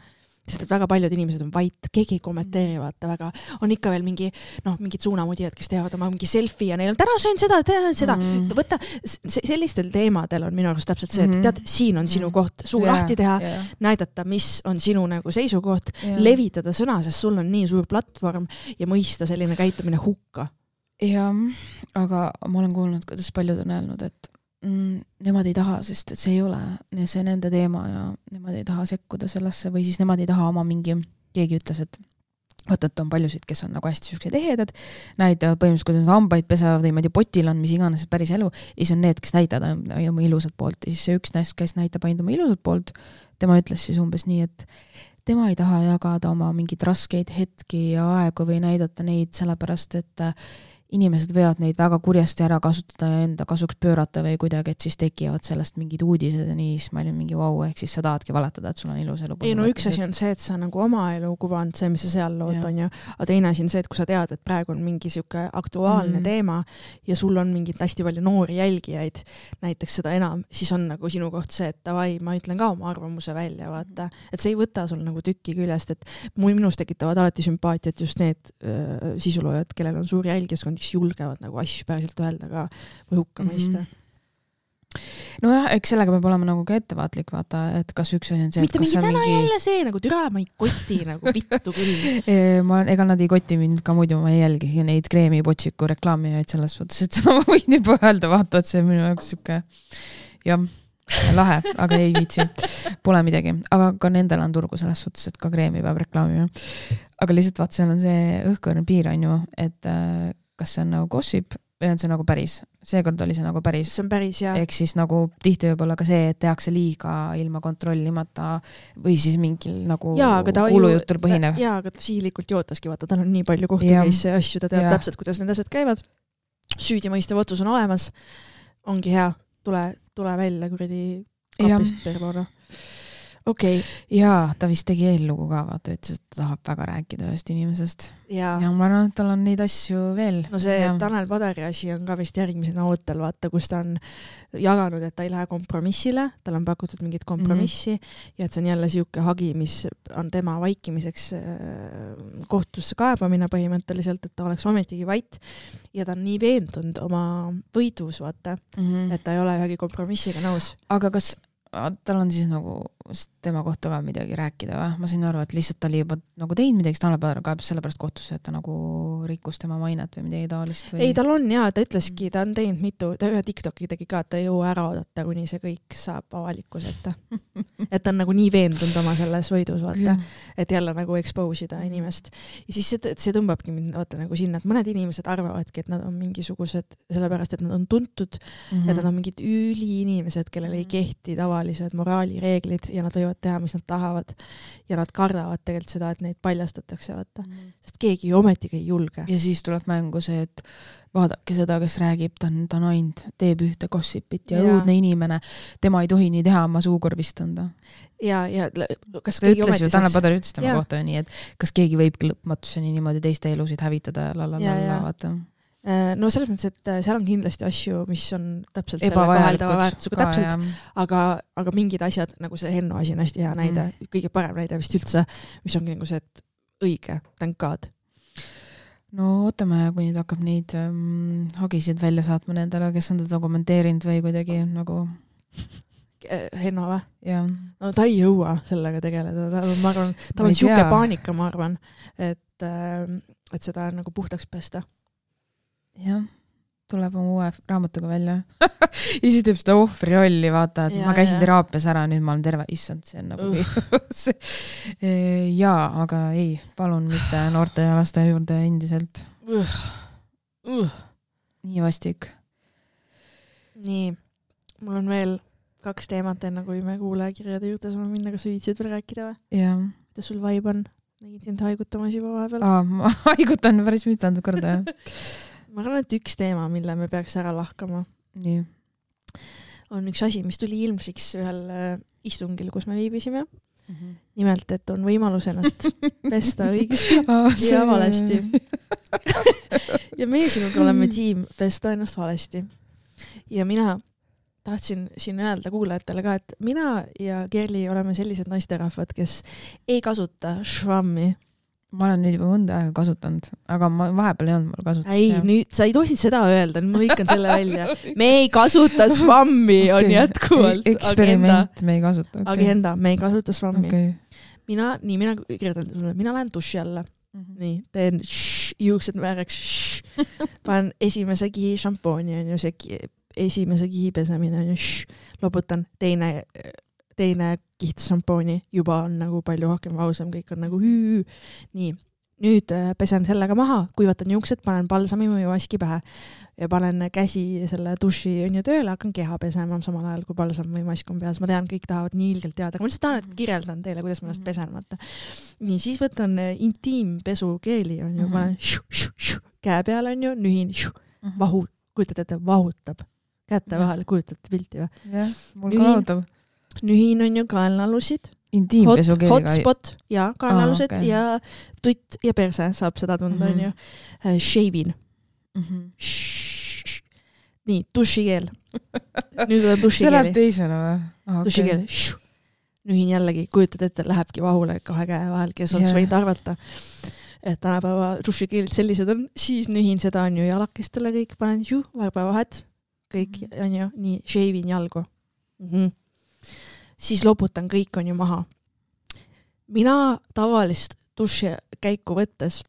Sest et väga paljud inimesed on vait, keegi ei kommenteeri, vaata väga, on ikka veel mingi, noh, mingid suunamudijad, kes teevad oma mingi selfie ja neil on täna söön seda, täna seda. Mm. Võta, sellistel teemadel on minu arust täpselt see, et tead, siin on sinu koht, suu yeah, lahti teha, yeah. näidata, mis on sinu nagu seisukoht, yeah. levitada sõna, sest sul on nii suur platvorm ja mõista selline käitumine hukka. Ja, aga ma olen kuulnud, kuidas paljud on öelnud, et Mm, nemad ei taha, sest et see ei ole see nende teema ja nemad ei taha sekkuda sellesse või siis nemad ei taha oma mingi, keegi ütles, et vaata, et on paljusid, kes on nagu hästi süksed ehedad, näitavad põhimõtteliselt, kuidas hambaid pesevad või ma ei tea, potil on mis iganes päris elu ja siis on need, kes näitavad oma ilusat poolt ja siis see üks näist, kes näitab ainult oma ilusat poolt, tema ütles siis umbes nii, et tema ei taha jagada oma mingid raskeid hetki ja aegu või näidata neid sellepärast, et inimesed võivad neid väga kurjasti ära kasutada ja enda kasuks pöörata või kuidagi, et siis tekivad sellest mingid uudised ja nii, siis ma olin mingi vau, ehk siis sa tahadki valetada, et sul on ilus elu. Ei, no üks asi on see, et sa nagu oma elu kuvand, see, mis sa seal lood on ju, aga teine asi on see, et kui sa tead, et praegu on mingi siuke aktuaalne mm. teema ja sul on mingid hästi palju noori jälgijaid, näiteks seda enam, siis on nagu sinu koht see, et davai, ma ütlen ka oma arvamuse välja, vaata, et see ei võta sul nagu tükki küljest, et minus tekitavad alati sümpaatiat just need öö, sisuloojad, kellel on suur jälgijaskond, kes julgevad nagu asju päriselt öelda ka või hukka mõista. Mm -hmm. nojah, eks sellega peab olema nagu ka ettevaatlik, vaata, et kas üks asi on see, mitte mingi täna mingi... jälle see, nagu türa ma ei koti nagu pittu küll. ma, ega nad ei koti mind ka muidu, ma ei jälgi neid kreemipotsiku reklaamijaid selles suhtes, et seda ma võin juba öelda, vaata, et see on minu jaoks siuke jah, lahe, aga ei viitsi. Pole midagi, aga ka nendel on turgu selles suhtes, et ka kreemi peab reklaamima. Aga lihtsalt vaat, seal on see õhkõrne piir on ju, et kas see on nagu gossip või on see nagu päris. Seekord oli see nagu päris. See on päris, jah. Ehk siis nagu tihti võib olla ka see, et tehakse liiga ilma kontrollimata või siis mingil nagu kuulujutul põhinev. Jaa, aga ta sihilikult jootaski, vaata, tal on nii palju kohtukeisse ja asju, ta teab ja. täpselt, kuidas need asjad käivad. Süüdimõistev otsus on olemas. Ongi hea. Tule, tule välja kuradi kapist pervoona. Okei. Okay. Jaa, ta vist tegi eellugu ka, vaata, ütles, et ta tahab väga rääkida ühest inimesest. Ja, ja ma arvan, et tal on neid asju veel. No see ja. Tanel Padari asi on ka vist järgmisena ootel, vaata, kus ta on jaganud, et ta ei lähe kompromissile, tal on pakutud mingit kompromissi mm-hmm. ja et see on jälle siuke hagi, mis on tema vaikimiseks kohtusse kaebamine põhimõtteliselt, et ta oleks ometigi vait ja ta on nii veendunud oma võidus, vaata, mm-hmm. et ta ei ole ühegi kompromissiga nõus. Aga kas tal on siis nagu tema kohta ka midagi rääkida või? Ma sain aru, et lihtsalt ta oli juba nagu teinud midagi, Tanel Padar kaebas sellepärast kohtusse, et ta nagu rikkus tema mainet või midagi taolist või? Ei, tal on jaa, ta ütleski, ta on teinud mitu, ta ühe TikToki tegi ka, et ta ei jõua ära oodata, kuni see kõik saab avalikus ette. Et ta on nagu nii veendunud oma selles võidus, vaata, et jälle nagu expose ida inimest. Ja siis see, see tõmbabki mind vaata nagu sinna, et mõned inimesed arvavadki, et nad on mingisugused, sellepärast, et nad on tuntud, mm-hmm. et nad on mingid üli inimesed, kellel ei kehti tavalised moraalireeglid ja nad võivad teha, mis nad tahavad ja nad kardavad tegelikult seda, et neid paljastatakse, vaata. Mm. Sest keegi ju ometigi ei julge. Ja siis tuleb mängu see, et vaadake seda, kes räägib, ta on, ta on ainult, teeb ühte gossipit ja, ja õudne inimene, tema ei tohi nii teha, ma suukorvistan ta. Ja, ja kas ta ütles ju, Tanel Padar ütles tema kohta nii, et kas keegi võibki lõpmatuseni niimoodi teiste elusid hävitada ja lalala, vaata. No selles mõttes, et seal on kindlasti asju, mis on täpselt selle koheldava väärtusega täpselt, aga, aga mingid asjad, nagu see Henno asi on hästi hea näide, mm. kõige parem näide vist üldse, mis ongi nagu see, et õige, thank God. No ootame, kui nüüd hakkab neid um, hagisid välja saatma nendele, kes on teda kommenteerinud või kuidagi nagu... Henno või? Ja. No ta ei jõua sellega tegeleda, ta, ma arvan, tal on siuke paanika, ma arvan, et, et seda nagu puhtaks pesta. Jah, tuleb oma uue raamatuga välja. Ja siis teeb seda ohvri rolli, vaata, et ja, ma käisin ja. teraapias ära, nüüd ma olen terve, issand, see on nagu uh. jaa, aga ei, palun mitte noorte ja laste juurde endiselt. Uh. Uh. Nii vastik. Nii, mul on veel kaks teemat enne, kui me kuulajakirjade juurde saame minna, kas viitsid veel rääkida või? Jah. Kuidas sul vibe on? Nägid sind haigutamas juba vahepeal? Aa, ma haigutan päris mitmendab korda, jah. Ma arvan, et üks teema, mille me peaks ära lahkama, Nii. on üks asi, mis tuli ilmsiks ühel istungil, kus me viibisime. Mm-hmm. Nimelt, et on võimalus ennast pesta õigesti oh, ja valesti. Ja meie sinuga oleme tiim pesta ennast valesti. Ja mina tahtsin siin öelda kuulajatele ka, et mina ja Kerli oleme sellised naisterahvad, kes ei kasuta švammi. Ma olen nüüd juba mõnda aega kasutanud, aga ma vahepeal ei olnud mul kasutus. Ei, nüüd sa ei tohi seda öelda, ma lõikan selle välja. Me ei kasuta švammi, on okay. jätkuvalt. Eksperiment, me ei kasuta. Okay. Agenda, me ei kasuta švammi. Okay. Mina, nii, mina kirjutan sulle, mina lähen duši alla. Mm-hmm. Nii, teen šš, juuksed määraks šš. Panen esimese kihi šampooni, on ju see esimese kihi pesemine, on ju šš. Loputan teine teine kiht šampooni juba on nagu palju rohkem ausam, kõik on nagu hüü. Nii, nüüd pesen sellega maha, kuivatan juuksed, panen balsami või vaski pähe ja panen käsi selle duši on ju tööle, hakkan keha pesema samal ajal, kui balsam või mask on peas. Ma tean, kõik tahavad nii ilgelt teada, aga ma lihtsalt tahan, et kirjeldan teile, kuidas ma ennast pesen. Vaata. Nii, siis võtan intiimpesu keeli, on ju, panen šu, šu, šu, käe peal on ju, nühin, šu, vahu, kujutate, et vahutab. Kätte vahel, kujutate pilti või? Jah, mul ka vahutab. Nühin on ju kaelnalusid. Intiimpesu keeliga. Hotspot ja kaelnalused ah, okay. ja tutt ja perse saab seda tunda, mm-hmm. on ju. Uh, shavin. Mm-hmm. Nii, dušikeel. Nüüd on dušikeeli. See läheb teisele või? Ah, okay. Dušikeel. Nühin jällegi, kujutad ette, lähebki vahule kahe käe vahel, kes oleks yeah. võinud arvata. Et tänapäeva dušikeelid sellised on. Siis nühin seda on ju jalakestele kõik, panen ju, varbavahed. kõik mm. on ju, nii shave'in jalgu mm. -hmm. siis loputan kõik on ju maha. Mina tavalist duši käiku võttes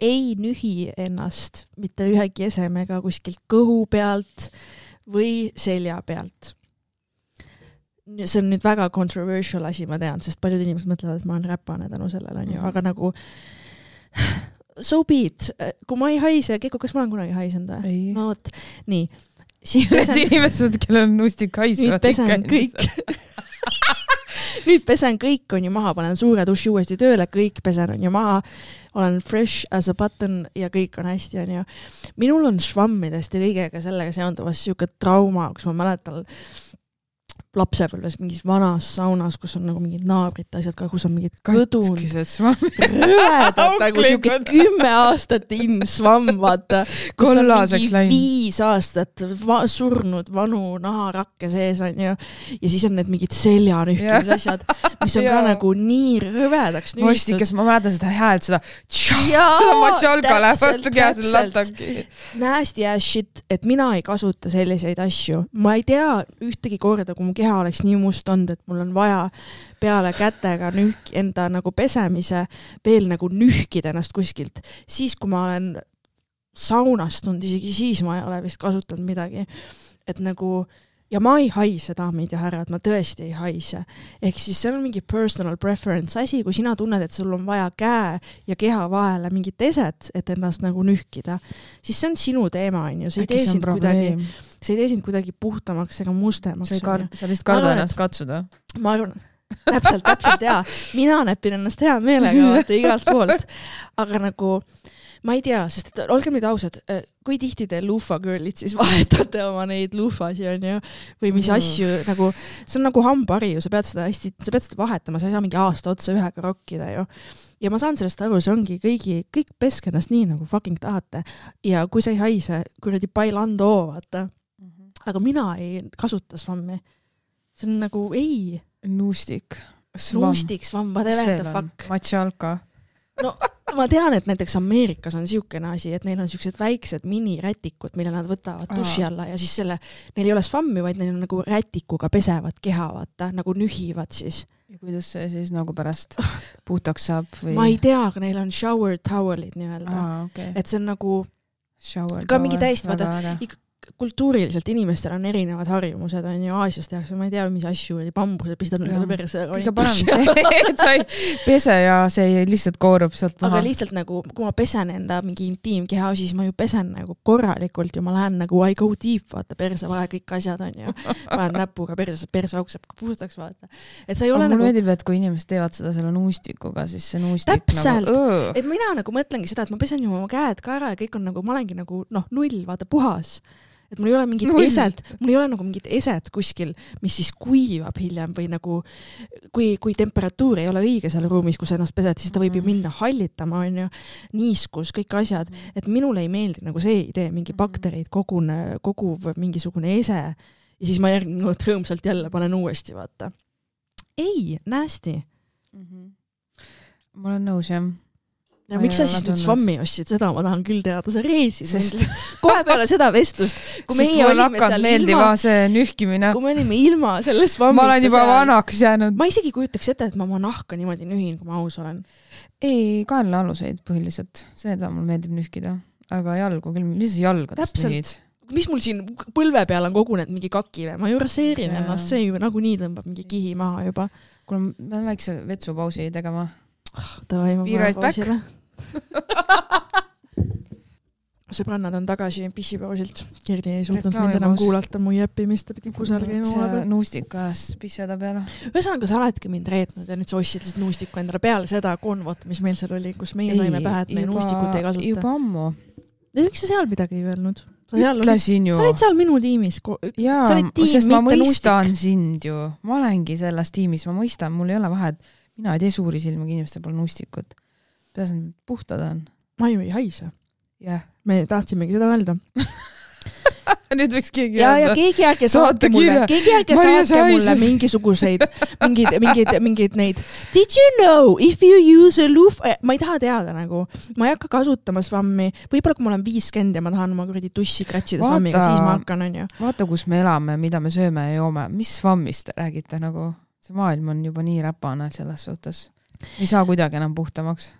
ei nühi ennast mitte ühegi esemega kuskilt kõhu pealt või selja pealt. See on nüüd väga controversial asi, ma tean, sest paljud inimesed mõtlevad, et ma olen räpane tänu sellele, on ju, aga nagu so be it. Kui ma ei haise, Keiko, kas ma olen kunagi haisend või? No vot, nii. Need inimesed, kellel on nuustik haisu. Nüüd pesen kõik. Nüüd pesen kõik on ju maha, panen suure duši uuesti tööle, kõik pesen on ju maha, olen fresh as a button ja kõik on hästi, on ju. Minul on švammidest ja kõigega sellega seonduvas siuke trauma, kus ma mäletan lapsepõlves mingis vanas saunas, kus on nagu mingid naabrid asjad ka, kus on mingid kõdund. Rõvedad, nagu siuke kümme aastat in svamm, vaata. Kus on mingi läin. viis aastat va- surnud vanu naharakke sees, on ju. Ja siis on need mingid seljanühkimis asjad, mis on ka nagu nii rõvedaks nühistud. Mostikas, ma mäletan seda häält, seda seda matšalka läheb vastu kea selle latangi. Nasty ass shit, et mina ei kasuta selliseid asju. Ma ei tea ühtegi korda, kui mu keha oleks nii must olnud, et mul on vaja peale kätega nühk, enda nagu pesemise veel nagu nühkida ennast kuskilt. Siis, kui ma olen saunastunud, isegi siis ma ei ole vist kasutanud midagi. Et nagu, ja ma ei haise, daamid ja härrad, ma tõesti ei haise. Ehk siis see on mingi personal preference asi, kui sina tunned, et sul on vaja käe ja keha vahele mingit eset, et ennast nagu nühkida, siis see on sinu teema, on ju. See ei tee sind kuidagi see ei tee sind kuidagi puhtamaks ega mustemaks. Sa, kard, sa vist karda ennast katsuda. Ma arvan, täpselt, täpselt hea. Mina näpin ennast hea meelega vaata igalt poolt. Aga nagu, ma ei tea, sest et olgem nüüd ausad, kui tihti te luufa girlid siis vahetate oma neid luufasi, on ju, või mis mm. asju, nagu, see on nagu hambari ju, sa pead seda hästi, sa pead seda vahetama, sa ei saa mingi aasta otsa ühega rokkida ju. Ja ma saan sellest aru, see ongi kõigi, kõik peske ennast nii nagu fucking tahate. Ja kui sa ei haise, kuradi bailando, vaata. Aga mina ei kasuta svammi. See on nagu, ei. Nuustik. Nuustik, svamm, whatever the fuck. Matšalka. No, ma tean, et näiteks Ameerikas on siukene asi, et neil on siuksed väiksed minirätikud, mille nad võtavad duši alla ja siis selle, neil ei ole svammi, vaid neil on nagu rätikuga pesevad keha, vaata, nagu nühivad siis. Ja kuidas see siis nagu pärast puhtaks saab? Või? Ma ei tea, aga neil on shower towelid nii-öelda. Ah, okay. Et see on nagu shower ka mingi täiesti, vaata, kultuuriliselt inimestel on erinevad harjumused, on ju Aasias tehakse, ma ei tea, mis asju oli, bambuse pistad neile perse. Kõige parem see, et sa ei pese ja see lihtsalt koorub sealt maha. Aga lihtsalt nagu, kui ma pesen enda mingi intiimkeha, siis ma ju pesen nagu korralikult ja ma lähen nagu I go deep, vaata, perse vahe kõik asjad on ju. Panen näpuga perse, perse auk saab puhtaks, vaata. Et sa ei ole aga nagu... mul meeldib, et kui inimesed teevad seda selle nuustikuga, siis see nuustik täpselt. Nagu... Et mina nagu mõtlengi seda, et ma pesen ju oma käed ka ära ja kõik on nagu, ma olengi nagu, noh, null, vaata, puhas. Et mul ei ole mingit Null. eset, mul ei ole nagu mingit eset kuskil, mis siis kuivab hiljem või nagu, kui, kui temperatuur ei ole õige seal ruumis, kus ennast pesed, siis ta võib ju minna hallitama, on ju, niiskus, kõik asjad. Et minule ei meeldi nagu see idee, mingi bakterid kogune, koguv mingisugune ese ja siis ma järgmine kord rõõmsalt jälle panen uuesti, vaata. Ei, nasty. Mm-hmm. Ma olen nõus, jah. Ja miks sa siis nüüd svammi ostsid, seda ma tahan küll teada, sa reesid sest... kohe peale seda vestlust, kui meie olime seal ilma, see nühkimine. kui me olime ilma selle svammi. Ma olen juba seal... vanaks jäänud. Ma isegi kujutaks ette, et ma oma nahka niimoodi nühin, kui ma aus olen. Ei, kaenlaaluseid põhiliselt, seda mul meeldib nühkida, aga jalgu küll, mis jalgadest nühid? Mis mul siin põlve peal on kogunenud mingi kaki või? Ma ju raseerin ja. ennast, see ju nagu nii tõmbab mingi kihi maha juba. Kuule, ma olen väikse vetsupausi tegema. Tavai, ma Be right back. Sõbrannad on tagasi pissipausilt. Kerdi ei suutnud mind enam kuulata mu jäppimist, ta pidi kusal käima. See nuustik ajas pissada peale. Ühesõnaga, sa oledki mind reetnud ja nüüd sa ostsid lihtsalt nuustiku endale peale seda konvot, mis meil seal oli, kus meie ei, saime pähe, et me nuustikut ei kasuta. Juba ammu. Ja miks sa seal midagi ei öelnud? Sa, Ütlesin ju. sa olid seal minu tiimis. Jaa, sest ma mõistan nuustik. Sind ju. Ma olengi selles tiimis, ma mõistan, mul ei ole vahet. Mina ei tee suuri silmagi inimestel pole nuustikut. Peasin puhtad on. Ma ju ei haise. Yeah. Me tahtsimegi seda öelda. nüüd võiks keegi ja, ja keegi ärge saatke mulle, keegi ärge saatke mulle mingisuguseid, mingid, mingid, mingid neid. Did you know if you use a loof, ma ei taha teada nagu, ma ei hakka kasutama svammi, võib-olla kui ma olen viiskümmend ja ma tahan oma kuradi tussi kratsida svammiga, siis ma hakkan, on ju. Vaata, kus me elame, mida me sööme ja joome, mis svammist räägite nagu, see maailm on juba nii räpane selles suhtes. Ei saa kuidagi enam puhtamaks.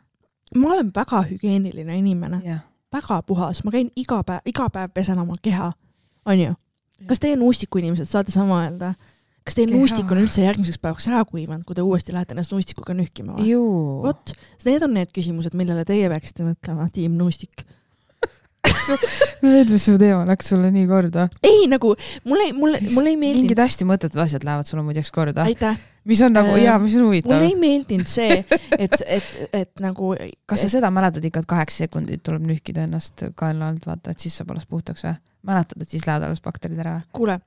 Ma olen väga hügieeniline inimene, yeah. väga puhas, ma käin iga päev, iga päev pesen oma keha. On ju? Kas teie nuustiku inimesed saate sama öelda? Kas teie Keha. Nuustik on üldse järgmiseks päevaks ära kuivanud, kui te uuesti lähete ennast nuustikuga nühkima? Vot, need on need küsimused, millele teie peaksite mõtlema, tiim nuustik. Need, mis su teema läks sulle nii korda. Ei, nagu, mulle, mulle, mulle ei meeldinud. Mingid hästi mõttetud asjad lähevad sulle muideks korda. Aitäh. Mis on nagu, jaa, mis on huvitav. Mulle ei meeldinud see, et, et, et nagu... Kas sa seda mäletad ikka, et kaheksa sekundit tuleb nühkida ennast kaela alt, vaata, et siis saab alles puhtaks või? Mäletad, et siis lähevad alles bakterid ära? Kuule,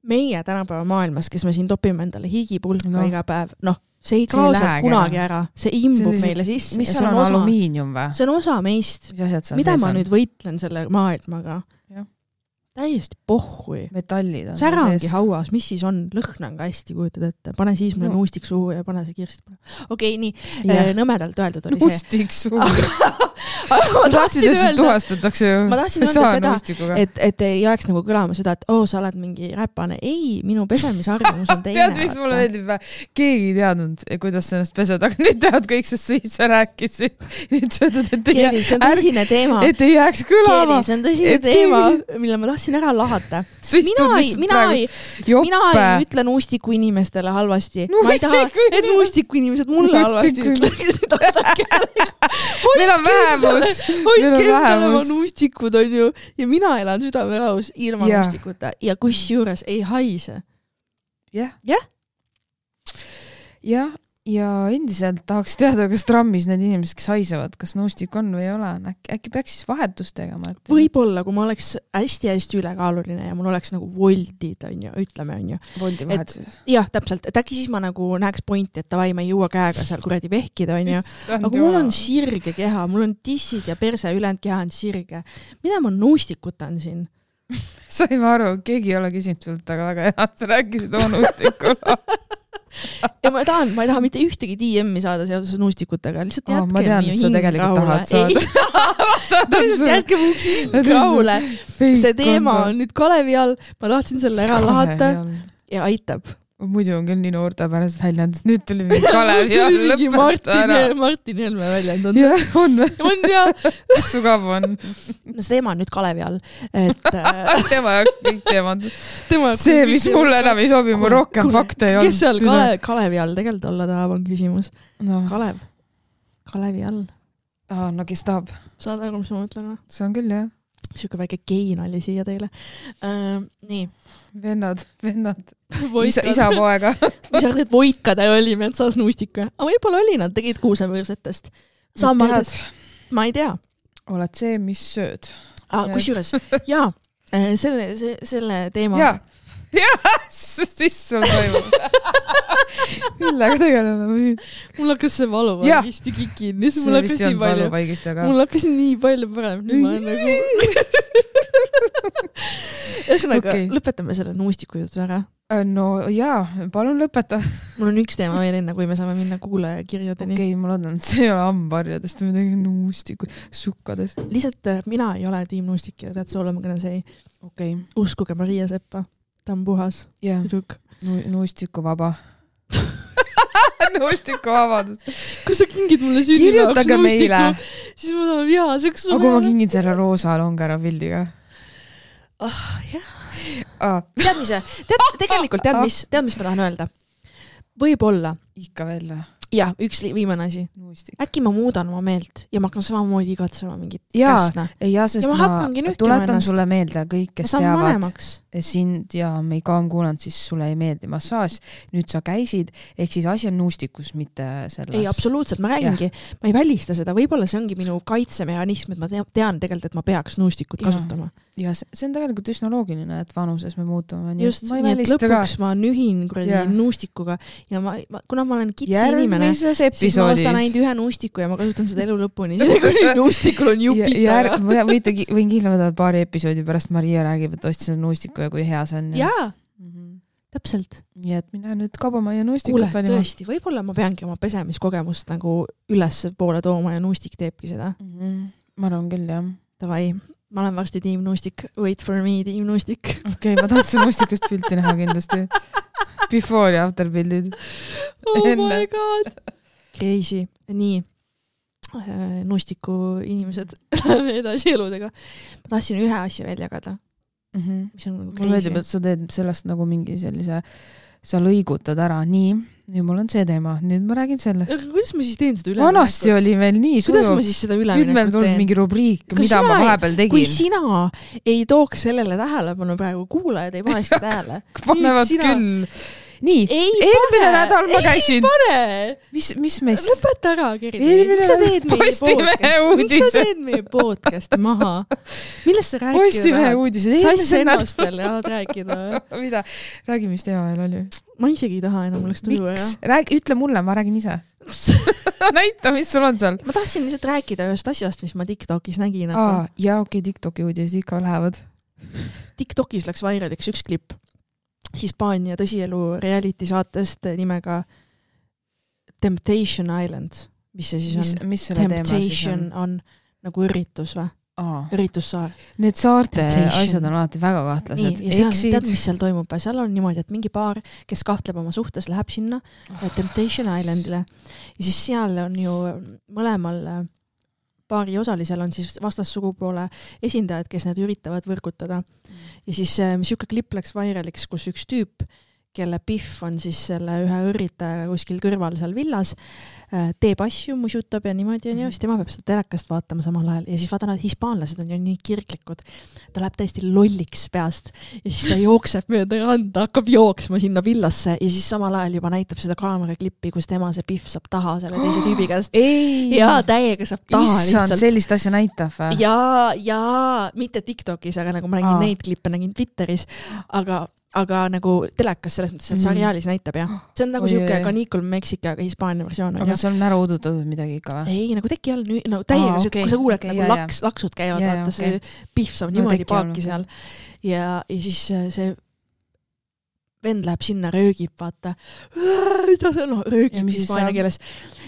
meie tänapäeva maailmas, kes me siin topime endale higipulka no. iga päev, noh, see ei kao sealt kunagi ära. See imbub see, meile sisse. Mis on, on alumiinium või? See on osa meist. Mida ma on? Nüüd võitlen selle maailmaga? Ja. Täiesti pohhui. Metallid on. Särangi hauas, mis siis on? Lõhn on ka hästi kujutad ette. Pane siis mulle no. nuustik suhu ja pane see kirst. Okei, nii. Yeah. Nõmedalt öeldud oli nuustik see. Nuustik suhu. ma tahtsin öelda, et tuhastatakse ju. Ma tahtsin öelda seda, et, et ei jääks nagu kõlama seda, et oo, sa oled mingi räpane. Ei, minu pesemisarvamus on teine. Tead, mis mulle meeldib? Keegi ei teadnud, kuidas sa ennast pesed, aga nüüd tead kõik, sest siis sa rääkisid. Nüüd söödad, et ei, Keeli, see on tõsine teema. Et ei jääks kõlama. Keeli, see on tõsine et teema, mille ma tahtsin ära lahata. Mina ei, mina ei, mina ei ütle nuustiku inimestele halvasti. Ma ei taha, et nuustiku inimesed mulle halvasti ütlesid. Meil on vähemus. Hoidke endale oma nuustikud, on ju. Ja mina elan südamerahus ilma yeah. nuustikuta. Ja kus juures ei haise. Jah. Jah. Jah. Ja endiselt tahaks teada, kas trammis need inimesed, kes haisevad, kas nuustik on või ei ole. Äkki, äkki peaks siis vahetust tegema. Et... Võib-olla, kui ma oleks hästi-hästi ülekaaluline ja mul oleks nagu voltid, on ju, ütleme, on ju. Voldi vahetus. Jah, täpselt. Et äkki siis ma nagu näeks pointi, et tavai, ma ei jõua käega seal kuradi vehkida, on ju. Aga mul on sirge keha, mul on tissid ja perse ülejäänud keha on sirge. Mida ma nuustikutan siin? Saime aru, keegi ei ole küsinud sult, aga väga hea, et sa rääkisid oma nuustikula. Ja ma tahan, ma ei taha mitte ühtegi D M-i saada seoses nuustikutega, lihtsalt jätke oh, ma tean, et sa tegelikult tahad saada. Jätke mu hing rahule. See teema on nüüd Kalevi all, ma tahtsin selle ära lahata ja aitab. Muidu on küll nii noorte pärast väljend, nüüd tuli mingi Kalevi all lõpeta ära. Martin Helme väljend on. Jah, on. On ja. Sugav on. No see teema on nüüd Kalevi all. Et, tema jaoks kõik teemad. See, mis mulle enam ei sobi, mu rohkem fakte ei olnud. Kes seal Kale, Kalevi all tegelikult olla tahab, on küsimus. No. Kalev. Kalevi all. Ah, no kes tahab? Saad aru, mis ma mõtlen? See on küll, jah. Siuke väike gein oli siia teile. Uh, nii. Vennad, vennad. Isa, isa poega. Mis arvad, et voikade oli metsas nuustika? Aga võib-olla oli, nad tegid kuusevõrsetest. Samadest. Ma ei tea. Oled see, mis sööd. Ah, kus juures? Jaa, selle, see, selle teema. Jaa, jaa, mis sul toimub? Millega tegeleme? Mul hakkas see valuvaigist kikin. See vist ei olnud valuvaigist, aga... Mul hakkas nii palju parem. Nüüd ma olen nagu... Ühesõnaga, okay. Lõpetame selle nuustiku jutu ära. No jaa, palun lõpeta. Mul on üks teema veel enne, kui me saame minna kuulaja kirjadeni. Okei, okay, ma loodan, et see ei ole ambarjadest, midagi nuustiku, sukkadest. Lihtsalt mina ei ole tiim nuustik ja tead, soolema kõne see ei. Okay. Uskuge Maria Seppa. Ta on puhas. Yeah. Nu nuustiku vaba. Nuustiku vabadus. Kui sa kingid mulle sünnipäevaks nuustiku, siis ma tahan vihaseks. Aga kui ma kingin selle roosa longera pildiga. Ah, jah. Ah. Tead, mis, tead, tegelikult tead, mis, tead, mis ma tahan öelda? Võib-olla. Ikka veel. Jah, üks viimane asi. Nuustik. Äkki ma muudan oma meelt ja ma hakkan samamoodi igatsema mingit ja, käsna. Ja, sest ja ma, ma tuletan ennast. Sulle meelde kõik, kes teavad vanemaks. Sind ja me ei ka on kuulanud, siis sulle ei meeldi massaaž. Nüüd sa käisid, ehk siis asi on nuustikus, mitte selles. Ei, absoluutselt, ma räägingi. Ja. Ma ei välista seda, võib-olla see ongi minu kaitsemehhanism, et ma tean tegelikult, et ma peaks nuustikut ja. kasutama. Ja see on tegelikult üsna loogiline, et vanuses me muutume. Just, nii et lõpuks ka. Ma nühin kuradi nuustikuga ja ma, ma, kuna ma olen kitsi inimene, esimeses episoodis. Siis ma ostan ainult ühe nuustiku ja ma kasutan seda elu lõpuni. Nuustikul on jupid taga. Võite, võin kindla võtta paari episoodi pärast Maria räägib, et ostis nuustiku ja kui hea see on. Jaa, mm-hmm. täpselt. Nii et mina nüüd kaubamaja nuustikut valima. Kuule, tõesti, võib-olla ma peangi oma pesemiskogemust nagu üles poole tooma ja nuustik teebki seda. Mm-hmm. Ma arvan küll, jah. Tavai. Ma olen varsti tiim nuustik. Wait for me, tiim nuustik. Okei, okay, ma tahtsin nuustikust pilti näha kindlasti. Before ja after pildid. Oh Enne. My god. Crazy. Nii. Nuustiku inimesed läheme edasi eludega. Ma tahtsin ühe asja veel jagada. Mm-hmm. Mis on nagu crazy. Mul veedib, et sa teed sellest nagu mingi sellise, sa lõigutad ära. Nii, nüüd mul on see teema. Nüüd ma räägin sellest. Kuidas ma siis teen seda üleminekut? Vanasti oli veel nii suju. Kuidas ma siis seda üleminekut teen? Nüüd meil tuleb mingi rubriik, mida ma vahepeal tegin. Kui sina ei tooks sellele tähelepanu praegu, kuulajad ei paneski tähele. Panevad sina... küll. Nii, eelmine nädal ma käisin. Ei pane! Mis, mis meist? Lõpeta ära, Gerdi. Miks sa teed meie podcast? Miks sa teed meie podcasti maha? Millest sa rääkida? Postimehe uudised. Sa asja ennast veel tahad rääkida. Mida? Räägi, mis teema veel oli. Ma isegi ei taha enam, oleks tuju ära. Räägi, ütle mulle, ma räägin ise. Näita, mis sul on seal. Ma tahtsin lihtsalt rääkida ühest asjast, mis ma TikTokis nägin. Aa, ja okei, okay, TikToki uudised ikka lähevad. TikTokis läks vairaliks üks klipp. Hispaania tõsielu reality saatest nimega Temptation Island. Mis see siis on? Mis, mis Temptation on? on nagu üritus või? Aa. Üritussaar. Need saarte Temptation. Asjad on alati väga kahtlased. Nii, ja seal, tead, mis seal toimub? Seal on niimoodi, et mingi paar, kes kahtleb oma suhtes, läheb sinna oh. Temptation Islandile. Ja siis seal on ju mõlemal paari osalisel on siis vastassugupoole esindajad, kes need üritavad võrgutada. Mm. Ja siis mis siuke klipp läks vairaliks, kus üks tüüp, kelle Biff on siis selle ühe üritaja kuskil kõrval seal villas, teeb asju, musutab ja niimoodi on ju, siis tema peab seda telekast vaatama samal ajal. Ja siis vaata, nad hispaanlased on ju nii kirglikud. Ta läheb täiesti lolliks peast ja siis ta jookseb mööda randa, hakkab jooksma sinna villasse ja siis samal ajal juba näitab seda kaameraklippi, kus tema see Biff saab taha selle teise tüübi käest. Ei. Ja täiega saab taha lihtsalt. Issand, sellist asja näitab või? Ja, ja mitte TikTokis, aga nagu ma nägin Aa. neid klippe, nägin Twitteris, aga aga nagu telekas selles mõttes, et seriaalis näitab, jah. See on nagu Oi, siuke Canicule Mexica, aga Hispaania versioon. Aga see on ära udutatud midagi ikka või? Ei, nagu teki all, no täiega, Aa, okay, kui sa kuuled, okay, nagu jah, laks, laksud käivad, jah, vaata okay. see Biff saab no, niimoodi paaki seal. Ja, ja siis see vend läheb sinna, röögib, vaata. Mida see on? No, röögib hispaania keeles.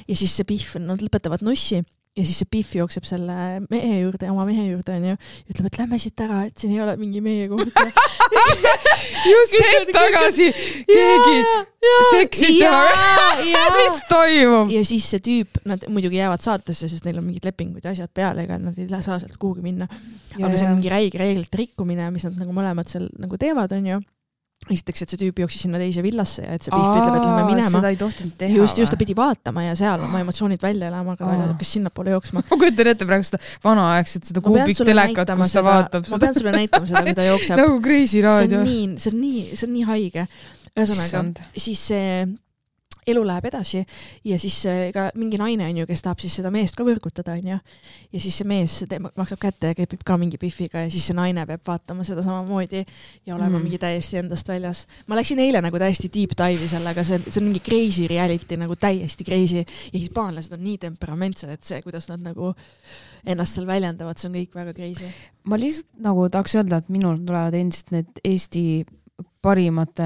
Ja siis see Biff, nad lõpetavad nossi. Ja siis see Biff jookseb selle mehe juurde, oma mehe juurde on ju, ja ütleb, et lähme siit ära, et siin ei ole mingi meie kohta. Just hetk tagasi keegi seksis temaga. Mis toimub? Ja siis see tüüp, nad muidugi jäävad saatesse, sest neil on mingid lepingud ja asjad peale, ega nad ei saa sealt kuhugi minna. Ja, aga see on mingi räige reeglite rikkumine, mis nad nagu mõlemad seal nagu teevad, on ju. Esiteks, et see tüüp jooksis sinna teise villasse ja et see Biff ütleb, et lähme minema. Seda ei tohtinud teha. Just, just ta pidi vaatama ja seal oma emotsioonid välja elama, aga ta kas sinna poole jooksma. Ma kujutan ette praegu seda vanaaegset, seda kuubik telekat, kus ta vaatab. Ma pean sulle näitama seda, kui ta jookseb. Nagu Crazy raadio. See on nii, see on nii, see on nii haige. Ühesõnaga, siis see elu läheb edasi ja siis ka mingi naine on ju, kes tahab siis seda meest ka võrgutada, on ju. Ja siis see mees maksab kätte ja käib ka mingi Biffiga ja siis see naine peab vaatama seda samamoodi ja olema mm. mingi täiesti endast väljas. Ma läksin eile nagu täiesti deep dive'i sellega, see, see on mingi crazy reality, nagu täiesti crazy ja hispaanlased on nii temperamentsed, et see, kuidas nad nagu ennast seal väljendavad, see on kõik väga crazy. Ma lihtsalt nagu tahaks öelda, et minul tulevad endist need Eesti parimate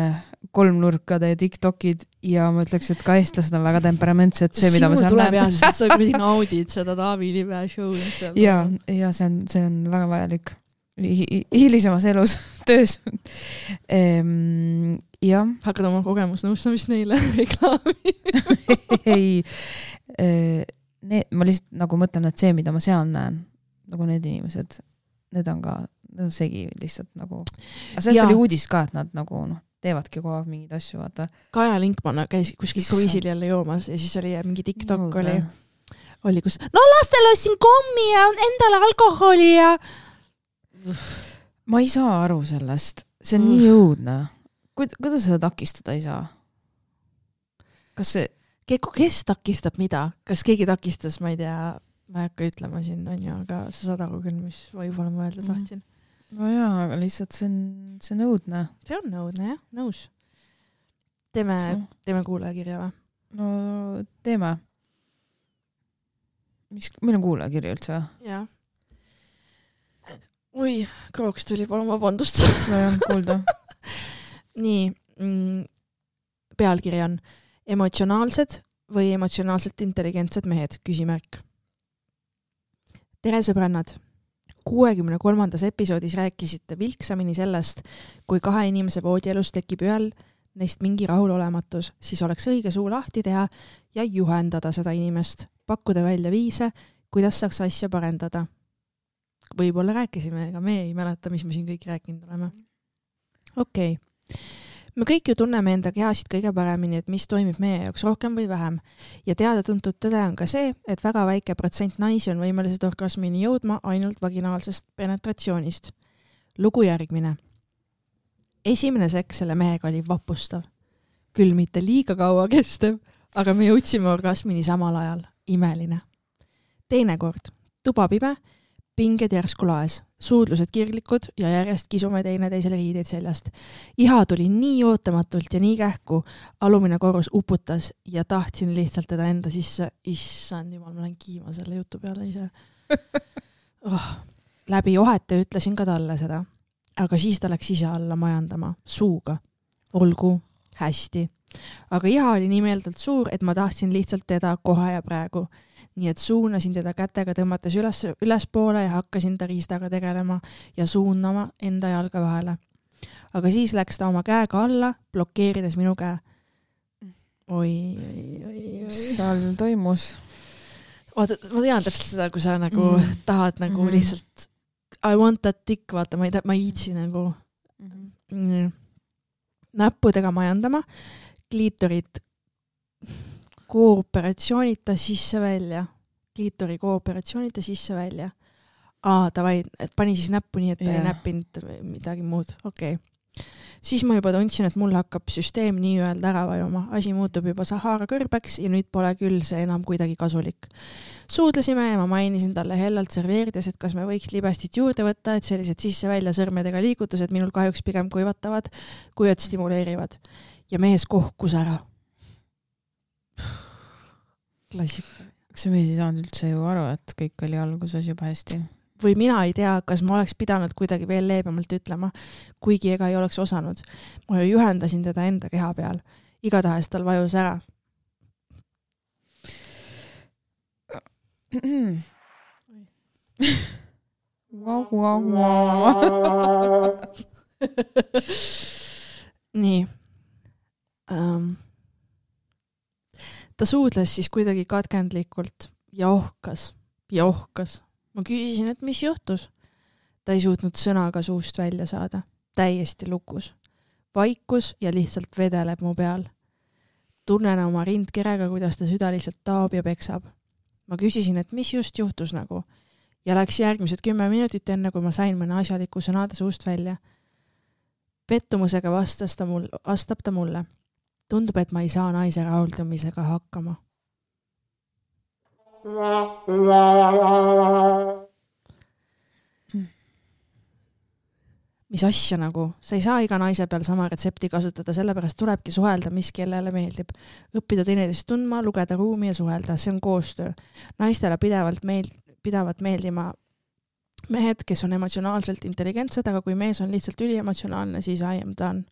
kolmnurkade TikTokid ja ma ütleks, et ka eestlased on väga temperamentsed, see, mida ma seal tuleb näen. Jah, sest sa kuidagi naudid seda Taavi Libe show. Ja, ja see on, see on väga vajalik hilisemas elus, töös. Ehm, ja. Hakkad oma kogemusnõustamist neile reklaami? Ei, need, ma lihtsalt nagu mõtlen, et see, mida ma seal näen, nagu need inimesed, need on ka need on segi lihtsalt nagu. Aga sellest ja. Oli uudis ka, et nad nagu noh, teevadki kogu aeg mingid asju, vaata. Kaja Linkmann käis kuskil kruiisil jälle joomas ja siis oli mingi TikTok no, oli, oli kus, no lastel ostsin kommi ja endale alkoholi ja ma ei saa aru sellest. See on mm. nii õudne. Kuidas seda takistada ei saa? Kas see... Kes takistab mida? Kas keegi takistas, ma ei tea, ma ei hakka ütlema siin, on ju, aga sa saad aru küll, mis võib-olla ma öelda tahtsin. No jaa, aga lihtsalt see on, see on õudne. See on õudne, jah, nõus. Teeme, teeme kuulajakirja või? no teeme. Mis, meil on kuulajakirja üldse? Jah. Oi, krooks tuli, palun vabandust. Seda ei olnud kuulda. Nii, mm, pealkiri on emotsionaalsed või emotsionaalselt intelligentsed mehed, küsimärk. Tere sõbrannad! kuuekümne kolmandas episoodis rääkisite vilksamini sellest, kui kahe inimese voodielus tekib ühel neist mingi rahulolematus, siis oleks õige suu lahti teha ja juhendada seda inimest, pakkuda välja viise, kuidas saaks asja parendada. Võib-olla rääkisime, ega me ei mäleta, mis me siin kõik rääkinud oleme. Okei. Okay. Me kõik ju tunneme enda kehasid kõige paremini, et mis toimib meie jaoks rohkem või vähem. Ja teada-tuntud tõde on ka see, et väga väike protsent naisi on võimelised orgasmini jõudma ainult vaginaalsest penetratsioonist. Lugu järgmine. Esimene seks selle mehega oli vapustav. Küll mitte liiga kaua kestev, aga me jõudsime orgasmini samal ajal. Imeline. Teine kord. Tuba pime, pinged järsku laes, suudlused kirglikud ja järjest kisume teine teisele riideid seljast. Iha tuli nii ootamatult ja nii kähku, alumine korrus uputas ja tahtsin lihtsalt teda enda sisse. Issand jumal, ma olen kiima selle jutu peale ise. Oh. Läbi ohete ütlesin ka talle seda, aga siis ta läks ise alla majandama, suuga. Olgu, hästi. Aga iha oli nii meeldult suur, et ma tahtsin lihtsalt teda kohe ja praegu. Nii et suunasin teda kätega tõmmates üles, üles poole ja hakkasin ta riistaga tegelema ja suunama enda jalga vahele. Aga siis läks ta oma käega alla, blokeerides minu käe. Oi, oi, oi, oi. Seal toimus. Vaata, ma tean täpselt seda, kui sa nagu mm. tahad nagu mm-hmm. lihtsalt I want that dick, vaata, ma ei, ma ei iitsi nagu mm-hmm. näppudega majandama, kliitorid kooperatsioonita sisse välja. Kliitori kooperatsioonita sisse välja. Aa, davai, pani siis näppu nii, et ta yeah. ei näppinud midagi muud. Okei. Okay. Siis ma juba tundsin, et mul hakkab süsteem nii öelda ära vajuma. Asi muutub juba Sahara kõrbeks ja nüüd pole küll see enam kuidagi kasulik. Suudlesime ja ma mainisin talle hellalt serveerides, et kas me võiks libestit juurde võtta, et sellised sisse-välja sõrmedega liigutused minul kahjuks pigem kuivatavad, kui et stimuleerivad. Ja mees kohkus ära. Klassik. Kas see mees ei saanud üldse ju aru, et kõik oli alguses juba hästi? Või mina ei tea, kas ma oleks pidanud kuidagi veel leebemalt ütlema, kuigi ega ei oleks osanud. Ma ju juhendasin teda enda keha peal. Igatahes tal vajus ära. Nii. Um. Ta suudles siis kuidagi katkendlikult ja ohkas, ja ohkas. Ma küsisin, et mis juhtus. Ta ei suutnud sõnaga suust välja saada. Täiesti lukus. Vaikus ja lihtsalt vedeleb mu peal. Tunnen oma rindkerega, kuidas ta süda lihtsalt taob ja peksab. Ma küsisin, et mis just juhtus nagu. Ja läks järgmised kümme minutit enne, kui ma sain mõne asjaliku sõnade suust välja. Pettumusega vastas ta mul, vastab ta mulle. Tundub, et ma ei saa naise rahuldumisega hakkama. Mis asja nagu? Sa ei saa iga naise peal sama retsepti kasutada, sellepärast tulebki suhelda, mis kellele meeldib. Õppida teineteist tundma, lugeda ruumi ja suhelda. See on koostöö. Naistele pidevalt meil, pidavat meeldima mehed, kes on emotsionaalselt intelligentsed, aga kui mees on lihtsalt üliemotsionaalne, siis I am done.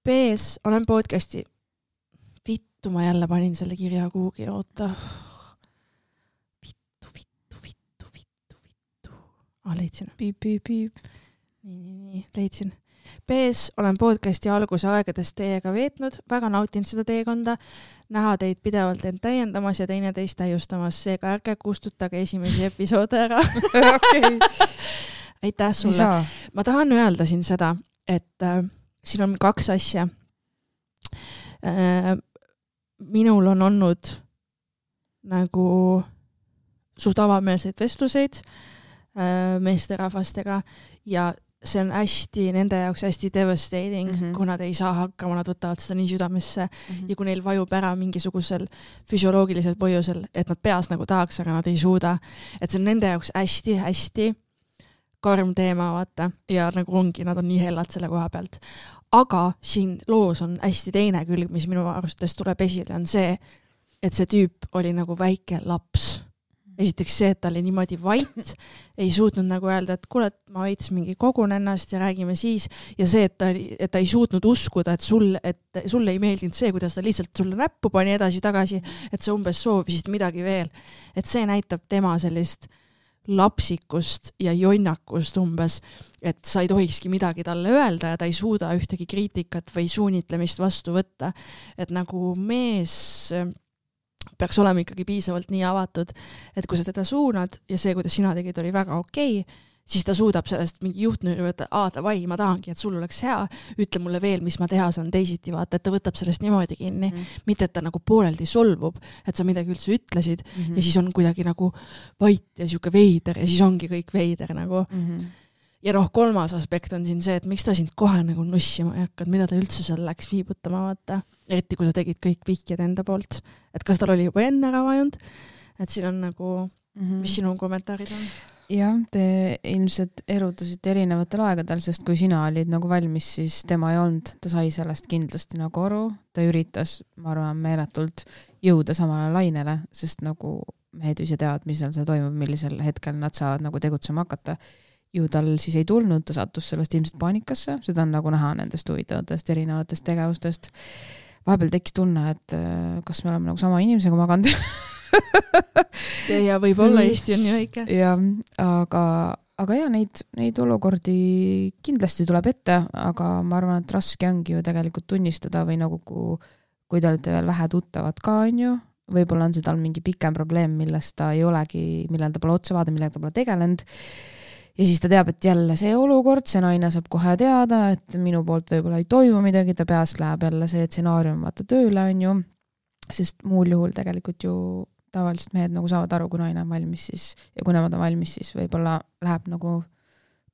B S, olen podcasti. Vittu, ma jälle panin selle kirja kuhugi, oota. Vittu, vittu, vittu, vittu, vittu. Ah, leidsin. Piip, piip, piip. Nii, nii, nii, leidsin. B S, olen podcasti alguse aegadest teiega veetnud, väga nautinud seda teekonda, näha teid pidevalt end täiendamas ja teine teist täiustamas, seega ärge kustutage esimesi episoode ära. Okay. Aitäh sulle. Ma tahan öelda siin seda, et äh, siin on kaks asja. Äh, minul on olnud nagu suht avameelseid vestluseid äh, meesterahvastega ja see on hästi, nende jaoks hästi devastating, mm -hmm. kui nad ei saa hakkama, nad võtavad seda nii südamesse mm -hmm. ja kui neil vajub ära mingisugusel füsioloogilisel põhjusel, et nad peas nagu tahaks, aga nad ei suuda. Et see on nende jaoks hästi-hästi karm teema, vaata, ja nagu ongi, nad on nii hellad selle koha pealt. aga siin loos on hästi teine külg, mis minu arustes tuleb esile, on see, et see tüüp oli nagu väike laps. Esiteks see, et ta oli niimoodi vait, ei suutnud nagu öelda, et kuule, et ma veits mingi kogun ennast ja räägime siis, ja see, et ta, et ta ei suutnud uskuda, et sul, et sul ei meeldinud see, kuidas ta lihtsalt sulle näppu pani edasi-tagasi, et sa umbes soovisid midagi veel. Et see näitab tema sellist lapsikust ja jonnakust umbes, et sa ei tohikski midagi talle öelda ja ta ei suuda ühtegi kriitikat või suunitlemist vastu võtta. Et nagu mees peaks olema ikkagi piisavalt nii avatud, et kui sa teda suunad ja see, kuidas sina tegid, oli väga okei, siis ta suudab sellest mingi juhtnööri võtta, aa, davai, ma tahangi, et sul oleks hea, ütle mulle veel, mis ma teha saan teisiti, vaata, et ta võtab sellest niimoodi kinni, mm. mitte et ta nagu pooleldi solvub, et sa midagi üldse ütlesid mm -hmm. ja siis on kuidagi nagu vait ja siuke veider ja siis ongi kõik veider nagu. Mm -hmm. Ja noh, kolmas aspekt on siin see, et miks ta sind kohe nagu nussima ei hakkad, mida ta üldse seal läks viibutama, vaata. Eriti kui sa tegid kõik vihjed enda poolt. Et kas tal oli juba enne ära vajunud? Et siin on nagu, mm-hmm. mis sinu kommentaarid on? Jah, te ilmselt erutasite erinevatel aegadel, sest kui sina olid nagu valmis, siis tema ei olnud. Ta sai sellest kindlasti nagu aru. Ta üritas, ma arvan, meeletult jõuda samale lainele, sest nagu mehed ise teavad, mis seal see toimub, millisel hetkel nad saavad nagu tegutsema hakata. Ju tal siis ei tulnud, ta sattus sellest ilmselt paanikasse, seda on nagu näha nendest huvitavatest erinevatest tegevustest. Vahepeal tekkis tunne, et kas me oleme nagu sama inimesega maganud. ja, ja võib-olla Eesti on nii väike. Ja, aga, aga ja, neid, neid olukordi kindlasti tuleb ette, aga ma arvan, et raske ongi ju tegelikult tunnistada või nagu kui, kui te olete veel vähe tuttavad ka, on ju, võib-olla on see tal mingi pikem probleem, millest ta ei olegi, millel ta pole otsa vaada, millega ta pole tegelenud. Ja siis ta teab, et jälle see olukord, see naine saab kohe teada, et minu poolt võib-olla ei toimu midagi, ta peast läheb jälle see stsenaarium vaata tööle, on ju, sest muul juhul tegelikult ju tavaliselt mehed nagu saavad aru, kui naine on valmis siis, ja kui nemad on valmis, siis võib-olla läheb nagu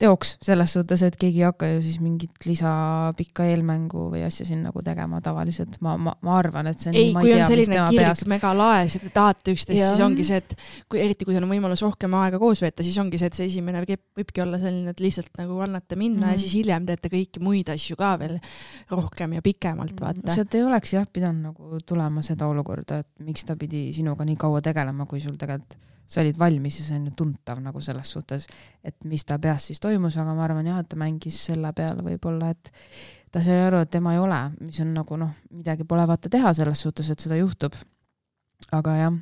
teoks selles suhtes, et keegi ei hakka ju siis mingit lisapikka eelmängu või asja siin nagu tegema tavaliselt. Ma, ma, ma arvan, et see on ei, kui on selline kirg mega laes, et te tahate üksteist, siis ongi see, et kui, eriti kui on võimalus rohkem aega koos veeta, siis ongi see, et see esimene võibki olla selline, et lihtsalt nagu annate minna mm. ja siis hiljem teete kõiki muid asju ka veel rohkem ja pikemalt, vaata. Sealt ei oleks jah pidanud nagu tulema seda olukorda, et miks ta pidi sinuga nii kaua tegelema, kui sul tegelikult sa olid valmis ja see on ju tuntav nagu selles suhtes, et mis ta peas siis toimus, aga ma arvan jah, et ta mängis selle peale võib-olla, et ta sai aru, et tema ei ole, mis on nagu noh, midagi pole vaata teha selles suhtes, et seda juhtub. Aga jah,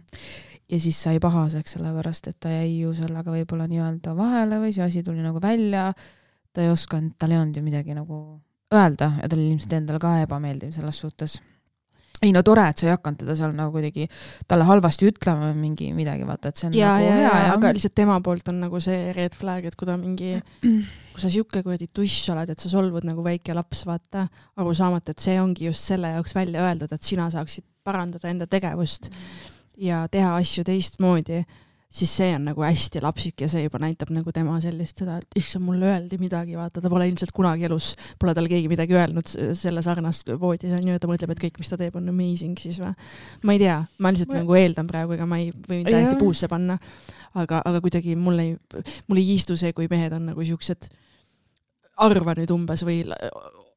ja siis sai pahaseks sellepärast, et ta jäi ju sellega võib-olla nii-öelda vahele või see asi tuli nagu välja, ta ei osanud, tal ei olnud ju midagi nagu öelda ja ta oli ilmselt endale ka ebameeldiv selles suhtes. Ei no tore, et sa ei hakanud teda seal nagu kuidagi talle halvasti ütlema mingi midagi, vaata, et see on ja, nagu ja, hea. Ja, aga lihtsalt tema poolt on nagu see red flag, et kui ta mingi, kui sa siuke kuradi tuss oled, et sa solvud nagu väike laps, vaata, aru saamata, et see ongi just selle jaoks välja öeldud, et sina saaksid parandada enda tegevust ja teha asju teistmoodi, siis see on nagu hästi lapsik ja see juba näitab nagu tema sellist seda, et issand, mulle öeldi midagi, vaata, ta pole ilmselt kunagi elus, pole tal keegi midagi öelnud selle sarnast voodis on ju, ja ta mõtleb, et kõik, mis ta teeb, on amazing siis või. Ma ei tea, ma lihtsalt ma... nagu eeldan praegu, ega ma ei või täiesti ja. Puusse panna, aga, aga kuidagi mulle ei, mulle ei istu see, kui mehed on nagu siuksed arva nüüd umbes või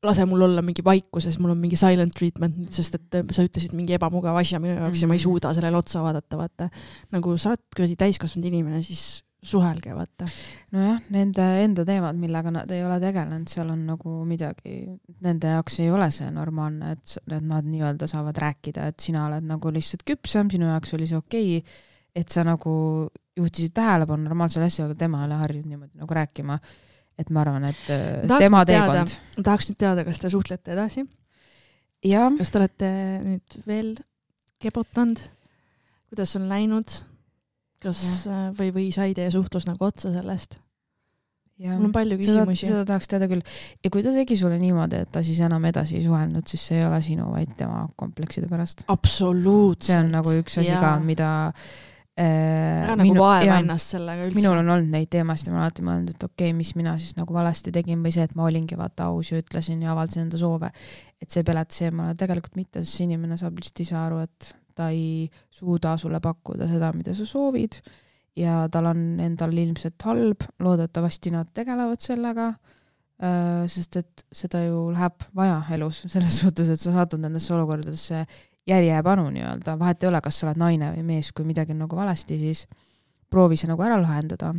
lase mul olla mingi vaikuses, mul on mingi silent treatment, sest et sa ütlesid mingi ebamugav asja minu jaoks mm-hmm. ja ma ei suuda sellele otsa vaadata, vaata. Nagu sa oled kuradi täiskasvanud inimene, siis suhelge, vaata. Nojah, nende enda teemad, millega nad ei ole tegelenud, seal on nagu midagi, nende jaoks ei ole see normaalne, et, et nad nii-öelda saavad rääkida, et sina oled nagu lihtsalt küpsem, sinu jaoks oli see okei, et sa nagu juhtisid tähelepanu normaalsele asja, aga tema ei ole harjunud niimoodi nagu rääkima. Et ma arvan, et tahaks tema teekond. Tahaks nüüd teada, kas te suhtlete edasi? Ja. Kas te olete nüüd veel kebotanud? Kuidas on läinud? Kas ja. või, või sai teie suhtlus nagu otsa sellest? Ja. Mul on palju küsimusi. Seda, seda tahaks teada küll. Ja kui ta tegi sulle niimoodi, et ta siis enam edasi ei suhelnud, siis see ei ole sinu, vaid tema komplekside pärast. Absoluutselt. See on nagu üks asi ka, mida ära nagu minu, vaeva ennast sellega üldse. Minul on olnud neid teemasid ja ma alati mõelnud, et okei, okay, mis mina siis nagu valesti tegin või see, et ma olingi vaata aus ja ütlesin ja avaldasin enda soove, et see pelet see ma tegelikult mitte, sest inimene saab lihtsalt ise aru, et ta ei suuda sulle pakkuda seda, mida sa soovid ja tal on endal ilmselt halb, loodetavasti nad tegelevad sellega, sest et seda ju läheb vaja elus, selles suhtes, et sa satud nendesse olukordadesse järjepanu nii-öelda, vahet ei ole, kas sa oled naine või mees, kui midagi on nagu valesti, siis proovi see nagu ära lahendada.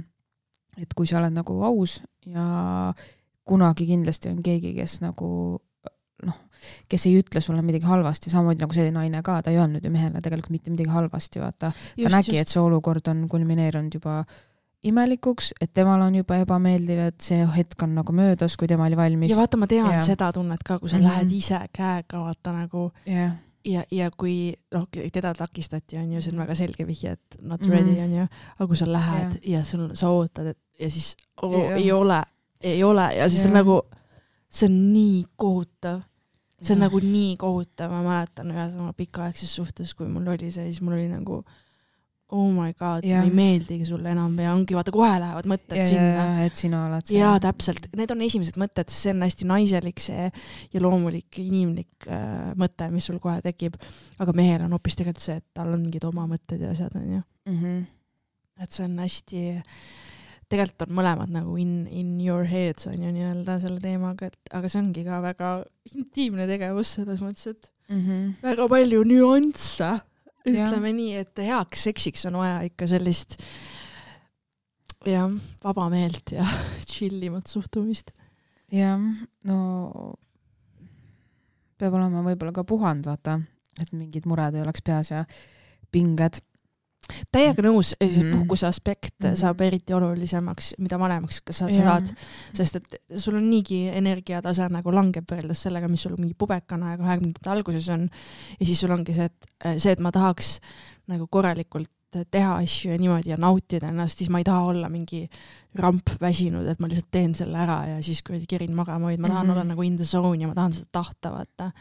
Et kui sa oled nagu aus ja kunagi kindlasti on keegi, kes nagu noh, kes ei ütle sulle midagi halvasti, samamoodi nagu see naine ka, ta ei öelnud ju mehele tegelikult mitte midagi halvasti, vaata. Ta just, nägi, just. Et see olukord on kulmineerunud juba imelikuks, et temal on juba ebameeldiv, et see hetk on nagu möödas, kui tema oli valmis. Ja vaata, ma tean ja. Seda tunnet ka, kui sa mm-hmm. lähed ise käega, vaata nagu yeah. ja, ja kui noh, teda takistati, on ju, see on väga selge vihje, et not ready mm-hmm. on ju, aga kui sa lähed yeah. ja sul, sa ootad, et, ja siis oh, yeah. ei ole, ei ole ja siis yeah. nagu see on nii kohutav. See on yeah. nagu nii kohutav, ma mäletan ühes oma pikaaegses suhtes, kui mul oli see, siis mul oli nagu oh my god, yeah. ma ei meeldigi sulle enam ja ongi, vaata, kohe lähevad mõtted ja, sinna. Ja, et sina oled see. Jaa, täpselt. Need on esimesed mõtted, see on hästi naiselik see ja loomulik inimlik äh, mõte, mis sul kohe tekib. Aga mehel on hoopis tegelikult see, et tal on mingid oma mõtted ja asjad on ju. Mm-hmm. Et see on hästi, tegelikult on mõlemad nagu in, in your heads on ju nii-öelda selle teemaga, et, aga see ongi ka väga intiimne tegevus selles mõttes, et mm-hmm. väga palju nüansse. Ütleme ja. Nii, et heaks seksiks on vaja ikka sellist ja, vaba meelt ja chillimat suhtumist. Ja, no peab olema võib-olla ka puhand, vaata, et mingid mured ei oleks peas ja pinged. Täiega nõus, mm-hmm. puhkuse aspekt mm-hmm. saab eriti olulisemaks, mida vanemaks sa saad, sest et sul on niigi energiatase nagu langeb võrreldes sellega, mis sul mingi pubekana ja kahekümnendate alguses on ja siis sul ongi see, et, see, et ma tahaks nagu korralikult teha asju ja niimoodi ja nautida ennast, siis ma ei taha olla mingi ramp väsinud, et ma lihtsalt teen selle ära ja siis kui kerin magama, vaid ma tahan mm-hmm. olla nagu in the zone ja ma tahan seda tahta, vaata.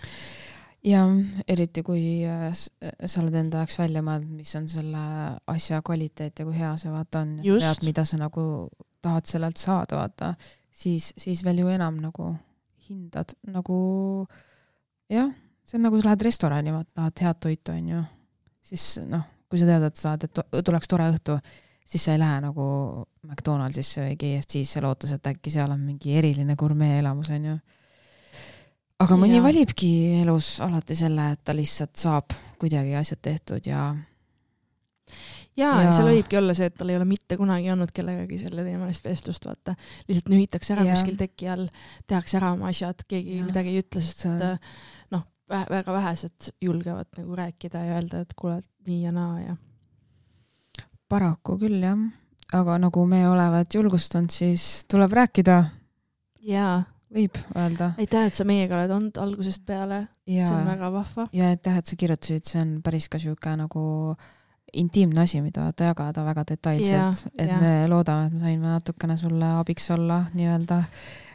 Ja eriti kui sa oled enda jaoks välja mõeld, mis on selle asja kvaliteet ja kui hea see vaata on, tead, mida sa nagu tahad sellelt saada, vaata, siis, siis veel ju enam nagu hindad, nagu jah, see on nagu sa lähed restorani, vaata, tahad head toitu, on ju, siis noh, kui sa tead, et saad, et tuleks tore õhtu, siis sa ei lähe nagu McDonaldsisse või K F C-sse lootes, et äkki seal on mingi eriline gurmee elamus, on ju. Aga mõni ja. Valibki elus alati selle, et ta lihtsalt saab kuidagi asjad tehtud ja... Ja, ja seal võibki olla see, et tal ei ole mitte kunagi olnud kellegagi selle teemalist vestlust, vaata. Lihtsalt nühitakse ära ja. Kuskil teki all, tehakse ära oma asjad, keegi ja. Midagi ei ütle, sest see... noh, väga vähesed julgevad nagu rääkida ja öelda, et kuule, nii ja naa ja... Paraku küll, jah. Aga nagu me olevat julgustanud, siis tuleb rääkida. Jaa. Võib öelda. Aitäh, et sa meiega oled olnud algusest peale. Ja, see on väga vahva. Ja aitäh, et sa kirjutasid, see on päris ka siuke nagu intiimne asi, mida ta jagada väga detailselt. Ja, et ja. Me loodame, et me saime natukene sulle abiks olla nii-öelda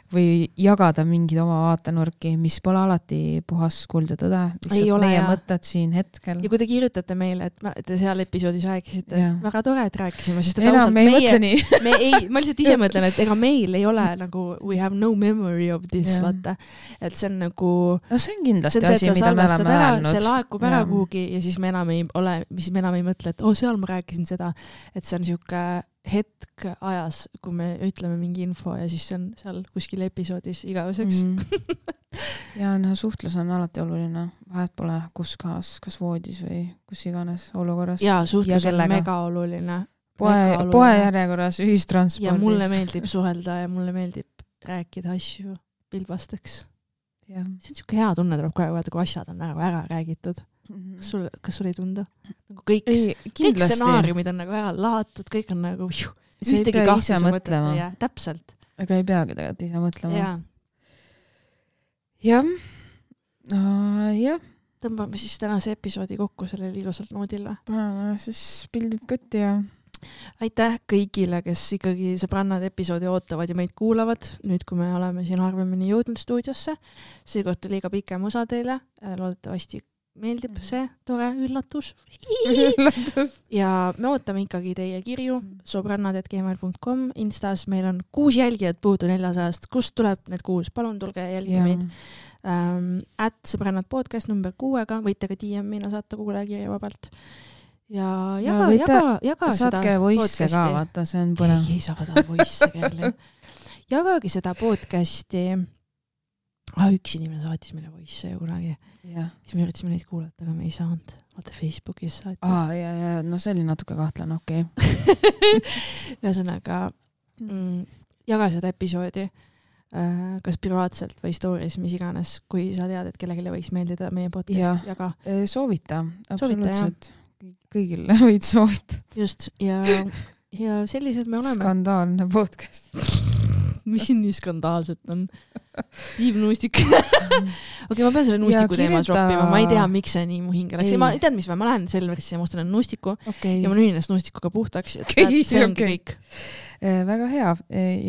või jagada mingid oma vaatenurki, mis pole alati puhas kuld ja tõde. Lihtsalt ole, meie ja. Mõtted siin hetkel. Ja kui te kirjutate meile, et, et te seal episoodis rääkisite, ja. Väga tore, et rääkisime, sest et enam me ei mõtle nii. Me ei, ma lihtsalt ise mõtlen, et ega meil ei ole nagu we have no memory of this, ja. Vaata. Et see on nagu... No see on kindlasti see on see, asi, mida me oleme öelnud. See laekub ära kuhugi ja siis me enam ei ole, mis me enam ei mõtle, et oh, seal ma rääkisin seda, et see on siuke hetk ajas, kui me ütleme mingi info ja siis see on seal kuskil episoodis igaveseks. Mm. Ja no, suhtlus on alati oluline. Vahet pole kus kohas, kas voodis või kus iganes olukorras. Ja suhtlus ja on mega oluline. Poe, poe järjekorras, ühistranspordis. Ja mulle meeldib suhelda ja mulle meeldib rääkida asju pilbasteks. Ja. See on siuke hea tunne, tuleb kohe vaata, kui asjad on ära, ära räägitud. Kas sul, kas sul ei tunda? Nagu kõik, ei, kõik stsenaariumid on nagu ära lahatud, kõik on nagu juh, ühtegi kahtluse mõtlema. Ja, täpselt. Aga ei peagi tegelikult ise mõtlema. Ja. Jah. Uh, jah. Tõmbame siis tänase episoodi kokku sellel ilusalt noodil. Paneme siis pildid kotti ja... Aitäh kõigile, kes ikkagi sõbrannad episoodi ootavad ja meid kuulavad. Nüüd, kui me oleme siin harvemini jõudnud stuudiosse, see koht oli ka pikem osa teile. Loodetavasti meeldib see tore üllatus. üllatus. Ja me ootame ikkagi teie kirju sobrannad at gmail dot com. Instas meil on kuus jälgijat puudu neljasajast. Kust tuleb need kuus? Palun tulge jälgi meid. Um, at sõbrannad podcast number kuuega. Võite ka D M-ina saata kuulajakirja vabalt. Ja jaga, ja jaga, jaga saatke seda voice ka, vaata, see on põnev. Ei, ei saada voice kelle. jagage seda podcasti. Ah, üks inimene saatis meile voice ju kunagi. Ja. Siis me üritasime neid kuulata, aga me ei saanud. Vaata Facebookis saatis. Aa, ja, ja, no see oli natuke kahtlen, okei. Okay. Ühesõnaga, mm, jaga seda episoodi äh, kas privaatselt või stories, mis iganes, kui sa tead, et kellelegi võiks meeldida meie podcast, ja. jaga. Soovita, absoluutselt. Kõigile võid soovita. Just, ja, ja sellised me oleme. Skandaalne podcast. Mis siin nii skandaalset on? Tiim Nuustik. Okei, ma pean selle Nuustiku kirjuta... teema droppima. Ma ei tea, miks see nii mu hinge läks. Ma ei tead, mis ma, ma lähen Selverisse ja ma ostan Nuustiku okay. ja ma nühin ennast Nuustikuga puhtaks. Okay, see ongi okay. kõik. Väga hea.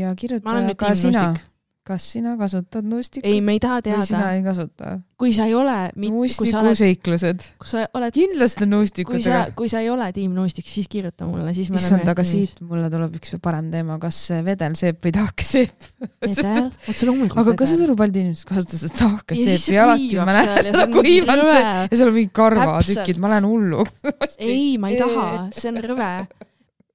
Ja kirjuta ka sina. Nuustik. Kas sina kasutad Nuustikut? Ei, me ei taha teada. Või sina ei kasuta? Kui sa ei ole... Nuustiku seiklused. Kui sa oled... Kindlasti Nuustikut. Kui sa, kui sa ei ole tiim Nuustik, siis kirjuta mulle. Siis Issand, aga siit mulle tuleb üks parem teema. Kas vedel seep või tahke seep? Vedel? Otse loomulikult aga kas seda palju inimesed kasutas tahke seep ja alati ma näen seda kuivan see ja seal on mingi karvatükid. Ma lähen hullu. Ei, ma ei taha. See on rõve.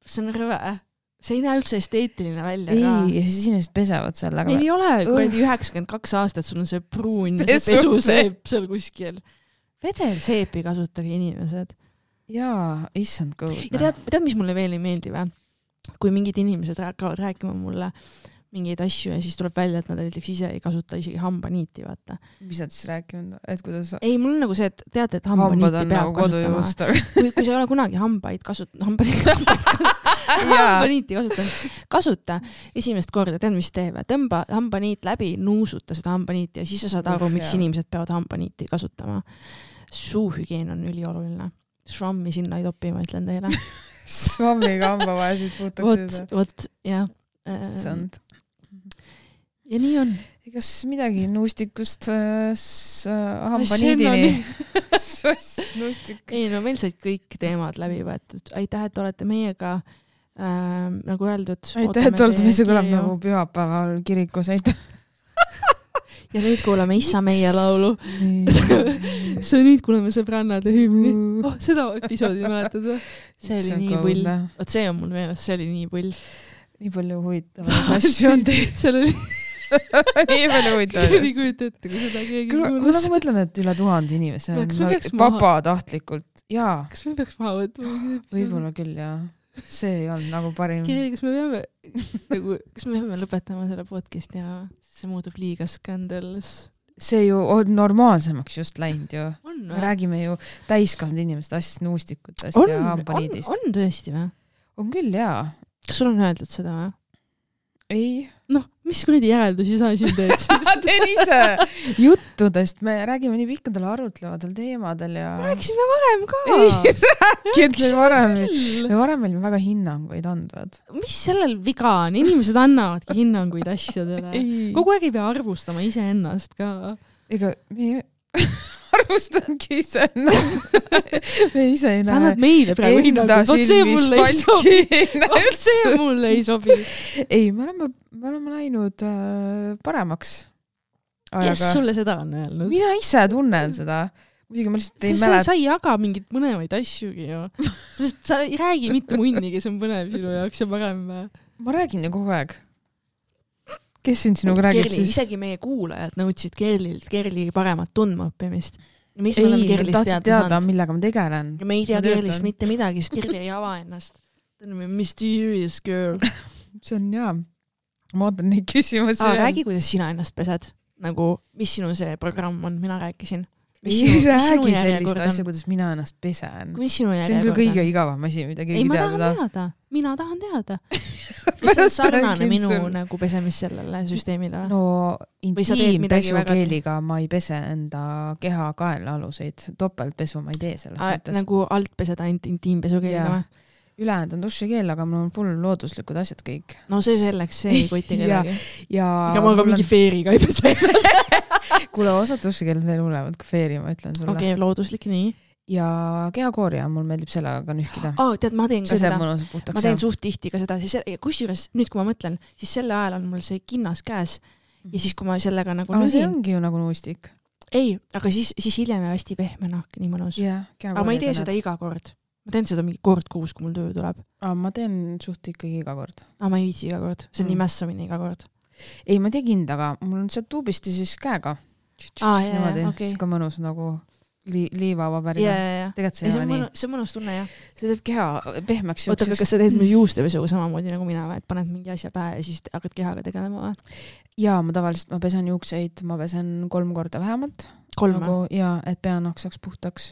See on rõve. See ei näe üldse esteetiline välja. Ei, ja siis inimesed pesevad seal. Meil ei ole kuradi üheksakümmend kaks aastat, sul on see pruun ja see pesuseep seal kuskil. Vedel seepi kasutage inimesed. Jaa, issand kõud. Ja tead, tead, mis mulle veel ei meeldi või? Kui mingid inimesed hakkavad rääkima mulle mingeid asju ja siis tuleb välja, et nad näiteks ise ei kasuta isegi hambaniiti, vaata. Mis nad siis rääkinud? Et kuidas... Ei, mul on nagu see, et tead, et hambaniiti peab nagu kasutama. Kui, kui sa ei ole kunagi hambaid kasutanud, hambaniiti, hambaniiti kasutanud, kasuta esimest korda, tead, mis teeb, tõmba hambaniit läbi, nuusuta seda hambaniiti ja siis sa saad aru, miks inimesed peavad hambaniiti kasutama. Suuhügieen on ülioluline. Švammi sinna ei topi, ma ütlen teile. Švammiga hambavaesid puutakse. Vot, vot, jah. Sand. Ja nii on. Kas midagi nuustikust äh, hambaniidini? Nuustik. Ei, no meil said kõik teemad läbi võetud. Aitäh, et olete meiega äh, nagu öeldud. Aitäh, et olete meiega kõlab nagu pühapäeval kirikus. Aitäh. Ja nüüd kuulame Issa meie laulu. See nüüd kuuleme sõbrannade hümni. Oh, seda episoodi mäletad. See oli nii pull. Oot, see on mul meeles, see oli nii pull. Nii palju huvitavaid asju on teid. Seal oli nii palju huvitavaid. Nii kujuta ette, kui seda keegi kuulas. Ma nagu mõtlen, et üle tuhande inimese on vabatahtlikult. Jaa. Kas me peaks maha võtma? Võib-olla küll, jaa. See ei olnud nagu parim. Kirjali, kas me peame nagu, kas me peame lõpetama selle podcast ja see muutub liiga skandalus? See ju on normaalsemaks just läinud ju. On, me räägime ju täiskasvanud inimeste asjast, nuustikutest on, ja hambaniidist. On, on tõesti või? On küll, jaa. Kas sul on öeldud seda või? Ei. Noh, mis kuradi järeldusi sa siin teed? Teen ise juttudest. Me räägime nii pikkadel arutlevatel teemadel ja... Rääkisime varem ka. Ei rääkinud meil varem. Me varem meil väga hinnanguid andvad. Mis sellel viga on? Inimesed annavadki hinnanguid asjadele. Ei. Kogu aeg ei pea arvustama ise ennast ka. Ega me arvustangi ise ennast. Me ise ei näe. Sa annad meile praegu hinnanguid. Vot see mulle ei sobi. Vot see mulle ei sobi. Ei, me oleme, me oleme läinud äh, paremaks. Kes sulle seda on öelnud? Mina ise tunnen seda. Muidugi ma lihtsalt ei mälet... Sa ei jaga mingit mõnemaid asjugi ju. Sa ei räägi mitte munni, kes on põnev sinu jaoks ja parem. Ma räägin ju kogu aeg. Kes siin sinuga räägib Kerli, siis? Isegi meie kuulajad nõudsid Kerlilt Kerli paremat tundma õppimist. Mis ei, me oleme Kerlist teada, teada millega ma tegelen. Ja me ei tea Kerlist mitte midagi, sest Kerli ei ava ennast. Ta on mysterious girl. See on jaa. Ma ootan neid küsimusi. Aa, räägi, kuidas sina ennast pesed. Nagu, mis sinu see programm on, mina rääkisin. Ei sinu, räägi sellist asja, kuidas mina ennast pesen. Mis sinu see on küll kõige igavam asi, mida keegi ei, ma teada. tahan teada. Mina tahan teada. See on sarnane minu nagu pesemis sellele süsteemile. No intiimpesukeeliga ma ei pese enda keha kaela aluseid. Topeltpesu ma ei tee selles A, mõttes. Nagu alt peseda intiimpesukeeliga või? Ülejäänud on dušikeel, aga mul on full looduslikud asjad kõik. No see selleks, see ei koti kedagi. Ja, ega ma ka mingi on... feeriga ei pese. Kuule, osad dušikeeled veel hulevad kui feeri, ma ütlen sulle. Okei, okay, looduslik, nii. Ja kehakoorja, mul meeldib sellega ka nühkida. Oh, tead, ma teen ka see seda. Puhtaks, ma teen suht tihti ka seda. Kusjuures, nüüd kui ma mõtlen, siis selle ajal on mul see kinnas käes. Ja siis kui ma sellega nagu ah, nühin... see ongi ju nagu nuustik. Ei, aga siis, siis hiljem ja hästi pehme nahk, nii mõnus. Yeah, aga ma ei tee tänad. Seda iga kord. Ma teen seda mingi kord kuus, kui mul töö tuleb. Ah, ma teen suht ikkagi iga kord. Ah, ma ei viitsi iga kord. See on mm. nii mässamine iga kord. ei, ma tegin, aga mul on sealt tuubist ja siis käega. Ah, jah, jah, okei. Siis ka mõnus nagu li- liivavabärina. Ja, ja, ja. Tegelikult see ei ole nii. See on mõnus tunne, jah. See teeb keha pehmeks. Oota, kas sa teed mul juustepesuga samamoodi nagu mina, et paned mingi asja pähe ja siis hakkad kehaga tegelema või? Jaa, ma tavaliselt ma pesen juukseid, ma pesen kolm korda vähemalt. Kolm? Nagu, jaa, et peanahk saaks puhtaks.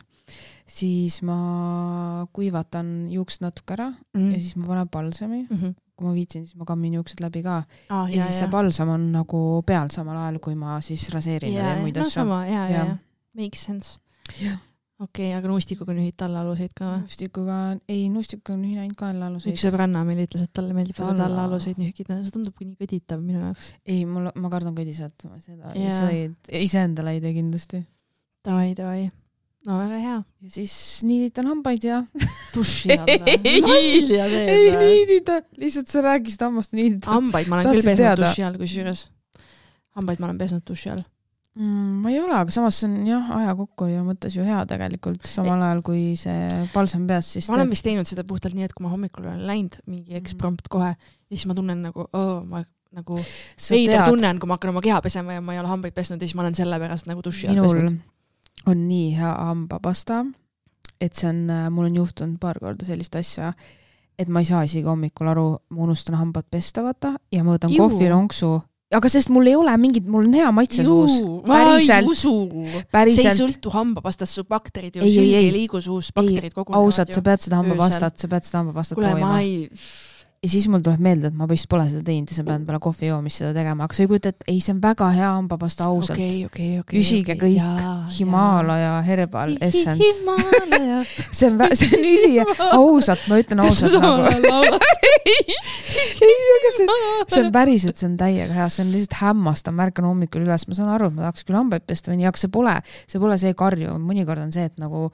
Siis ma kuivatan juukst natuke ära mm. ja siis ma panen balsami. Mm-hmm. Kui ma viitsin, siis ma kammin juuksed läbi ka. Ah, ja, ja siis ja. See balsam on nagu peal samal ajal, kui ma siis raseerin ja, ja muid no, asja. No sama, jaa, jaa, jaa. Makes sense. Okei, okay, aga nuustikuga nühid tallaaluseid ka? Nuustikuga, ei, nuustikuga nühin ainult ka allaaluseid. Üks sõbranna meil ütles, et talle meeldib Talla. Tallaaluseid nühkida. See tundub nii kõditav minu jaoks. Ei, mul, ma kardan kõdisat. Seda ise endale ei tee kindlasti. Davai, davai. No väga hea. Ja siis niiditan hambaid ja duši alla. Nalja teed. Ei niidita. Lihtsalt sa rääkisid hammast niidita. Hambaid ma olen küll pesnud duši all, kui süüres. Hambaid ma olen pesnud duši all. Mm, ma ei ole, aga samas see on jah, aja kokku ja mõttes ju hea tegelikult samal ajal, kui see palsam peas. Siis ma olen vist teinud seda puhtalt nii, et kui ma hommikul olen läinud mingi eksprompt kohe ja siis ma tunnen nagu, oh, ma nagu veider tunnen, kui ma hakkan oma keha pesema ja ma ei ole hambaid pesnud ja siis ma olen selle pärast nagu duši all pesnud. On nii hea hambapasta, et see on, mul on juhtunud paar korda sellist asja, et ma ei saa isegi hommikul aru, ma unustan hambad pesta vaata ja ma võtan kohvilonksu, aga sest mul ei ole mingit, mul on hea maitse suus. Päriselt. See ei sõltu hambapastast, su bakterid ju sülgi ei liigu suus, bakterid kogunevad. Ausalt, sa pead seda hambapastat, sa pead seda hambapastat Kule, toima. Ma ei... Ja siis mul tuleb meelde, et ma vist pole seda teinud ja sa pead peale kohvi joomist seda tegema, aga sa ei kujuta, et ei, see on väga hea hambapasta ausalt. Okay, okay, okay, Küsige okay, kõik jaa, Himaalaja Herbal Essence. Himaalaja. see on, see on üli ausalt, ma ütlen ausalt nagu. ei, aga see, see on päris, et see on täiega hea, see on lihtsalt hämmastav, märkan hommikul üles, ma saan aru, et ma tahaks küll hambaid pesta või nii, aga see pole, see pole see karju, mõnikord on see, et nagu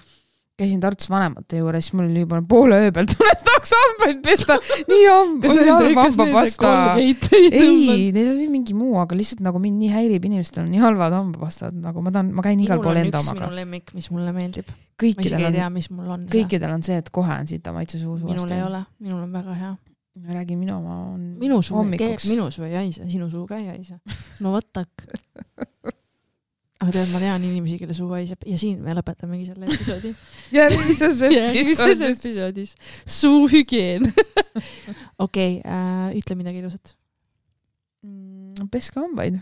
käisin Tartus vanemate juures, siis mul oli juba poole öö peal tunnest tahaks hambaid pesta. Nii halb hambapasta. Ei, neil oli mingi muu, aga lihtsalt nagu mind nii häirib, inimestel on nii halvad hambapastad, nagu ma tahan, ma käin igal pool enda omaga. Minul on üks minu lemmik, mis mulle meeldib. Kõikidel ma isegi ei tea, mis mul on. Kõikidel on see, et kohe on sita maitse suus. Minul ei ole, minul on väga hea. Ma räägin, minu oma on minu suu, minu suu ei aisa, sinu suu ka ei aisa. No võtak. Aga tead, ma tean inimesi, kelle suu haiseb ja siin me lõpetamegi selle episoodi. Järgmises episoodis. episoodis. Suu hügieen. Okei, okay, äh, ütle midagi ilusat. Peske hambaid.